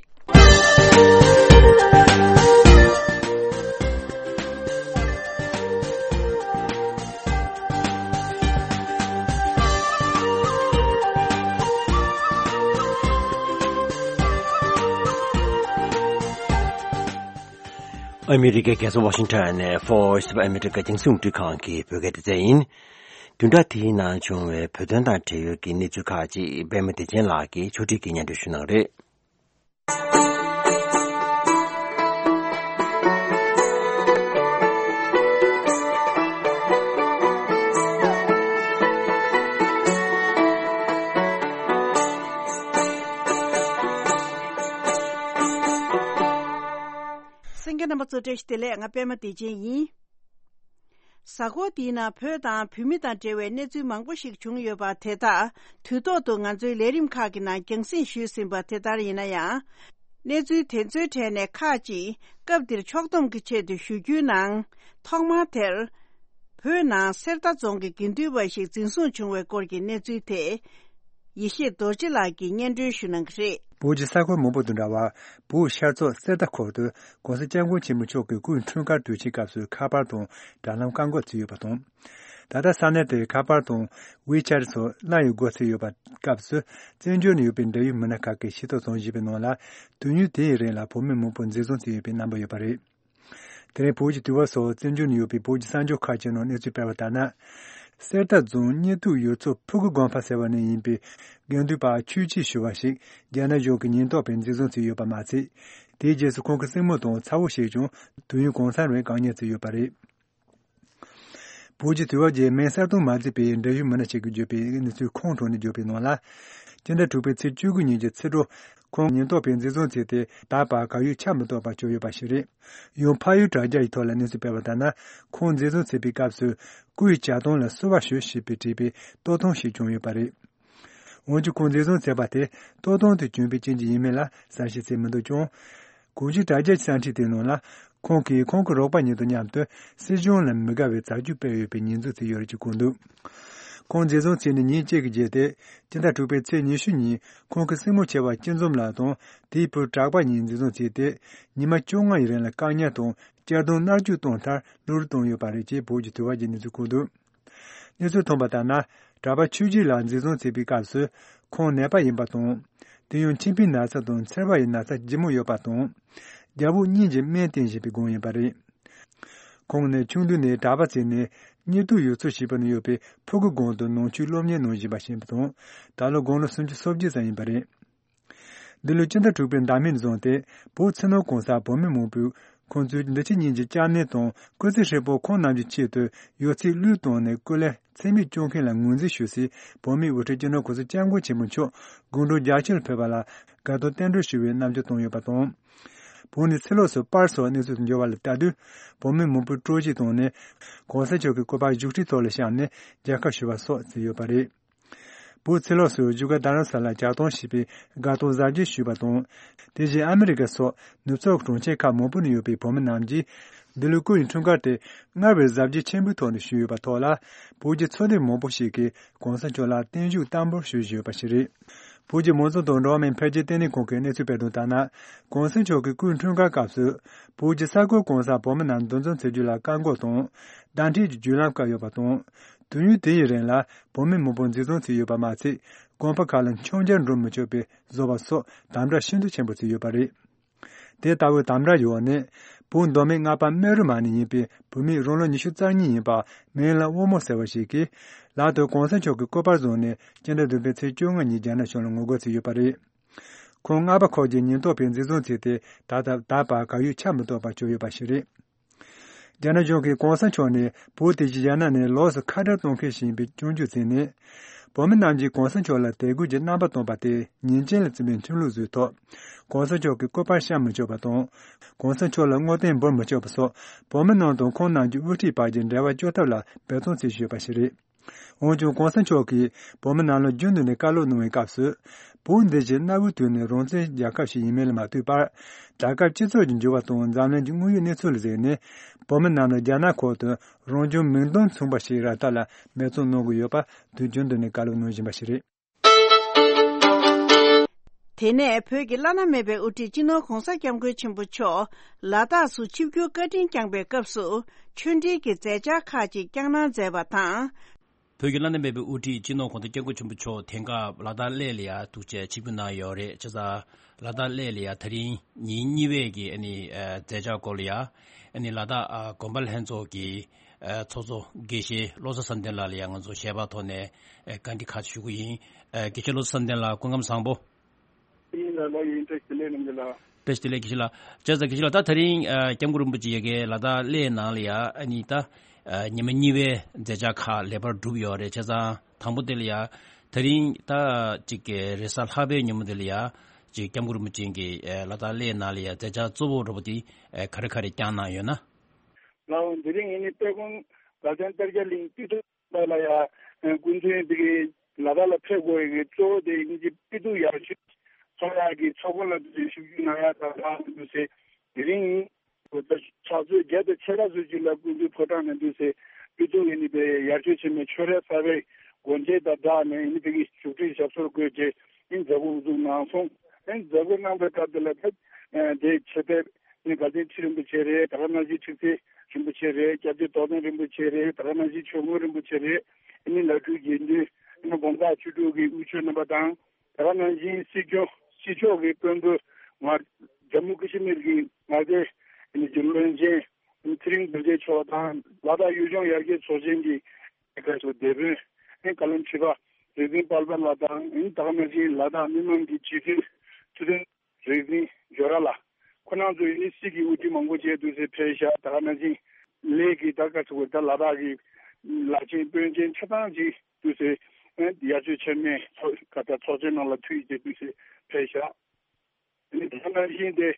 ཨ་མི་རི་ཀའི་རྒྱལ་ས་ཝ་ཤིང་ཊོན་ནས་Voice of America རྒྱང་སྲིང་རླུང་འཕྲིན་ཁང་གི་བོད་སྐད་སྡེ་ཚན་ཡིན། བདུན་ཕྲག་དེའི་ནང་བྱུང་བའི་བོད་དོན་དང་འབྲེལ་ཡོད་ཀྱི་གནས་ཚུལ་ཁག་ཅིག་པད་མ་བདེ་ཆེན་ལགས་ཀྱིས་ཕྱོགས་སྒྲིག་གིས་སྙན་སྒྲོན་ཞུ་གནང་རེད། གསན་མཁན་རྣམ་པ་ཚོ་བཀྲ་ཤིས་བདེ་ལེགས། ང་པད་མ་བདེ་ཆེན་ཡིན། གཟའ་འཁོར་འདིའི་ནང་བོད་དང་བོད་མི་དང་འབྲེལ་བའི་གནས་ཚུལ་མང་པོ་ཞིག་བྱུང་ཡོད་པ་དེ་དག་དུས་ཐོག་ཏུ་ང་ཚོའི་ལས་རིམ་ཁག་གི་ནང་རྒྱང་སྲིང་ཞུས་ཟིན་པ་དེ་ལྟར་ཡིན་ན་ཡང་། གནས་ཚུལ་དེ་ཚོའི་གྲས་ནས་ཁག་ཅིག་སྐབས་འདིར་ཕྱོགས་བསྡོམས་ཀྱི་ཆེད་དུ་ཞུ་རྒྱུའི་ནང་། ཐོག་མར་དེར། བོད་ནང་གསེར་རྟ་རྫོང་གི་དགེ་འདུན་པ་ཞིག་འཛིན་བཟུང་བྱུང་བའི་སྐོར་གྱི་གནས་ཚུལ་དེ། ཡེ་ཤེས་རྡོ་རྗེ་ལགས་ཀྱིས་སྙན་སྒྲོན་ཞུ་གནང་གི་རེད། བོད་ཀྱི་ས་ཁུལ་མང་པོ་དང་འདྲ་བར། བོད་ཤར་ཕྱོགས་གསེར་རྟ་ཁུལ་དུ་༸གོང་ས་༸སྐྱབས་མགོན་ཆེན་པོ་མཆོག་གི་སྐུའི་འཁྲུངས་སྐར་དུས་ཆེན་སྐབས་སུ་ཁ་པར་དང་དྲ་ལམ་བཀག་འགོག་བྱས་ཡོད་པ་དང་། ད་ལྟ་ས་གནས་དེར་ཁ་པར་དང་ཝེ་ཆེ་ཊི་སོགས་བརླག་ཡོད་སྐོར་གསལ་ཡོད་པ་སྐབས་སུ། བཙན་བྱོལ་ནང་ཡོད་པའི་འབྲེལ་ཡོད་མི་སྣ་ཁག་གིས་ཤེས་རྟོགས་བྱུང་བཞིན་པའི་ནང་ལ། དུས་ཡུན་དེའི་རིང་ལ་བོད་མི་མང་པོ་འཛིན་བཟུང་བྱས་ཡོད་པའི་རྣམ་པ་ཡོད་པ་རེད། དེ་རིང་བོད་ཀྱི་དུས་བབ་སོགས་བཙན་བྱོལ་ནང་ཡོད་པའི་བོད་ཀྱི་གསར་འགྱུར་ཁག་ཅིག་ནང་གནས་ཚུལ་སྤེལ་བ་ལྟར་ན། གསེར་རྟ་རྫོང་གཉེར་ཐུབ་ཡུལ་ཚོ་ཕུ་གུ་དགོན་པ་ཟེར་བ་ནས་ཡིན་པའི་དགེ་འདུན་པ་ཆོས་སྐྱིད་ཞུ་བ་ཞིག་རྒྱ་ནག་གཞུང་གི་ཉེན་རྟོག་པས་འཛིན་བཟུང་བྱས་ཡོད་པ་མ་ཚད། དེའི་རྗེས་སུ་ཁོང་གི་སྲིང་མོ་དང་ཚ་བོ་ཞིག་ཀྱང་དུས་ཡུན་གང་ཙམ་རིང་བཀག་ཉར་བྱས་ཡོད་པ་རེད། བོད་ཀྱི་དུས་བབ་ཀྱི་མིང་གསལ་སྟོན་མ་མཛད་པའི་འབྲེལ་ཡོད་མི་སྣ་ཞིག་གིས་བརྗོད་པའི་གནས་ཚུལ་ཁོང་ཁྲོ་ནས་བརྗོད་པའི་ནང་ལ། སྤྱི་ཟླ་དྲུག་པའི་ཚེས་བཅུ་དགུ་ཉིན་གྱི་ཕྱི་དྲོ། ཁོང་ཉེན་རྟོག་པས་འཛིན་བཟུང་བྱས་ཏེ་ད་བར་གར་ཡོད་ཆ་མི་གཏོགས་པར་བསྐྱོད་ཡོད་པ་ཞིག་རེད། ཡང་ཕ་ཡུལ་དྲ་རྒྱ་ཡི་ཐོག་ལ་གནས་ཚུལ་སྤེལ་བ་ལྟར་ན། ཁོང་འཛིན་བཟུང་བྱས་པའི་སྐབས་སུ། སྐུའི་ཇ་ཐང་ལ་བསུ་བ་ཞུ་ཞེས་པའི་བྲིས་པའི་ལྟོ་ཐུང་ཞིག་བྱུང་ཡོད་པ་རེད། འོན་ཀྱང་ཁོང་འཛིན་བཟུང་བྱས་པ་དེ་ལྟོ་ཐུང་དུ་བྱུང་བའི་རྐྱེན་གྱིས་ཡིན་མིན་ལ་གསལ་བཤད་བྱས་མི་འདུག་ཀྱང་། གོང་ཞུས་དྲ་རྒྱ་གསར་འཕྲིན་དེའི་ནང་ལ། ཁོང་གིས་ཁོང་གི་རོགས་པ་གཉིས་དང་མཉམ་དུ་སྲིད་གཞུང་ལ་མི་དགའ་བའི་བྱ་སྤྱོད་སྤེལ་ཡོད་པའི་ཉེས་འཛུགས་བྱས་ཡོད་རེད་ཅེས་བཀོད་འདུག་ཁོང་འཛིན་བཟུང་བྱས་ནས་ཉིན་གཅིག་གི་རྗེས་ཏེ། སྤྱི་ཟླ་དྲུག་པའི་ཚེས་ཉི་ཤུ་ཉིན་ཁོང་གི་སྲིང་མོ་ཆེ་བ་སྐྱིད་འཛོམས་ལགས་དང་དེའི་བུ་གྲགས་པ་གཉིས་འཛིན་བཟུང་བྱས་ཏེ། ཉི་མ་བཅོ་ལྔ་ཡི་རིང་ལ་བཀག་ཉར་དང་གཅར་རྡུང་མནར་གཅོད་བཏང་མཐར་གློད་གྲོལ་བཏང་ཡོད་པ་རེད་ཅེས་བོད་ཀྱི་དུས་བབ་ཀྱིས་གནས་ཚུལ་བཀོད་འདུག་གནས་ཚུལ་ཐོན་པ་ལྟར་ན། གྲགས་པ་ཆོས་སྐྱིད་ལགས་འཛིན་བཟུང་བྱས་པའི་སྐབས་སུ། ཁོང་ནད་པ་ཡིན་པ་དང་། དེ་ཡང་མཆིན་པའི་ན་ཚ་དང་མཚེར་བ་ཡི་ན་ཚ་ལྗིད་མོ་ཡོད་པ་དང་། རྒྱལ་པོ་གཉིས་ཀྱིས་སྨན་བསྟེན་བཞིན་པའི་སྒང་ཡིན་པ་རེད། ཁོང་ནི་ཆུང་དུས་ནས་གྲྭ་པ་བྱས་ནས་གཉིད་དུ་ཡུལ་ཚོ་ཞེས་པ་ནི་ཡོད་པའི་ཕུ་གུ་སྒང་དུ་ནང་ཆོས་སློབ་གཉེར་གནང་བཞིན་པ་ཞིག་ཡིན་པ་དང་། ད་ལོ་དགུང་ལོ་སུམ་ཅུ་སོ་བརྒྱད་ཙམ་ཡིན་པ་རེད། འདི་ལོའི་སྤྱི་ཟླ་དྲུག་པའི་ཟླ་སྨད་བཟུང་སྟེ་བོད་ཕྱི་ནང་གང་སར་བོད་མི་མང་པོས་ཁོང་ཚོའི་འདི་ཕྱི་གཉིས་ཀྱི་སྐྱབས་གནས་དང་སྐུ་ཚེ་ཧྲིལ་པོ་ཁོང་རྣམས་ཀྱི་ཆེད་དུ་ཡོད་ཚད་བློས་བཏང་ནས་སྐུ་ལས་ཚད་མེད་བསྐྱོན་མཁན་ལ་ངོས་འཛིན་ཞུ་སའི་བོད་མིའི་དབུ་ཁྲིད་སྤྱི་ནོར་གོང་ས་སྐྱབས་མགོན་ཆེན་པོ་མཆོག་དགུང་གྲངས་བརྒྱད་ཅུ་ལ་ཕེབས་པ་ལ་དགའ་སྟོན་རྟེན་འབྲེལ་ཞུ་བའི་རྣམ་འགྱུར་བསྟན་ཡོད་པ་དང་། བོད་ནས་ཕྱི་ལོགས་སུ་པར་སོགས་གནས་ཚུལ་དུ་འབྱོར་བ་ལ་ལྟ་དུས། བོད་མི་མང་པོས་སྤྲོ་སྐྱིད་བཏང་ནས། གོང་ས་མཆོག་གི་སྐུ་པར་བཞུགས་ཁྲིའི་ཐོག་ལ་བཞག་ནས་མཇལ་ཁ་ཞུ་བ་སོགས་བྱས་ཡོད་པ་རེད། བོད་ཕྱི་ལོགས་སུ་བཞུགས་སྒར་རྡ་རམ་ས་ལར་གྱ་སྟོན་ཞེས་པའི་དགའ་སྟོན་གཟབ་རྒྱས་ཞུས་པ་དང་། དེ་བཞིན་ཨ་མི་རི་ཀ་སོགས་ནུབ་ཕྱོགས་གྲོང་ཁྱེར་ཁག་མང་པོ་ནས་ཡོད་པའི་བོད་མི་རྣམས་ཀྱིས་འདི་ལོའི་སྐུ་ཡི་འཁྲུངས་སྐར་དེ་སྔར་བས་གཟབ་རྒྱས་ཆེན་པོའི་ཐོག་ནས་ཞུས་ཡོད་པ་ཐོག་ལ། བོད་ཀྱི་ཚོགས་སྡེ་མང་པོ་ཞིག་གིས་གོང་ས་མཆོག་ལ་བརྟན་བཞུགས་བསྟར་འབུལ་ཞུས་བཞིན་ཡོད་པ་ཞིག་རེད། བོད་ཀྱི་མང་གཙོ་དང་འགྲོ་བ་མིའི་འཕེལ་རྒྱས་ལྟེ་གནས་ཁང་གིས་གནས་ཚུལ་སྤེལ་དོན་ལྟར་ན། གོང་ས་མཆོག་གི་སྐུའི་འཁྲུངས་སྐར་སྐབས་སུ། བོད་ཀྱི་ས་ཁུལ་གང་སར་བོད་མི་རྣམས་འདུ་འཛོམས་བྱེད་རྒྱུ་ལ་བཀག་འགོག་དང་། བརྡ་འཕྲིན་གྱི་བརྒྱུད་ལམ་བཀག་ཡོད་པ་དང་། དུས་ཡུན་དེ་ཡི་རིང་ལ་བོད་མི་མང་པོ་འཛིན་བཟུང་བྱས་ཡོད་པ་མ་ཚད། དགོན་པ་ཁག་ལ་མཆོད་མཇལ་འགྲོ་མི་ཆོག་པའི་བཟོ་བ་སོགས་དམ་དྲག་ཤིན་ཏུ་ཆེན་པོ་བྱས་ཡོད་པ་རེད། དེ་ལྟ་བུའི་དམ་དྲག་ཡོད་ནས། བོད་མདོ་སྨད་རྔ་པ་སྨད་རུ་མ་ནས་ཡིན་པའི་བོད་མི་རང་ལོ་ཉི་ཤུ་རྩ་གཉིས་ཡིན་པ་མིང་ལ་དབང་མོ་ཟེར་བ་ཞིག་གིས། ལག་ཏུ་གོང་ས་མཆོག་གི་སྐུ་པར་བཟུང་ནས་སྤྱི་ཟླ་བདུན་པའི་ཚེས་བཅོ་ལྔ་ཉིན་རྒྱ་ནག་གཞུང་ལ་ངོ་རྒོལ་བྱས་ཡོད་པ་རེད། ཁོང་རྔ་པ་ཁོག་གི་ཉེན་རྟོག་པས་འཛིན་བཟུང་བྱས་ཏེ། ད་ལྟ་ད་བར་བཀའ་ཡིག་ཆ་མི་གཏོགས་པ་བྱུང་ཡོད་པ་ཞིག་རེད། རྒྱ་ནག་གཞུང་གིས་གོང་ས་མཆོག་ནི་བོད་དེ་བཞིན་རྒྱ་ནག་ནས་ལོགས་སུ་ཁ་བྲལ་གཏོང་མཁན་ཞིག་ཡིན་པའི་སྐྱོན་བརྗོད་བྱས་ནས། བོད་མི་རྣམས་ཀྱིས་གོང་ས་མཆོག་ལ་དད་གུས་ཀྱི་རྣམ་པ་སྟོན་པ་དེ་ཉེས་ཅན་ལ་བརྩི་བའི་ཁྲིམས་ལུགས་བཟོས་ཐོག་གོང་ས་མཆོག་གི་སྐུ་པར་བཤམས་མི་ཆོག་པ་དང་། གོང་ས་མཆོག་ལ་བསྔོ་རྟེན་འབུལ་མི་ཆོག་པ་སོགས། བོད་མི་རྣམས་དང་ཁོང་རྣམས་ཀྱི་དབུ་ཁྲིད་བར་གྱི་འབྲེལ་བ་གཅོད་ཐབས་ལ་འབད་བརྩོན་བྱེད་བཞིན་ཡོད་པ་ཞིག་རེད། འོན་ཀྱང་གོང་ས་མཆོག་གིས་བོད་མི་རྣམས་ལ་རྒྱུན་དུ་ནས་བཀའ་སློབ་གནང་བའི་སྐབས་སུ། བོད་འདི་བཞིན་གནའ་བོའི་དུས་ནས་རང་བཙན་རྒྱལ་ཁབ་ཞིག་ཡིན་མིན་ལ་མ་ལྟོས་པར། རྒྱལ་ཁབ་སྤྱི་ཚོགས་ཀྱི་འགྱུར་བ་དང་འཛམ་གླིང་གི་དངོས་ཡོད་གནས་ཚུལ་ལ་གཟིགས་ནས། བོད་མི་རྣམས་ལ་རྒྱ་ནག་ཁུལ་དུ་རང་བྱུང་མིང་དོན་མཚུངས་པ་ཞིག་རག་ཐབས་ལ་འབད་བརྩོན་གནང་དགོས་ཡོད་པ་དུས་རྒྱུན་དུ་ནས་བཀའ་སློབ་གནང་བཞིན་པ་ཞིག་རེད། དེ་ནས་བོད་ཀྱི་བླ་ན་མེད་པའི་དབུ་ཁྲིད་སྤྱི་ནོར་གོང་ས་སྐྱབས་མགོན་ཆེན་པོ་མཆོག་ལ་དྭགས་སུ་ཆིབས་བསྒྱུར་བཀའ་དྲིན་བསྐྱངས་པའི་སྐབས་སུ། ཆོས་འབྲེལ་གྱི་མཛད་འཆར་ཁག་ཅིག་བསྐྱངས་གནང་མཛད་པ་དང་། བོད་ཀྱི་བླ་ན་མེད་པའི་དབུ་ཁྲིད་སྤྱི་ནོར་གོང་ས་སྐྱབས་མགོན་ཆེན་པོ་མཆོག་དེང་སྐབས་ལ་དྭགས་གླེ་ལ་ཡ་ཐུགས་རྗེ་ཆིབས་བསྒྱུར་གནང་ཡོད་རེད། བྱས་ཙང་ལ་དྭགས་གླེ་ལ་ཡ་ད་རིང་ཉིན་གཉིས་པའི་གི་ཨ་ནི་ཨ་མཛད་འཆར་སྐོར་ལ་ཡ་ཨ་ནི་ལ་དྭགས་ཨ་དགོན་པ་ལྷན་ཚོགས་ཀྱི་ཨ་ཚོགས་གཙོ་དགེ་བཤེས་བློ་བཟང་བསམ་གཏན་ལགས་ལ་ཡ་ང་ཚོ་ཞལ་པར་ཐོག་ནས་ཨ་བཀའ་འདྲི་ཁག་ཅིག་ཞུ་གི་ཡིན། ཨ་དགེ་བཤེས་བློ་བཟང་བསམ་གཏན་ལགས་སྐུ་ཁམས་བཟང་པོ། ཡིན་ལ་ལ་ཡིན། བཀྲ་ཤིས་བདེ་ལེགས་རྣམ་རྒྱལ་ལགས། བཀྲ་ཤིས་བདེ་ལེགས་དགེ་བཤེས་ལགས། བྱས་ཙང་དགེ་བཤེས་ལགས་ད་ད་རིང་ཨ་སྐྱབས་མགོན་རིན་པོ་ཆེ་ཡ་གི་ལ་དྭགས་གླེ་ནང་ལ་ཡ་ཨ་ནི་ད་ཨ་ཉི་མ་གཉིས་པའི་མཛད་འཆར་ཁག་ལེགས་པར་གྲུབ་ཡོད་རེད། བྱས་ཙང་དང་པོ་དེ་ལ་ཡ་ད་རིང་ད་ཅིག་གི་རེས་གཟའ་ལྷག་པའི་ཉིན་མོ་དེ་ལ་ཡ་ཅིག་སྐྱབས་མགོན་རིན་པོ་ཆེ་གི་ཨ་ལ་དྭགས་གླེ་ནང་ལ་ཡ་མཛད་འཆར་གཙོ་བོ་འདྲ་པོ་དེ་ཨ་ག་རེ་ག་རེ་བསྐྱངས་གནང་ཡོད་ན། ལགས་འོང་། དེ་རིང་ངེད་གཉིས་དཔལ་མགོན་དགའ་ལྡན་གཏེར་རྒྱ་གླིང་དཔེ་སྟོན་ལ་ཡ་སྐུ་མདུན་དེ་གི་ལ་དྭགས་ལ་ཕེབས་དགོས་ཡ་གི་གཙོ་བོ་དེ་ཡིན་གྱི་དཔེ་སྟོན་ཡག་ཤོས་ཚོགས་ཡག་གི་ཚོགས་ཁང་ལ་དུས་ཞིབ་འཇུག་གནང་ཡག་དང་ལྷག་མི་འདུག་ཟེར། དེ་རིང་ཕྱག་ཚོད་བརྒྱད་དང་ཕྱེད་ཀ་ཙམ་ཅིག་ལ་སྐུ་མདུན་ཕོ་བྲང་ནས་འདུག་ཟེར། དཔེ་སྟོན་ཡིན་ནི་དེ་ཡར་ཆོས་ཆེན་མོའི་ཆོས་རའི་གསར་པའི་སྒོ་འབྱེད་དང་སྦྲགས་ནས་ཡིན་ནི་དེ་གི་བཞུགས་ཁྲི་ཞབས་སོར་བཀོད་རྗེས་ཡིན་མཛད་སྒོ་དབུ་འཛུགས་གནང་སོང་། ཡིན་མཛད་སྒོ་གནང་པའི་སྐབས་དེ་ལ་ཕེབས་དེ་ཆེད་ཕེབས། ནི་དགའ་ལྡན་ཁྲི་རིན་པོ་ཆེ་རེད། ད་ག་ནང་བཞིན་ཁྲི་རྩེ་རིན་པོ་ཆེ་རེད། སྐྱབས་རྗེ་རྟོགས་ལྡན་རིན་པོ་ཆེ་རེད། ད་ག་ནང་བཞིན་ཆོས་མགོན་རིན་པོ་ཆེ་རེད། ཨ་ནི་བླ་སྤྲུལ་དགེ་འདུན། ཨ་ནི་དགོན་ཁག་ཆོས་དྲུག་གི་དབུ་ཆོས་རྣམ་པ་དང་། ད་ག་ནང་བཞིན་སྲིད་སྐྱོང་སྲིད་ཕྱོགས་ཀྱི་དཔོན་པོ་ང་ཇམ་མུ་ཀ་ཤི་མིར་གྱི་མངའ་སྡེ་ཨ་ནི་རྒྱུན་ལས་ཅན་ཨ་ནི་ཚེ་རིང་རྡོ་རྗེ་མཆོག་དང་། ལ་དྭགས་གཡུང་ལྗོངས་ཡར་རྒྱས་ཚོགས་ཆེན་གྱི་སྐབས་སུ་སྡེ་དཔོན་ཨ་ནི་བཀའ་བློན་ཁྲི་པ་རིག་འཛིན་དཔལ་འབར་ལགས་དང་། ཨ་ནི་ད་ག་ནང་བཞིན་ལ་དྭགས་མི་མང་གི་སྤྱི་འཐུས་ཐུབ་བསྟན་རིག་འཛིན་ཇོ་ར་ལགས། ཁོང་རྣམ་ཚོ་ཡིན་སྲིད་ཀྱི་དབུ་ཁྲིད་མང་པོ་བྱས་འདུག་ཟེར་ཕེབས་ཤག་ད་ག་ནང་བཞིན་གླེ་གི་ད་ག་ཚོད་ད་ལ་དྭགས་ཀྱི་བླ་ཆེན་དཔོན་ཆེན་ཆ་ཚང་ཅིག་འདུག་ཟེར། ཡར་ཆོས་ཆེན་མོའི་ཚོགས་ག་ད་ཚོགས་ཆེན་ནང་ལ་ཐུགས་ཡིད་ཆེས་འདུག་ཟེར་ཕེབས་ཤག་ད་ག་ནང་བཞིན་དེ་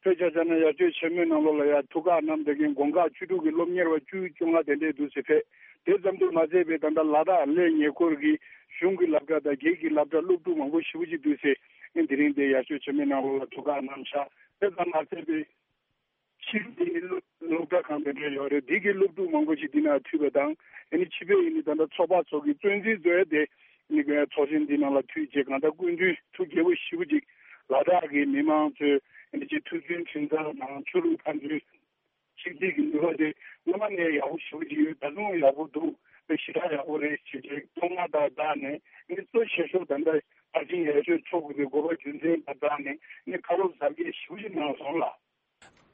ཕེབས་ཤག་ཆ་ན་ཡར་ཆོས་ཆེན་མོའི་ནང་ལོགས་ལ་ཡར་ཐུགས་ཁག་གནང་བསྡད་མཁན་དགོན་ཁག་ཆོས་དྲུག་གི་སློབ་གཉེར་བ་བཅུ་བཅོ་ལྔ་དེ་འདྲས་འདུག་ཟེར་ཕེབས། དེ་ཙམ་དུ་མ་ཟད་པའི་ད་ལྟ་ལ་དྭགས་གླེ་ཉེ་འཁོར་གྱི་གཞུང་གི་སློབ་གྲྭ་དང་སྒེར་གྱི་སློབ་གྲྭ་སློབ་ཕྲུག་མང་པོ་ཞེ་པོ་ཅིག་འདུག་ཟེར། ཨ་ནི་དེ་རིང་འདིར་ཡར་ཆོས་ཆེན་མོའི་ནང་ལོགས་ལ་ཐུགས་ཁག་གནང་ཤག་དེ་ཙམ་མ་ཟད་པའི་ཕྱི་རྒྱལ་གྱི་སློབ་སློབ་གྲྭ་ཁང་དེ་འདྲ་ཡོད་རེད། འདི་གི་སློབ་ཕྲུག་མང་པོ་ཞིག་འདི་ན་ཐུག་པ་དང་། ཨ་ནི་ཕྱི་པའི་ཨ་ནི་ད་ལྟ་ཚོགས་པ་ཚོ་གི་གཙོ་འཛིན་ཚོས་དེ་ཨ་ནི་ཚོགས་ཆེན་འདི་ནང་ལ་ཐུག་བྱས། གང་ལྟར་སྐུ་མདུན་ཐུགས་དགྱེས་པོ་ཞེ་པོ་ཅིག་ལ་དྭགས་ཀྱི་མི་མང་ཚོས་ཨ་ནི་ཅིག་ཐུགས་མཐུན་ཁྲིམས་གཙང་དང་ཆོས་ལུགས་ཕན་ཚུན་ཆིག་སྒྲིལ་གྱི་ནུས་པ་དེ་སྔོན་མ་ནས་ཡག་པོ་ཞེ་པོ་ཅིག་ཡོད། ད་དུང་ཡག་པོ་འདུག་དཔེ་ཞེ་དྲག་ཡག་པོ་རེད་ཞེས་བྱས་བསྟོད་བསྔགས་དང་སྦྲགས་ནས་ནི་གཙོ་ཆེ་ཤོས་ད་ལྟ་ཕར་ཕྱིན་ཡར་ཞུ་ཚོགས་དགོས་པའི་དགོས་པ་རྒྱུ་མཚན་དང་སྦྲགས་ནས་ནི་བཀའ་སློབ་གཟབ་རྒྱས་ཞེ་པོ་ཅིག་གནང་སོང་ལགས།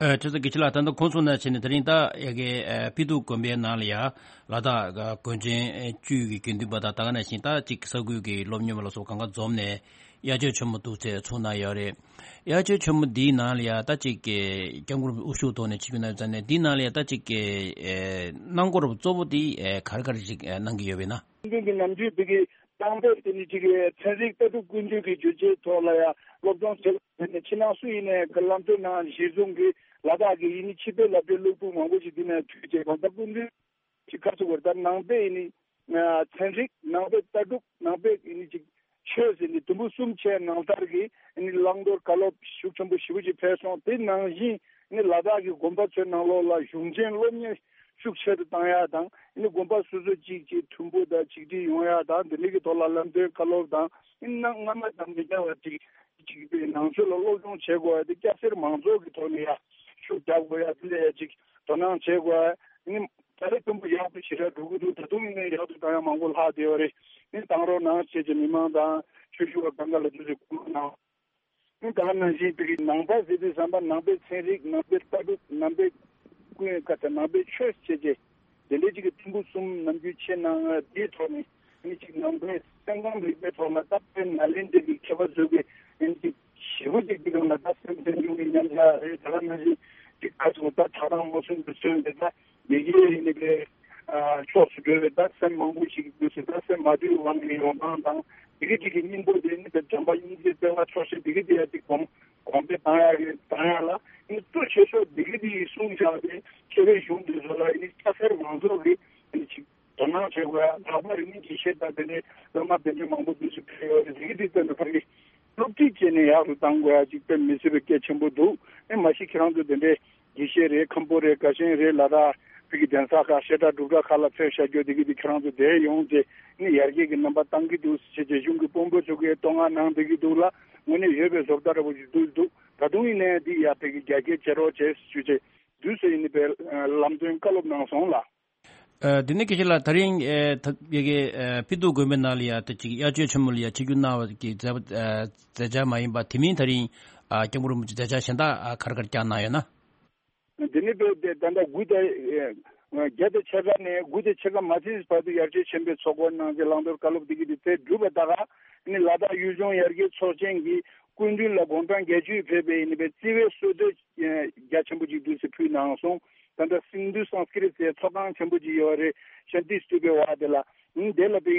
ཨ། ཁྲི་ཚོ་དགེ་བཤེས་ལགས། ད་ལྟ་ཁོང་ཚོ་ནང་བྱས་ནས་དེ་རིང་ད་ཡ་གི་ཨ་ཕི་ཏུ་དགོན་པའི་ནང་ལ་ཡ་ལ་དྭགས་དགོན་ཆེན་བཅུ་གི་དགེ་འདུན་པ་དང་ད་ག་ནང་བཞིན་ད་ཅིག་ས་ཁུལ་གྱི་སློབ་གཉེར་བ་ལ་སོགས་གང་ག་འཛོམས་ནས་དབྱར་ཆོས་ཆེན་མོ་འདུག་ཚེ་ཚུགས་གནང་ཡོད་རེད། དབྱར་ཆོས་ཆེན་མོ་འདིའི་ནང་ལ་ཡ་ད་ཅིག་གི་སྐྱབས་མགོན་རིན་པོ་ཆེ་དབུ་བཞུགས་ཐོག་ནས་ཆིབས་བསྒྱུར་གནང་ཡོད་ཙང་ནས་འདིའི་ནང་ལ་ཡ་ད་ཅིག་གི་ཨེ་གནང་སྒོ་རུ་གཙོ་བོ་འདི་ཨེ་ག་རེ་ག་རེ་ཞིག་ཨེ་གནང་གི་ཡོད་པས་ན། སྐུ་མདུན་གྱི་ནམ་རྒྱུན་དེ་གའི་གཏམ་དཔེ་དེ་ནི་ཅིག་གི་ཚན་རིག་ལྟ་གྲུབ་ཀུན་འདུས་ཀྱི་བརྗོད་བྱའི་ཐོག་ལ་ཡང་སློབ་སྦྱོང་བྱེད་པ་དེ་ནི་ཕྱི་ནང་སུ་ཡིན་ནའི་གི་ལམ་སྟོན་ནང་གཞི་བཟུང་གིས་ལ་དྭགས་ཀྱི་ཡིན་ནི་ཕྱི་པའི་ལབ་དེ་སློབ་ཕྲུག་མང་པོ་ཞིག་འདི་ནས་ཐོས་བྱས་གང་ལྟར་ཀུན་འདུས་ཅིག་ཁ་ཚུགས་པར་ལྟར་ནང་པའི་ཡིན་ནི་ཚན་རིག་ནང་པའི་ལྟ་གྲུབ་ནང་པའི་ཡིན་ནི་ཅིག་ཆོས་ཟེར་ནི་དུམ་བུ་གསུམ་བྱས་ནང་ལྟར་གྱི་ཡིན་ནི་བླང་དོར་བཀའ་སློབ་ཤུགས་ཆེན་པོ་ཞེ་པོ་ཅིག་ཕེབས་སོང་། དེ་ནང་བཞིན་ནི་ལ་དྭགས་ཀྱི་དགོན་པ་ཚོའི་ནང་ལོགས་ལ་གཞུང་ཆེན་སློབ་གཉེར་ཤུགས་ཆེ་རུ་བཏང་ཡ་དང་ནི་དགོན་པ་སོ་སོ་གཅིག་གཅིག་མཐུན་པོ་དང་ཆིག་སྒྲིལ་ཡོང་ཡ་དང་དེ་འདྲ་གི་ཐོག་ལ་ལམ་སྟོན་བཀའ་སློབ་དང་ནི་སྔ་མ་དང་མི་འདྲ་བ་ཅིག་ཅིག་པའི་ནང་ཆོས་ལ་སློབ་སྦྱོང་བྱེད་དགོས་ཡ་དེ་སྐྱ་སེར་མང་ཚོགས་ཀྱི་ཐོག་ནས་ཡ་ཤུགས་རྒྱག་དགོས་ཡ་དེ་ལ་ཡ་ཅིག་དོ་སྣང་བྱེད་དགོས་ཡ་ནི་ད་རེས་དུམ་བུ་ཡག་ཏུ་ཞེ་དྲག་འགྲོ་གི་འདུག་ད་དུང་ཡིན་ནའི་ཡག་ཏུ་བཏང་ཡ་མང་པོ་ལྷག་བསྡད་ཡོད་རེད། ནི་བཏང་རོགས་གནང་བྱས་ཀྱི་མི་མང་དང་ཆོས་ཞུ་བ་གང་ག་ལ་དུས་སུ་སྐུལ་མ་གནང་། ད་ག་ནང་བཞིན་དེ་གི་ནང་པ་ཟེར་དུས་ཙམ་པ་ནང་པའི་ཚན་རིག་ནང་པའི་ལྟ་གྲུབ་ནང་པའི་ཀུན་ཀ་ད་ནང་པའི་ཆོས་བྱས་རྗེས་དེ་འདྲའི་ཅིག་གི་ཐིམ་ཕུག་གསུམ་ནམ་རྒྱུན་ཆེ་ནང་དེའི་ཐོག་ནས་ནི་ཅིག་ནང་པའི་སེམས་ཁམས་རིག་པའི་ཐོག་ལ་ད་དཔེ་ནཱ་ལེནྡྲ་གི་མཁས་པ་ཚོ་གི་ནི་ཅིག་ཞེ་པོ་ཅིག་གི་ནང་ལ་ད་སེམས་སེམས་བྱུང་གི་མཉམ་བཞག་རེད། ད་ག་ནང་བཞིན་ཅིག་ཁ་ཚོ་ད་ཐག་རང་མོ་སུན་དུ་སོན་པའི་ད་ཡི་གེ་ཡིན་པའི་ཕྱོགས་སུ་འགྲོ་བའི་ད་སེམས་མང་པོ་ཞིག་འདུག་ཟེར། ད་སེམས་མ་དུལ་དབང་གི་ཡོང་སྟངས་དང་དེ་གི་དེ་གི་སྙིང་པོ་དེ་ནི་དཔེ་བྱམས་པ་སྙིང་རྗེ་བརྩེ་བ་ཆོག་ཤེས་དེ་གི་དེ་ཡ་དེ་གོང་གོང་འཕེལ་བཏང་ཡག་གི་བཏང་ཡག་ལ་ནི་གཙོ་ཆེ་ཤོས་དེ་གི་དེ་ཡི་གསུངས་བཞག་པའི་ཆེ་བའི་གཞུང་དེ་ཚོ་ལ་ནི་སྐྱ་སེར་མང་ཚོགས་ཀྱི་ནི་ཅིག་དོ་སྣང་བྱེད་དགོས་ཡ། ལྷག་པར་ནི་དགེ་བཤེས་དང་དེ་ནས་སློབ་མ་དེ་འདྲ་མང་པོ་འདུག་ཟེར་ཕེབས་ཡོད་རེད། དེ་གི་དེ་ལྟ་ན་ཕ་གི་སློབ་ཁྲིད་བྱས་ནས་ཡག་རུ་བཏང་དགོས་ཡ་ཅིག་དཔེ་མི་སྲིད་པའི་གལ་ཆེན་པོ་འདུག་ཨེ་མ་གཞི་ཁྱེད་རང་ཚོ་དེ་འདྲའི་དགེ་བཤེས་རེད། མཁན་པོ་རེད། དགའ་ཞེན་རེད། ལ་དྭགས་བོད་ཀྱི་གདན་ས་ཁག་བཤད་གྲྭ་སྒྲུབ་གྲྭ་ཁག་ལ་ཕེབས་བཞག་རྒྱུ་དེ་གི་དེ་ཁྱེད་རང་ཚོ་དེ་ཡོང་རྗེས་ནི་ཡར་རྒྱས་ཀྱི་རྣམ་པ་བཏང་གི་འདུག་ཟེར་བྱས་གཞུང་གི་དཔོན་པོ་ཚོ་གིས་བསྟོད་བསྔགས་གནང་བསྡད་ཀྱི་འདུག་ལ་དངོས་གནས་ཡོད་པའི་བཟོ་ལྟ་འདྲ་པོ་ཞིག་འདུག་འདུག་ད་དུང་ཡིན་ནའི་འདི་ཡ་བོད་ཀྱི་རྒྱ་སྐྱེད་བྱེད་རོགས་བྱས་ཞུ་བྱས་དུས་སུ་ཡིན་ནི་པའི་ལམ་སྟོན་བཀའ་སློབ་གནང་སོང་ལ། ཨ། དེ་ནས་དགེ་བཤེས་ལགས་ད་རིང་ཨེ་ད་ཡ་གི་ཨེ་ཕི་ཏུ་དགོན་པའི་ནང་ལ་ཡ་ད་ཅིག་དབྱར་ཆོས་ཆེན་མོ་ལ་ཡ་ཆིབས་བསྒྱུར་གནང་བ་གི་མཛད་པ་ཨེ་མཛད་འཆར་མ་ཡིན་པ་དེ་མིན་ད་རིང་ཨ་སྐྱབས་མགོན་རིན་པོ་ཆེ་མཛད་འཆར་གཞན་དག་ཨ་ག་རེ་ག་རེ་བསྐྱངས་གནང་ཡོད་ན། འདི་ནི་བོད་དེ་ད་ལྟ་དགུ་དང་ཨེ་བརྒྱད་དང་ཕྱེད་ཀ་ནས་དགུ་དང་ཕྱེད་ཀ་མ་ཚིགས་བར་དུ་དབྱར་ཆོས་ཆེན་པོའི་ཚོགས་འཁོར་གནང་རྗེས་བླང་དོར་བཀའ་སློབ་འདི་གི་དེ་ཚེ་གྲུབ་པ་ད་ག་ནི་ལ་དྭགས་ཡུལ་ལྗོངས་ཡར་རྒྱས་ཚོགས་ཆེན་གྱི་སྐུ་མདུན་ལ་དགུང་གྲངས་བརྒྱད་ཅུ་ཕེབས་པའི་ནི་བའི་བརྩི་བའི་གསོལ་འདེབས་རྒྱ་ཆེན་པོ་ཅིག་འདུག་སེ་ཕུལ་གནང་སོང་། ད་ལྟ་སིན་དྷུ་སཾ་སྐྲྀ་ཏའི་ཚོགས་ཁང་ཆེན་པོ་ཅིག་ཡོད་རེད། ཤཱནྟི་སྟུ་པའི་བར་དེ་ལ་ནི་དེ་ལ་བའི་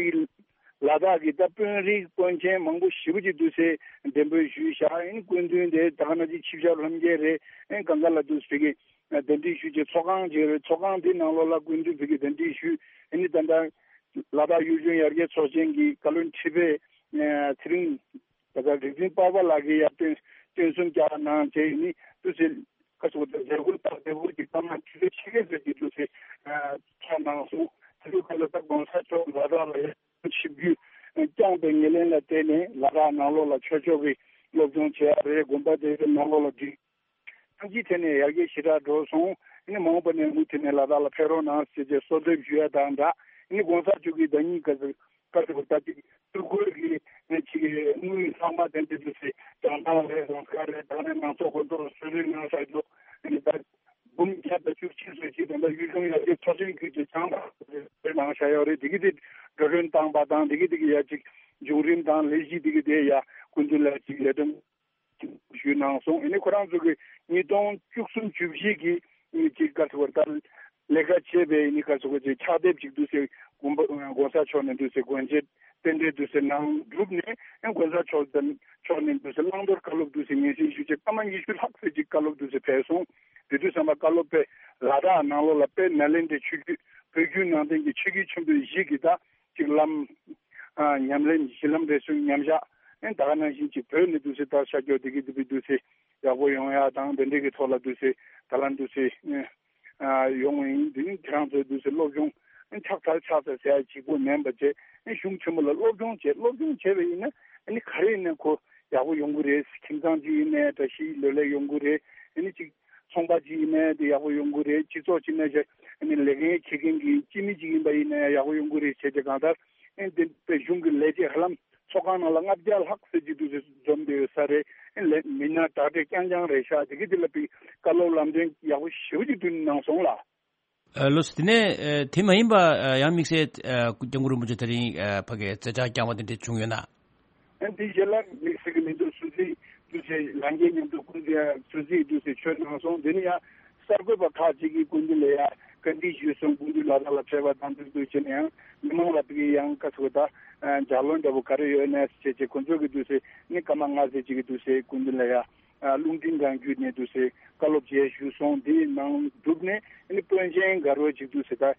ལ་དྭགས་ཀྱི་ད་དཔོན་རིགས་དཔོན་ཆེན་མང་པོ་ཞེ་པོ་ཅིག་འདུག་སེ་གདན་འབོད་ཞུས་བཞག་ཨིན་སྐུ་མདུན་དེ་ད་ག་ནང་བཞིན་ཆིབས་ཞབས་ལྷན་རྒྱས་རེད། ཨིན་གང་ག་ལ་འདུག་སེ་གི་གདན་འདྲེན་ཞུས་རྗེས་ཚོགས་ཁང་ཅིག་རེད། ཚོགས་ཁང་དེའི་ནང་ལོགས་ལ་སྐུ་མདུན་ཕ་གི་གདན་འདྲེན་ཞུས། ཨ་ནི་ད་ལྟ་ལ་དྭགས་ཡུལ་ལྗོངས་ཡར་རྒྱས་ཚོགས་ཆེན་གྱི་བཀའ་བློན་ཁྲི་པས་ཚེ་རིང་ད་ལྟ་རིག་འཛིན་པར་པ་ལགས་ཀྱིས་ཡར་སྟོན་སྟོན་གསུམ་རྒྱག་གནང་བྱས་ནི་དུས་ཚོད་ཁ་ཤོར་དང་མཛད་སྒོ་སྟབས་བདེ་པོ་ཅིག་བཏང་ན་ཆུ་ཚོད་ཕྱེད་ཀའི་ཚོད་ཀྱི་དུས་ཚོད་ཚོགས་གནང་སོང་། དེ་ཚོའི་ཁ་ལ་ད་གོང་ས་མཆོག་ལ་དྭགས་ལ་ཡར་ཆིབས་བསྒྱུར་བསྐྱངས་པའི་ཉེར་ལེན་ལ་བརྟེན་ནས་ལ་དྭགས་ནང་ལོགས་ལ་ཆོས་ཕྱོགས་ཀྱི་སློབ་སྦྱོང་བྱེད་ཡ་རེད། དགོན་པ་དེ་ཚོའི་ནང་ལོགས་ལ་སྒྲིག་ཐང་ཅིག་ཐད་ནས་ཡར་རྒྱས་ཞེ་དྲག་འགྲོ་སོང་། ཨ་ནི་མ་འོངས་པ་ནས་མུ་མཐུད་ནས་ལ་དྭགས་ལ་ཕེབས་རོགས་གནང་ཟེར་བྱས་གསོལ་འདེབས་ཞུ་ཡ་དང་སྦྲགས། ཨ་ནི་གོང་ས་མཆོག་གིས་ཟླ་ཉིན་ག་ཚོད་ག་ཚོད་ད་ཅིག་ཐུགས་ཁུར་གྱིས་ཨ་ནི་ཅིག་དངུལ་ལྷག་མ་དེ་འདྲ་ཚོ་ཞིག་གྲངས་ཐང་རེད་རང་སྐལ་རེད། ད་ནས་མང་ཚོགས་ཁོ་ཚོར་གསོལ་རས་གནང་ས་རྒྱུ་ཨ་ནི་ད་འབུམ་བརྒྱ་དང་བཅུ་གཅིག་ཙམ་ཞིག་ད་ལྟ་ཡུལ་ལྗོངས་ཡར་རྒྱས་ཚོགས་ཆེན་ཁུལ་གྱི་བྱང་ཐང་རེད་གནང་བཞག་ཡོད་རེད། དེ་གི་དེ་འགྲོ་གྲོན་བཏང་པ་དང་དེ་གི་དེ་གི་ཡ་ཅིག་བྱུང་རིམ་དང་ལས་གཞི་དེ་གི་དེ་ཡ་སྐུ་མདུན་ལ་ཅིག་ལས་དོན་ཞུས་གནང་སོང་། ཨ་ནི་ཁོ་རང་ཚོ་གི་ཉིས་སྟོང་བཅུ་གསུམ་བཅུ་བཞི་གི་ཨ་ནི་ཅིག་ག་ཚོད་ད་ལས་ཀ་བྱས་པའི་ཨ་ནི་ག་ཚོད་ཅིག་ཕྱག་དེབ་ཅིག་འདུག་སེ་དགོན་པ་གོང་ས་མཆོག་ནས་འདུག་སེ་དགོན་བྱེད་རྟེན་འབྲེལ་འདུག་སེ་གནང་གྲུབ་ནས་ཨ་གོང་ས་མཆོག་དང་མཆོག་ནས་འདུག་སེ་བླང་དོར་བཀའ་སློབ་འདུག་སེ་སྙན་སེང་ཞུས་བྱས་སྐར་མ་ཉི་ཤུ་ལྷག་ཙམ་ཅིག་བཀའ་སློབ་འདུག་སེ་ཕེབས་སོང་། དེ་དུས་ཙམ་པ་བཀའ་སློབ་པས་ལ་དྭགས་ནང་ལོགས་ལ་དཔལ་ནཱ་ལེནྡྲའི་ཆོས་བརྒྱུད་བོད་བརྒྱུད་ནང་བསྟན་གྱི་ཆོས་བརྒྱུད་ཆེན་པོའི་བཞི་གི་ད་གཅིག་ལམ་ཨ་ཉམས་ལེན་གཞི་ལམ་རེ་ཟུང་མཉམ་བཞག་ཨེ་ད་ག་ནང་བཞིན་གཅིག་བོད་ནས་འདུག་སེ་ལྟར་ཤར་ཕྱོགས་དེ་གི་དེ་བི་འདུག་སེ་ཡག་པོ་ཡོང་ཡ་དང་དེ་འདྲའི་གི་ཐོག་ལ་འདུག་སེ་ད་ལམ་འདུག་སེ་ཨ་ཡོང་བ་ཡིན། དེ་ནི་ཁྱེད་རང་ཚོའི་འདུག་སེ་སློབ་སྦྱོང་ཨེ་ཕྱག་འཚལ་ཕྱག་འཚལ་ཟེར་ཡ་གཅིག་པོ་མིན་པ་བྱས་ཨེ་གཞུང་ཆེན་མོ་ལ་སློབ་སྦྱོང་བྱས་སློབ་སྦྱོང་བྱས་པ་ཡིན་ན་ཨེ་ནི་ག་རེ་ཡིན་ན་ཁོ་ཡག་པོ་ཡོང་གི་རེད། ཁྱིམ་ཚང་གཅིག་ཡིན་ནའི་བཀྲ་ཤིས་ལོས་ལེགས་ཡོང་གི་རེད། ཨེ་ནི་གཅིག་ཚོང་པ་ཅིག་ཡིན་ནའི་དེ་ཡག་པོ་ཡོང་གི་རེད། སྤྱི་ཚོགས་ཅིག་ནས་ཨ་ནི་ལས་འགན་འཁྱེར་མཁན་གྱི་སྤྱི་མི་ཅིག་ཡིན་པ་ཡིན་ནའི་ཡག་པོ་ཡོང་གི་རེད་བྱས་ཏེ། གང་ལྟར་ཨ་ནི་དེ་དཔེ་གཞུང་གི་ལས་བྱེད་ཧ་ལམ་ཚོགས་ཁང་ནང་ལ་ལྔ་བརྒྱ་ལྷག་ཙམ་ཅིག་འདུག་ཟེར་འཛོམས་བསྡད་ཡོད་ས་རེད། ཨ་ནི་ལས་མི་སྣ་དྲག་གྲས་རྐྱང་རྐྱང་རེད་ཤག་དེ་གི་དེ་ལ་དཔེ་བཀའ་སློབ་ལམ་སྟོན་ཡག་པོ་ཞེ་པོ་ཅིག་བསྐྲུན་གནང་སོང་ལ། ཨ། ལགས་སོ། དེ་ནས་ཨ་དེ་མ་ཡིན་པ་ཨ་ཡང་དམིགས་བསལ་ཨ་སྐུ་སྐྱབས་མགོན་རིན་པོ་ཆེ་དེ་རིང་ཨ་ཕ་གིར་མཛད་འཆར་བསྐྱངས་པ་དེ་འདྲ་བྱུང་ཡོད་ན། ཨ་འདི་རྗེས་ལ་དམིགས་བསལ་གྱི་མི་འདུག་སུད་སི་འདུག་ཟེར། ལྷན་རྒྱས་མཉམ་དུ་སྐུ་མདུན་སུད་སི་འདུག་ཟེར་ཆོས་གནང་སོང་། དེ་ནས་ཡང་གསར་འགོད་པ་ཁག་ཅིག་གིས་སྐུ་མདུན་ལ་ཡང་བཀའ་འདྲི་ཞུས་སོང་། སྐུ་མདུན་ལ་དྭགས་ལ་ཕེབས་པ་དང་འདུག་འདུག་བྱས་ནས་ཡང་མི་མང་ལ་ཕ་གིར་ཡང་བཀའ་ཟེར་བ་ད་ལྗགས་ལུང་འདྲ་པོ་ག་རེ་ཡོད་ནས་བྱས་བྱས་ཁོ་ཚོ་གིས་འདུག་ཟེར་ནི་སྐར་མ་ལྔ་ཙམ་ཅིག་གིས་འདུག་ཟེར་སྐུ་མདུན་ལ་ཡང་ཨ་རླུང་འཕྲིན་ཁང་བརྒྱུད་ནས་འདུག་ཟེར་བཀའ་སློབ་མཇལ་ཞུས་སོང་། དེའི་ནང་གྲུབ་ནས་ཨ་ནི་པོན་ཆེན་དགའ་རོགས་ཅིག་འདུག་ཟེར་ད་ཨ་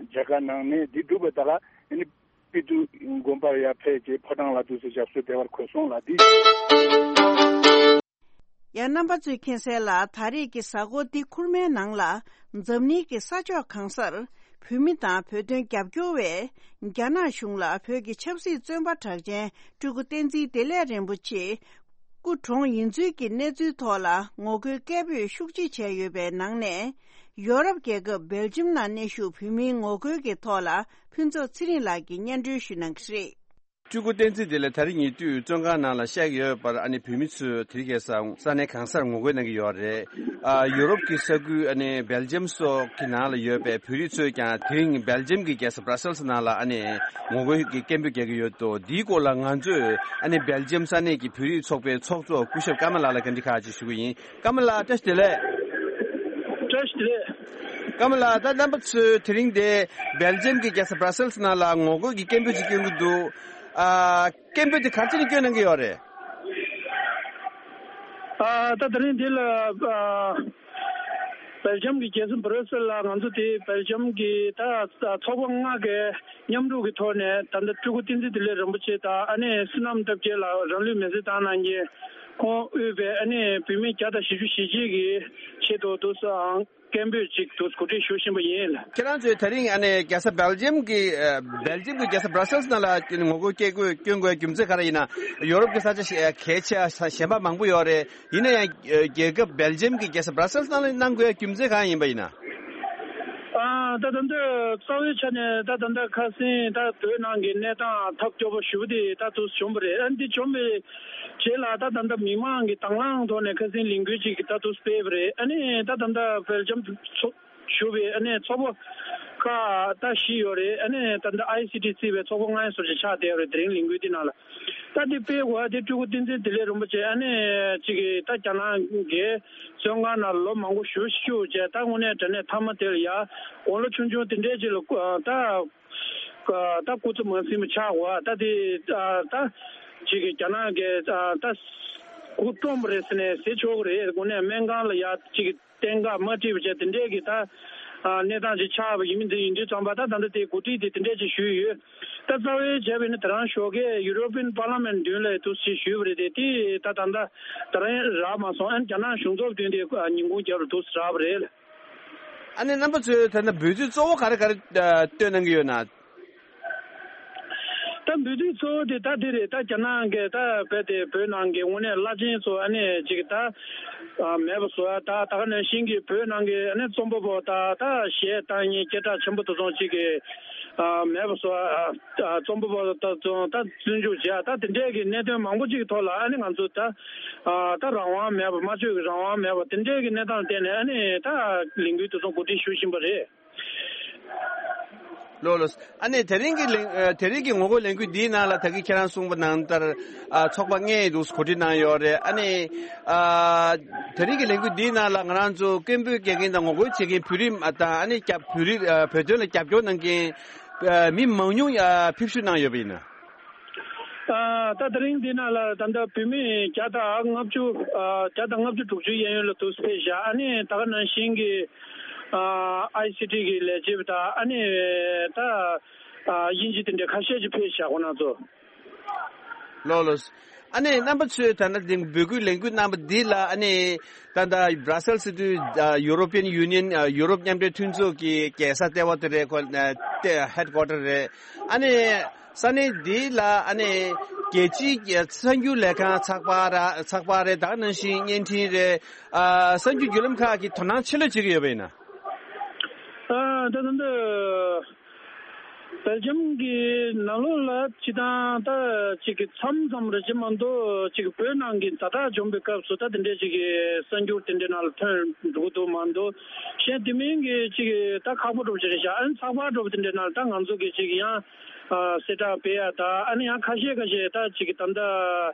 མཇལ་ཁ་གནང་ནས་དེ་གྲུབ་པ་ད་ག་ཨ་ནི་སྤི་ཏི་དགོན་པར་ཡར་ཕེབས་རྗེས་ཕོ་བྲང་ལ་འདུག་ཟེར་ཞབས་སོར་བདེ་བར་འཁོད་སོང་ལ། འདི། ཡང་རྣམ་པ་ཚོས་མཁྱེན་གསལ་ལ། ད་རེས་ཀྱི་གཟའ་འཁོར་འདི་ཁུར་མའི་ནང་ལ་འཛམ་གླིང་གི་ས་ཕྱོགས་གང་སར་བོད་མི་དང་བོད་དོན་རྒྱབ་སྐྱོར་བས་རྒྱ་ནག་གཞུང་ལ་བོད་ཀྱི་ཆབ་སྲིད་བཙོན་པ་གྲགས་ཅན་སྤྲུལ་སྐུ་བསྟན་འཛིན་བདེ་ལེགས་རིན་པོ་ཆེ་སྐུ་གྲོངས་ཡིན་ཚུལ་གྱི་གནས་ཚུལ་ཐོག་ལ་ངོ་རྒོལ་སྐད་འབོད་ཤུགས་ཆེ་བྱས་ཡོད་པའི་ནང་ནས། ཡོ་རོབ་རྒྱལ་ཁབ་སྦེལ་ཇམ་ནང་གནས་བཞུགས་བོད་མིའི་ངོ་རྒོལ་གྱི་ཐོག་ལ་ཕུན་ཚོགས་ཚེ་རིང་ལགས་ཀྱིས་སྙན་སྒྲོན་ཞུ་གནང་གི་རེད། སྤྲུལ་སྐུ་བསྟན་འཛིན་བདེ་ལེགས་ད་རེས་ཉེ་དུས་བཙོན་ཁང་ནང་ལ་བཞག་ཡོད་པར་ཨ་ནི་བོད་མི་ཚོས་དེ་རིང་ཁ་སང་ས་གནས་གང་སར་ངོ་རྒོལ་གནང་གི་ཡོད་རེད། ཨ་ཡོ་རོབ་ཀྱི་ས་ཁུལ་ཨ་ནི་སྦེལ་ཇམ་སོགས་ཀྱི་ནང་ལ་ཡོད་པའི་བོད་རིགས་ཚོས་ཀྱང་དེ་རིང་སྦེལ་ཇམ་གྱི་རྒྱལ་ས་བྷ་ར་སེལ་སི་ནང་ལ་ཨ་ནི་ངོ་རྒོལ་གྱི་སྐད་འབོད་རྒྱག་གི་ཡོད་འདུག་འདིའི་སྐོར་ལ་ང་ཚོས་ཨ་ནི་སྦེལ་ཇམ་ས་གནས་ཀྱི་བོད་རིགས་ཚོགས་པའི་ཚོགས་གཙོ་སྐུ་ཞབས་ཀརྨ་ལགས་ལ་བཀའ་འདྲི་ཁག་ཅིག་ཞུ་གི་ཡིན། ཀརྨ་ལགས་བཀྲ་ཤིས་བདེ་ལེགས། བཀྲ་ཤིས་བདེ་ལེགས། ཀརྨ་ལགས་ད་རྣམ་པ་ཚོས་དེ་རིང་འདི་སྦེལ་ཇམ་གྱི་རྒྱལ་ས་བྷ་ར་སེལ་སི་ནང་ལ་ངོ་རྒོལ་གྱི་སྐད་འབོད་ཅིག་སྐྱོན་གྱི་འདུག་ཨ་སྐད་འབོད་དེ་ག་རེ་བྱས་ནས་སྐྱོན་གནང་གི་ཡོད་རེད། ཨ་ད་དེ་རིང་འདི་ལ་ཨ་སྦེལ་ཇམ་གྱི་རྒྱལ་ས་བྷ་ར་སེལ་ལ་ང་ཚོ་དེ་སྦེལ་ཇམ་གྱི་ད་ཚོགས་པ་ལྔ་གའི་མཉམ་རུབ་ཀྱི་ཐོག་ནས་ད་ལྟ་སྤྲུལ་སྐུ་བསྟན་འཛིན་བདེ་ལེགས་རིན་པོ་ཆེ་དང་ཨ་ནེ་བསོད་ནམས་བཀྲ་རྒྱལ་ལགས་རང་ལུས་མེར་སྲེག་བཏང་གནང་མཁན་ཁོང་དབུས་པའི་ཨ་ནེ་བོད་མི་བརྒྱ་དང་བཞི་བཅུ་ཞེ་གཅིག་གི་ཆེད་དུ་དུ་སང་སྐད་འབོད་ཅིག་དུ་གོ་སྒྲིག་ཞུ་བཞིན་པ་ཡིན། ཁྱེད་རང་ཚོས་ད་རིང་ཨ་ནེ་རྒྱལ་ས་སྦེལ་ཇམ་གྱི་ཨ་སྦེལ་ཇམ་གྱི་རྒྱལ་ས་བྷ་ར་སེལ་སི་ནང་ལ་ངོ་རྒོལ་སྐད་འབོད་སྐྱོན་དགོས་རྒྱུ་མཚན་ག་རེ་ཡིན་ན། ཡོ་རོབ་ཀྱི་ས་ཆ་ཞེ་གལ་ཆེ་གཞན་པ་མང་པོ་ཡོད་རེད། ཡིན་ན་ཡང་རྒྱལ་ཁབ་སྦེལ་ཇམ་གྱི་རྒྱལ་ས་བྷ་ར་སེལ་སི་ནང་ལ་གནང་དགོས་རྒྱུ་མཚན་གང་ཡིན་པ་ཡིན་ན། ཨ་ད་ད་ལྟ་རྩ་བའི་ཆ་ནས་ད་ད་ལྟ་ཁ་སང་ད་བོད་ནང་གི་གནས་སྟངས་ཐབས་སྐྱོ་པོ་ཞེ་པོ་དེ་ད་དུ་བྱུང་བ་རེད། ཨ་འདི་བྱུང་བའི་རྗེས་ལ་ད་ད་ལྟ་མི་མང་གི་དང་བླངས་ཐོག་ནས་ཁ་སང་ལས་འགུལ་ཅིག་ད་དུ་སྤེལ་བ་རེད། ཨ་ནི་ད་ད་ལྟ་སྦེལ་ཇམ་ཚོ་ཞུ་བའི་ཨ་ནི་ཚོགས་པ་ཁག་ད་བཞི་ཡོད་རེད། ཨ་ནི་ད་ལྟ་ཨའི་སི་ཊི་བརྩིས་པའི་ཚོགས་པ་ལྔ་ཡི་ཟུར་ཅིག་ཆགས་བསྡད་ཡོད་རེད། དེ་རིང་ལས་འགུལ་འདི་ནང་ལ་ད་འདི་སྤེལ་དགོས་ཨ་དེ་སྤྲུལ་སྐུ་བསྟན་འཛིན་བདེ་ལེགས་རིན་པོ་ཆེ་ཨ་ནི་ཅིག་གིས་ད་རྒྱ་ནག་གི་བཙོན་ཁང་ནང་ལ་ལོ་མང་པོ་བཞུགས་བཞུགས་བྱས། ད་དངོས་གནས་དྲང་གནས་མཐའ་མ་དེ་ལ་ཡ་དགུང་ལོ་ཆུང་ཆུང་དེ་འདྲས་ཅིག་ལ་ད་ད་སྐུ་ཚེ་མ་ཟིན་པ་ཆགས་དགོས་ཨ་ད་དེ་ད་ཅིག་གིས་རྒྱ་ནག་གིས་ད་སྐུ་བཀྲོངས་པ་རེད་ཟེར་ནས་ཟེར་ཆོག་གི་རེད། དངོས་གནས་སྨན་ཁང་ལ་ཡ་ཅིག་གཏན་འགག་མ་ཁྲིད་པ་བྱས་དེ་འདྲས་ཀྱི་ད་ཨ་གནས་སྟངས་ཅིག་ཆགས་པ་ཡིན་མིན་དེ་ཡིན་དུས་ཙམ་པ་ད་ད་ལྟ་དེ་གོ་སྒྲིག་དེ་དེ་འདྲས་ཅིག་ཞུས་ཡོད། ད་རྩ་བའི་བྱས་པ་ཡིན་ན་དེ་རང་ཞོགས་ཀས་ཡུ་རོ་པིན་པར་ལ་མེན་མདུན་ལ་འདུག་ཅིག་ཞུས་པ་རེད་དེ། དེ་ད་ད་ལྟ་ད་རང་རག་མ་སོང་། ཨ་ནི་རྒྱ་ནག་གཞུང་ཚབ་མདུན་དེ་ཉིན་གུང་རྒྱབ་རུ་འདུག་རག་པ་རེད། ཨ་ནི་རྣམ་པ་ཚོས་ད་ལྟ་འབོད་ཚིག་གཙོ་བོ་ག་རེ་ག་རེ་ཨ་བཏོན་གནང་གི་ཡོད་ན། ད་འབོད་ཚིག་གཙོ་བོ་དེ་ད་དེ་རེད། ད་རྒྱ་ནག་གི་ད་རྦད་དེ་བོད་ནང་གི་དངོས་གནས་བླ་ཆེན་ཚོ་ཨ་ནི་ཅིག་ད་ཨ་མེད་པ་བཟོ་ཡ། ད་ད་ག་ནང་བཞིན་གྱི་བོད་ནང་གི་ཨ་ནི་རྩོམ་པ་པོ་ད་ད་གཞས་བཏང་མཁན་སྐད་གྲགས་ཆེན་པོ་དེ་ཚོ་ཅིག་གི་ཨ་མེད་པ་བཟོ་ཡ། ཨ་རྩོམ་པ་པོ་ད་ཚོ་ད་བཙོན་འཇུག་བྱས། ད་དེ་འདྲས་ཀྱི་གནད་དོན་མང་པོ་ཅིག་གི་ཐོག་ལ་ཨ་ནི་ང་ཚོ་ད་ཨ་ད་རང་དབང་མེད་པ། སྨྲ་བརྗོད་ཀྱི་རང་དབང་མེད་པ། དེ་འདྲས་ཀྱི་གནས་སྟངས་བརྟེན་ནས་ཨ་ནི་ད་ལས་འགུལ་དེ་ཚོ་གོ་སྒྲིག་ཞུ་བཞིན་པ་རེད། ལགས་ལགས། ཨ་ནི་དེ་རིང་གི་ལས་ཨ་དེ་རིང་གི་ངོ་རྒོལ་ལས་འགུལ་འདིའི་ནང་ལ་ད་གིན་ཁྱེད་རང་གསུངས་པ་ནང་ལྟར་ཨ་ཚོགས་པ་ལྔས་འདུག་གོ་སྒྲིག་གནང་ཡོད་རེད། ཨ་ནི་ཨ་དེ་རིང་གི་ལས་འགུལ་འདིའི་ནང་ལ་ང་རང་ཚོ་སྐད་འབོད་རྒྱག་མཁན་དང་ངོ་རྒོལ་བྱེད་མཁན་བོད་རིགས་དང་ཨ་ནི་རྒྱབ་བོད་རིགས་ཨ་བོད་དོན་ལ་རྒྱབ་སྐྱོར་གནང་མཁན་ཨ་མི་མང་ཉུང་ཨ་ཕེབས་བསུ་གནང་ཡོད་པ་ཡིན་ན། ཨ་ད་དེ་རིང་འདི་ནང་ལ་ད་ལྟ་བོད་མི་བརྒྱ་དང་ལྔ་བཅུ་ཨ་བརྒྱ་དང་ལྔ་བཅུ་དྲུག་ཅུ་གཡས་གཡོན་ལ་འདུག་ཕེབས་བཞག་ཨ་ནི་ད་ག་ནང་བཞིན་གྱི་ཨ་ཨའི་སི་ཊི་གི་ལས་བྱེད་པ་དང་ཨ་ནི་ད་ཨ་དབྱིན་ཇི་དེ་འདྲ་ཁ་ཤས་ཅིག་ཕེབས་བཞག་ཁོང་རྣམ་ཚོ། ལགས་ལགས། ཨ་ནི་རྣམ་པ་ཚོས་ད་ལྟ་འདི་འབོད་སྐུལ་ལས་འགུལ་གནང་པ་འདི་ལ་ཨ་ནི་ད་ལྟ་Brussels་ཟེར་དུས་ཨ་European Union་ཨ་ཡུ་རོབ་མཉམ་འབྲེལ་མཐུན་ཚོགས་ཀྱི་རྒྱལ་ས་ལྟེ་བ་དེ་རེད། ཁོ་ཨ་ལྟེ་headquarter་རེད། ཨ་ནི་ས་གནས་འདི་ལ་ཨ་ནི་ རྒྱལ་སྤྱིའི་གསར་འགྱུར་ལས་ཁང་ཚགས་པར་ར་ཚགས་པར་རེད། ད་ག་ནང་བཞིན་བརྙན་འཕྲིན་རེད། ཨ་གསར་འགྱུར་བརྒྱུད་ལམ་ཁག་གིས་དོ་སྣང་ཆེ་ལོས་བྱེད་ཀྱི་ཡོད་པ་ཡིན་ན། ཨ་ད་ད་འདི་སྦེལ་ཇམ་གྱི་ནང་ལོགས་ལ་སྤྱི་བཏང་ད་ཅིག་གི་མཚམས་མཚམས་རེ་ཅིག་མ་གཏོགས་ཅིག་བོད་ནང་གི་ཛ་དྲག་བྱུང་བའི་སྐབས་སུ་ད་དེ་འདྲའི་ཅིག་གི་གསར་འགྱུར་དེ་འདྲའི་ནང་ལ་ཐོན་འགྲོ་གི་འདུག་མ་གཏོགས། གཞན་དེ་མིན་གྱི་ཅིག་གི་ད་ཁག་པོ་འགྲོ་བྱེད་རེད་ཤག་ཨ་ནི་ཚགས་པར་འགྲོ་བ་དེ་འདྲའི་ནང་ལ་ད་ང་ཚོ་གི་ཅིག་ཡང་གསལ་བསྒྲགས་སྤེལ་ཡ་ད་ཨ་ནི་ཡང་ཁ་ཤས་ཁ་ཤས་ད་ཅིག་གི་ད་ལྟ་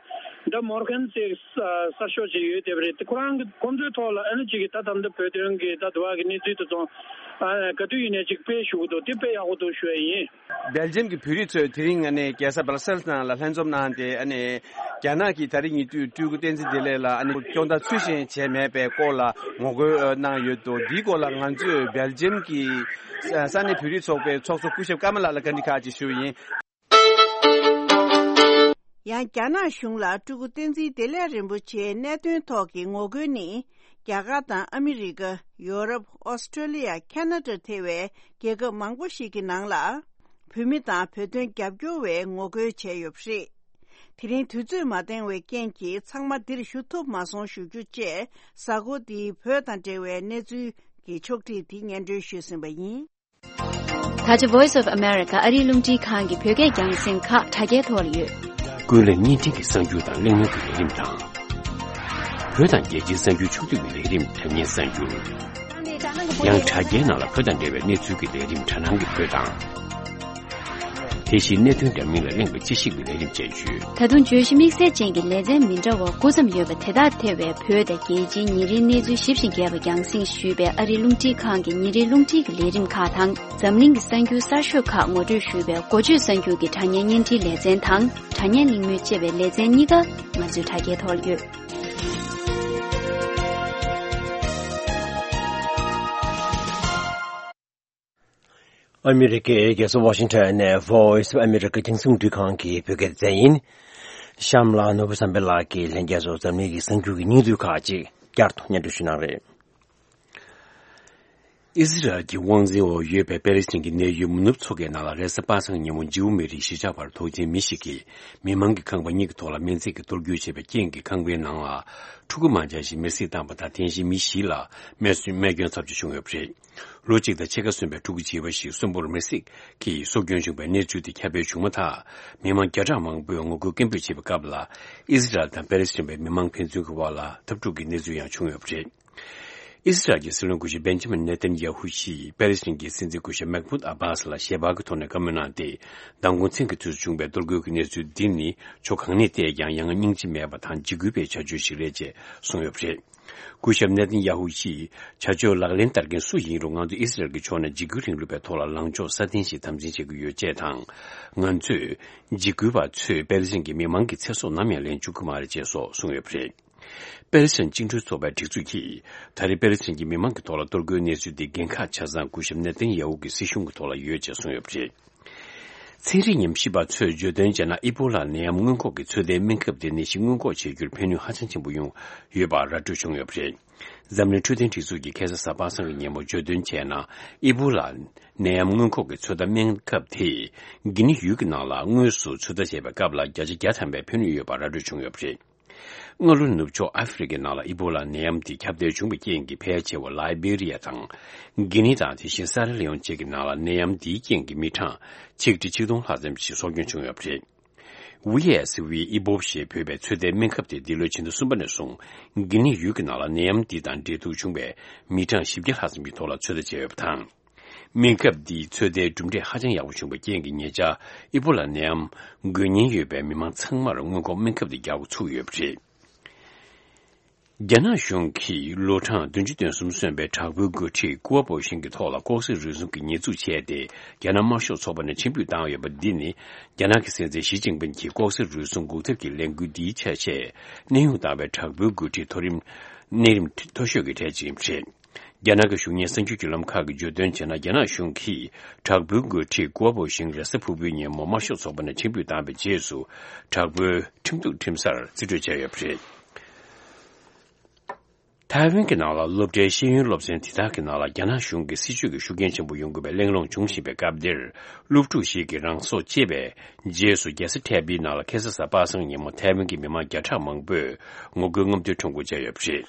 ད་མོར་ཁན་སེག་གསར་ཤོག་ཅིག་ཡོད་བསྡད་པ་རེད། དེ་ཁོ་རང་གི་ཁོང་ཚོའི་ཐོག་ལ་ཨ་ནི་ཅིག་གི་ད་ད་ལྟ་བོད་དོན་གི་ད་དུ་བ་གི་གནས་ཚུལ་དེ་ཚོ་ཨ་ག་དུས་ཡིན་ནའི་ཅིག་སྤེལ་ཞུ་གི་འདུག་དེ་དཔེ་ཡག་པོ་འདུག་ཞུ་ཡ་ཡིན། སྦེལ་ཇམ་གྱི་བོད་རིགས་ཚོས་དེ་རིང་ཨ་ནི་རྒྱལ་ས་སྦར་སེལ་ནང་ལ་ལྷན་འཛོམས་གནང་སྟེ། ཨ་ནི་རྒྱ་ནག་གིས་ད་རེས་ཉེ་དུས་སྤྲུལ་སྐུ་བསྟན་འཛིན་བདེ་ལེགས་ལགས་ཨ་ནི་སྐྱོང་བརྡ་ཚུལ་བཞིན་བྱས་མེད་པའི་སྐོར་ལ་ངོ་རྒོལ་གནང་ཡོད་འདུག་འདིའི་སྐོར་ལ་ང་ཚོས་སྦེལ་ཇམ་གྱི་ས་གནས་བོད་རིགས་ཚོགས་པའི་ཚོགས་གཙོ་སྐུ་ཞབས་ཀརྨ་ལགས་ལ་བཀའ་འདྲི་ཁག་ཅིག་ཞུས་ཡིན། ཡང་རྒྱ་ནག་གཞུང་ལ་སྤྲུལ་སྐུ་བསྟན་འཛིན་བདེ་ལེགས་རིན་པོ་ཆེའི་གནད་དོན་ཐོག་གི་ངོ་རྒོལ་ནི། རྒྱ་གར་དང་ཨ་མི་རི་ཀ། ཡོ་རོབ། ཨོ་སི་ཀྲོ་ལི་ཡ། ཁེ་ན་ཌ་ཐེ་བའི་རྒྱལ་ཁབ་མང་པོ་ཞིག་གི་ནང་ལ། བོད་མི་དང་བོད་དོན་རྒྱབ་སྐྱོར་བས་ངོ་རྒོལ་བྱས་ཡོད་པ་རེད། དེ་རིང་དུས་ཚོད་མ་འདང་བའི་རྐྱེན་གྱིས་ཚང་མ་འདིར་ཞུ་ཐུབ་མ་སོང་ཞུ་རྒྱུ་བཅས། གཟའ་འཁོར་འདིའི་བོད་དང་འབྲེལ་བའི་གནས་ཚུལ་གྱི་ཕྱོགས་སྒྲིག་འདི་སྙན་སྒྲོན་ཞུས་ཟིན་པ་ཡིན། ད་ཆ་Voice of America ཨ་རིའི་རླུང་འཕྲིན་ཁང་གི་བོད་སྐད་རྒྱང་སྲིང་ཁག་དྲ་རྒྱའི་ཐོག་ལ་ཡོད། ཀུན་གླེང་བརྙན་འཕྲིན་གྱི་གསར་འགྱུར་དང་གླེང་མོལ་གྱི་ལས་རིམ་དང་། བོད་དང་རྒྱལ་སྤྱིའི་གསར་འགྱུར་ཕྱོགས་བསྡུས་ཀྱི་ལས་རིམ་དྲ་བརྙན་གསར་འགྱུར། ཡང་དྲ་རྒྱའི་ནང་ལ་བོད་དང་འབྲེལ་བའི་གནས་ཚུལ་གྱི་ལས་རིམ་དྲ་སྣང་གི་བོད་དང་། དེ་བཞིན་གནད་དོན་འདྲ་མིན་ལ་གླེང་བའི་དཔྱད་ཞིབ་ཀྱི་ལས་རིམ་བཅས་ཡོད། ད་དུང་བརྗོད་གཞི་དམིགས་བསལ་ཅན་གྱི་ལེ་ཚན་མི་འདྲ་བ་དགུ་ཙམ་ཡོད་པ་དེ་དག་ཐེ་བའི་བོད་དང་རྒྱལ་སྤྱིའི་ཉིན་རེའི་གནས་ཚུལ་ཞིབ་ཅིང་རྒྱས་པ་རྒྱང་སྲིང་ཞུས་པའི་ཨ་རིའི་རླུང་འཕྲིན་ཁང་གི་ཉིན་རེའི་རླུང་འཕྲིན་གྱི་ལས་རིམ་ཁག་དང་། འཛམ་གླིང་གི་གསར་འགྱུར་གསར་ཤོས་ཁག་ངོ་སྤྲོད་ཞུས་པའི་འགོ་བརྗོད་གསར་འགྱུར་གྱི་དྲ་བརྙན་བརྙན་འཕྲིན་ལེ་ཚན་དང་། དྲ་བརྙན་གླེང་མོལ་བཅས་པའི་ལེ་ཚན་གཉིས་ཀ་ང་ཚོའི་དྲ་རྒྱའི་ཐོག་ལ་ཡོད། ཨ་མི་རི་ཀའི་རྒྱལ་ས་ཝ་ཤིང་ཊོན་ནས་Voice of America རྒྱང་སྲིང་རླུང་འཕྲིན་ཁང་གི་བོད་སྐད་སྡེ་ཚན་ཡིན། གཤམ་ལ་ནོར་བུ་བསམ་འཕེལ་ལགས་ཀྱིས་ལྷན་རྒྱས་ཚོར་འཛམ་གླིང་གི་གསར་འགྱུར་གྱི་སྙིང་བསྡུས་ཁག་ཅིག་བསྐྱར་དུ་སྙན་སྒྲོན་ཞུ་གནང་རེད། ཨི་ཟི་རལ་གྱི་དབང་འཛིན་འོག་ཡོད་པའི་པེ་ལི་སི་ཐན་གྱི་གནས་ཡུལ་མུ་ནུབ་མཚོ་ཁའི་ནང་ལ་རེས་གཟའ་པ་སངས་ཉིན་མོ་ཇིའུ་མི་རིགས་གཞིས་ཆགས་བར་དོགས་ཅན་མི་ཞིག་གིས་མི་མང་གི་ཁང་པ་གཉིས་ཀྱི་ཐོག་ལ་སྨན་རྫས་ཀྱིས་གཏོར་རྒོལ་བྱས་པའི་རྐྱེན་གྱིས་ཁང་པའི་ནང་ལ་ཕྲུ་གུ་མང་ཆེ་ཞིག་མེར་སྲེག་བཏང་བ་དང་། དེ་བཞིན་མི་བཞི་ལ་རྨས་སྐྱོན་ཐེབས་ཀྱི་བྱུང་ཡོད་པ་རེད། ལོ་གཅིག་དང་ཕྱེད་ཀ་སོན་པའི་ཕྲུ་གུ་བྱིས་པ་ཞིག་གསོན་པོར་མེར་སྲེག་གིས་སྲོག་སྐྱོན་བྱུང་བའི་གནས་ཚུལ་དེ་ཁྱབ་སྤེལ་བྱུང་མ་ཐག་མི་མང་བརྒྱ་ཕྲག་མང་པོས་ངོ་རྒོལ་སྐད་འབོད་བྱེད་པའི་སྐབས་ལ། ཨི་ཟི་རལ་དང་པེ་ལི་སི་ཐན་པའི་མི་མང་ཕན་ཚུན་གྱི་དབར་ལ་འཐབ་འཁྲུག་གི་གནས་ཚུལ་ཡང་བྱུང་ཡོད་པ་རེད། ཨི་ཟི་རལ་གྱི་སྲིད་བློན་སྐུ་ཞབས་བེན་ཇ་མིན་ནེ་ཐན་ཡ་ཧུ་ཡིས་པེ་ལི་སི་ཐན་གྱི་སྲིད་འཛིན་སྐུ་ཞབས་མེག་མུད་ཨ་བྷ་སི་ལ་ཞལ་པར་གྱི་ཐོག་ནས་བཀའ་མོལ་གནང་སྟེ། མདང་དགོང་མཚན་གྱི་དུས་སུ་བྱུང་བའི་གཏོར་རྒོལ་གྱི་གནས་ཚུལ་འདི་ནི་ཕྱོགས་གང་ནས་བལྟས་ཀྱང་ཡ་ང་སྙིང་རྗེ་མེད་པ་དང་འཇིགས་སྐུལ་བའི་བྱ་སྤྱོད་ཞིག་རེད་ཅེས་གསུངས་ཡོད་པ་རེད། སྐུ་ཞབས་ནེ་ཐན་ཡ་ཧུ་ཡིས། བྱ་སྤྱོད་ལག་ལེན་བསྟར་མཁན་སུ་ཡིན་རུང་། ང་ཚོ་ཨི་སི་རལ་གྱི་ཕྱོགས་ནས་འཇིགས་སྐུལ་རིང་ལུགས་པའི་ཐོག་ལ་ལངས་ཕྱོགས་སྲ་བརྟན་ཞིག་དམ་འཛིན་བྱེད་ཀྱི་ཡོད་ཅེས་དང་། ང་ཚོས་འཇིགས་སྐུལ་བ་ཚོས་པེ་ལི་སི་ཐན་གྱི་མི་མང་གི་ཚེ་སྲོག་ནམ་ཡང་ལེན་བཅུག་གི་མ་རེད་ཅེས་སོགས་གསུངས་ཡོད་པ་རེད། པེ་ལི་སི་ཐན་བཅིངས་འགྲོལ་ཚོགས་པའི་སྒྲིག་འཛུགས་ཀྱིས། ད་རེས་པེ་ལི་སི་ཐན་གྱི་མི་མང་གི་ཐོག་ལ་གཏོར་རྒོལ་གནས་ཚུལ་འདི་འགན་ཁག་ཆ་ཚང་སྐུ་ཞབས་ནེ་ཐན་ཡ་ཧུ་གི་སྲིད་གཞུང་གི་ཐོག་ལ་ཡོད་ཅེས་གསུངས་ཡོད་པ་རེད། ཚན་རིག་ཉམས་ཞིབ་པ་ཚོས་བརྗོད་དོན་བྱས་ན། ཨི་བོ་ལ་ནད་ཡམས་སྔོན་འགོག་གི་ཚོད་ལྟའི་སྨན་ཁབ་དེ་ནད་གཞི་སྔོན་འགོག་བྱེད་རྒྱུར་ཕན་ནུས་ཧ་ཅང་ཆེན་པོ་ཡོང་ཡོད་པ་ར་སྤྲོད་བྱུང་ཡོད་པ་རེད། འཛམ་གླིང་འཕྲོད་བསྟེན་སྒྲིག་འཛུགས་ཀྱིས་ཁ་སང་གཟའ་པ་སངས་ཀྱི་ཉིན་མོ་བརྗོད་དོན་བྱས་ན། ཨི་བོ་ལ་ནད་ཡམས་སྔོན་འགོག་གི་ཚོད་ལྟ་སྨན་ཁབ་དེས་གྷི་ནི་ཡུལ་གྱི་ནང་ལ་དངོས་སུ་ཚོད་ལྟ་བྱས་པའི་སྐབས་ལ་བརྒྱ་ཆ་བརྒྱ་ཐམ་པའི་ཕན་ནུས་ཡོད་པ་ར་སྤྲོད་བྱུང་ཡོད་པ་རེད། སྔ་ལོ་ནུབ་ཕྱོགས་ཨ་ཧྥེ་རི་ཁའི་ནང་ལ་ཨི་བོ་ལ་ནད་ཡམས་འདི་ཁྱབ་གདལ་བྱུང་བའི་རྐྱེན་གྱིས། ཕལ་ཆེ་བ་ལའི་བེ་རི་ཡ་དང་། གྷི་ནི་དང་། དེ་བཞིན་སཱ་ར་ལེ་ཡོན་བཅས་ཀྱི་ནང་ལ་ནད་ཡམས་འདིའི་རྐྱེན་གྱིས་མི་གྲངས་ཆིག་ཁྲི་ཆིག་སྟོང་ལྷག་ཙམ་ཞིག་སྲོག་སྐྱོན་བྱུང་ཡོད་པ་རེད། ཝི་ཨེས་ཝི་ཨི་བོབ་ཞེས་འབོད་པའི་ཚོད་ལྟའི་སྨན་ཁབ་དེ་འདི་ལོའི་ཕྱི་ཟླ་གསུམ་པ་ནས་བཟུང་། གྷི་ནི་ཡུལ་གྱི་ནང་ལ་ནད་ཡམས་འདི་དང་འབྲེལ་གཏུག་བྱུང་བའི་མི་གྲངས་བཞི་བརྒྱ་ལྷག་ཙམ་གྱི་ཐོག་ལ་ཚོད་ལྟ་བྱས་ཡོད་པ་དང་། སྨན་ཁབ་འདིའི་ཚོད་ལྟའི་གྲུབ་འབྲས་ཧ་ཅང་ཡག་པོ་བྱུང་བའི་རྐྱེན་གྱིས། ཉེ་ཆར་ཨི་བོ་ལ་ནད་ཡམས་འགོས་ཉེན་ཡོད་པའི་མི་མང་ཚང་མར་སྔོན་འགོག་སྨན་ཁབ་འདི་རྒྱག་འགོ་ཚུགས་ཡོད་པ་རེད། རྒྱ་ནག་གཞུང་གིས་ལོ་གྲངས་བདུན་ཅུ་དོན་གསུམ་སོན་པའི་དྲག་པོའི་འགོ་ཁྲིད་ཀུའོ་པོ་ཞིང་གི་ཐོག་ལ་ལྐོག་ཟ་རུལ་སུངས་ཀྱི་ཉེས་འཛུགས་བྱས་ཏེ། རྒྱ་ནག་དམར་ཤོག་ཚོགས་པ་ནས་ཕྱིར་འབུད་བཏང་ཡོད་པ་འདི་ནི། རྒྱ་ནག་གི་སྲིད་འཛིན་ཞི་ཅིན་ཕིན་གྱིས་ལྐོག་ཟ་རུལ་སུངས་འགོག་ཐབས་ཀྱི་ལས་འགུལ་འདིའི་ཆ་ཤས་གནས་དབྱུང་བཏང་བའི་དྲག་པོའི་འགོ་ཁྲིད་མཐོ་རིམ། གནས་རིམ་མཐོ་ཤོས་ཀྱི་གྲས་ཅིག་ཡིན་པ་རེད། རྒྱ་ནག་གི་གཞུང་གཉེར་གསར་འགྱུར་བརྒྱུད་ལམ་ཁག་གིས་བརྗོད་དོན་བྱས་ན། རྒྱ་ནག་གཞུང་གིས་དྲག་པོའི་འགོ་ཁྲིད་ཀུའོ་པོ་ཞིང་རེས་གཟའ་ཕུར་བུའི་ཉིན་མོ་དམར་ཤོག་ཚོགས་པ་ནས་ཕྱིར་འབུད་བཏང་བའི་རྗེས་སུ། དྲག་པོའི་ཁྲིམས་གཏུག་ཁྲིམས་སར་རྩིས་སྤྲོད་བྱས་ཡོད་པ་རེད། ཐའེ་ཝན་གྱི་ནང་ལ་སློབ་གྲྭའི་ཤེས་ཡོན་སློབ་ཚན་དེ་དག་གི་ནང་ལ་རྒྱ་ནག་གཞུང་གི་སྲིད་བྱུས་ཀྱི་ཤུགས་རྐྱེན་ཆེན་པོ་ཡོང་དགོས་པའི་གླེང་སློང་འབྱུང་བཞིན་པའི་སྐབས་འདིར། སློབ་ཕྲུག་ཞིག་གིས་རང་སྲོག་བཅད་པའི་རྗེས་སུ་རྒྱལ་ས་ཐའེ་པེའི་ནང་ལ་ཁ་སང་གཟའ་པ་སངས་ཉིན་མོ་ཐའེ་ཝན་གྱི་མི་མང་བརྒྱ་ཕྲག་མང་པོས་ངོ་རྒོལ་རྔམ་སྟོན་ཁྲོམ་སྐོར་བྱས་ཡོད་པ་རེད།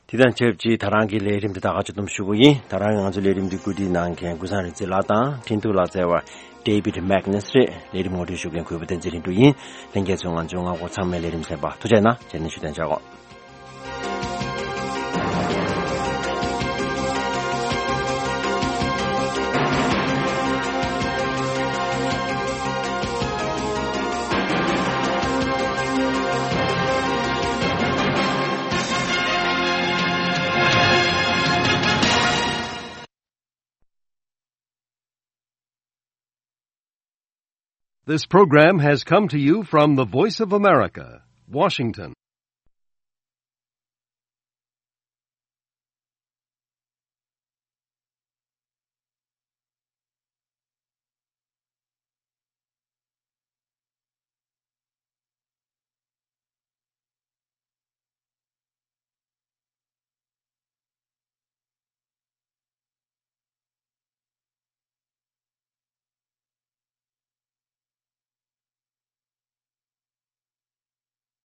དེ་དང་ཆབས་ཅིག་ད་རང་གི་ལས་རིམ་འདི་དག་ག་ཚོད་གཏོང་ཞུ་གི་ཡིན། ད་རང་ང་ཚོའི་ལས་རིམ་འདི་བཀོད་སྒྲིག་གནང་མཁན་ཀུན་བཟང་རིག་འཛིན་ལགས་དང་འཕྲིན་ཐུང་ལ་བརྩེ་བ་David Magnus་རེད། ལས་རིམ་ངོ་སྤྲོད་ཞུ་མཁན་གུས་པ་བསྟན་འཛིན་ལྷུན་གྲུབ་ཡིན། ལྷན་རྒྱས་ཚོས་ང་ཚོའི་ངག་སྐོར་ཚང་མའི་ལས་རིམ་གསན་པ་ཐུགས་རྗེ་གནང་། རྗེས་ནས་ཞུ་གཏན་འཇགས་གོ། This program has come to you from the Voice of America, Washington.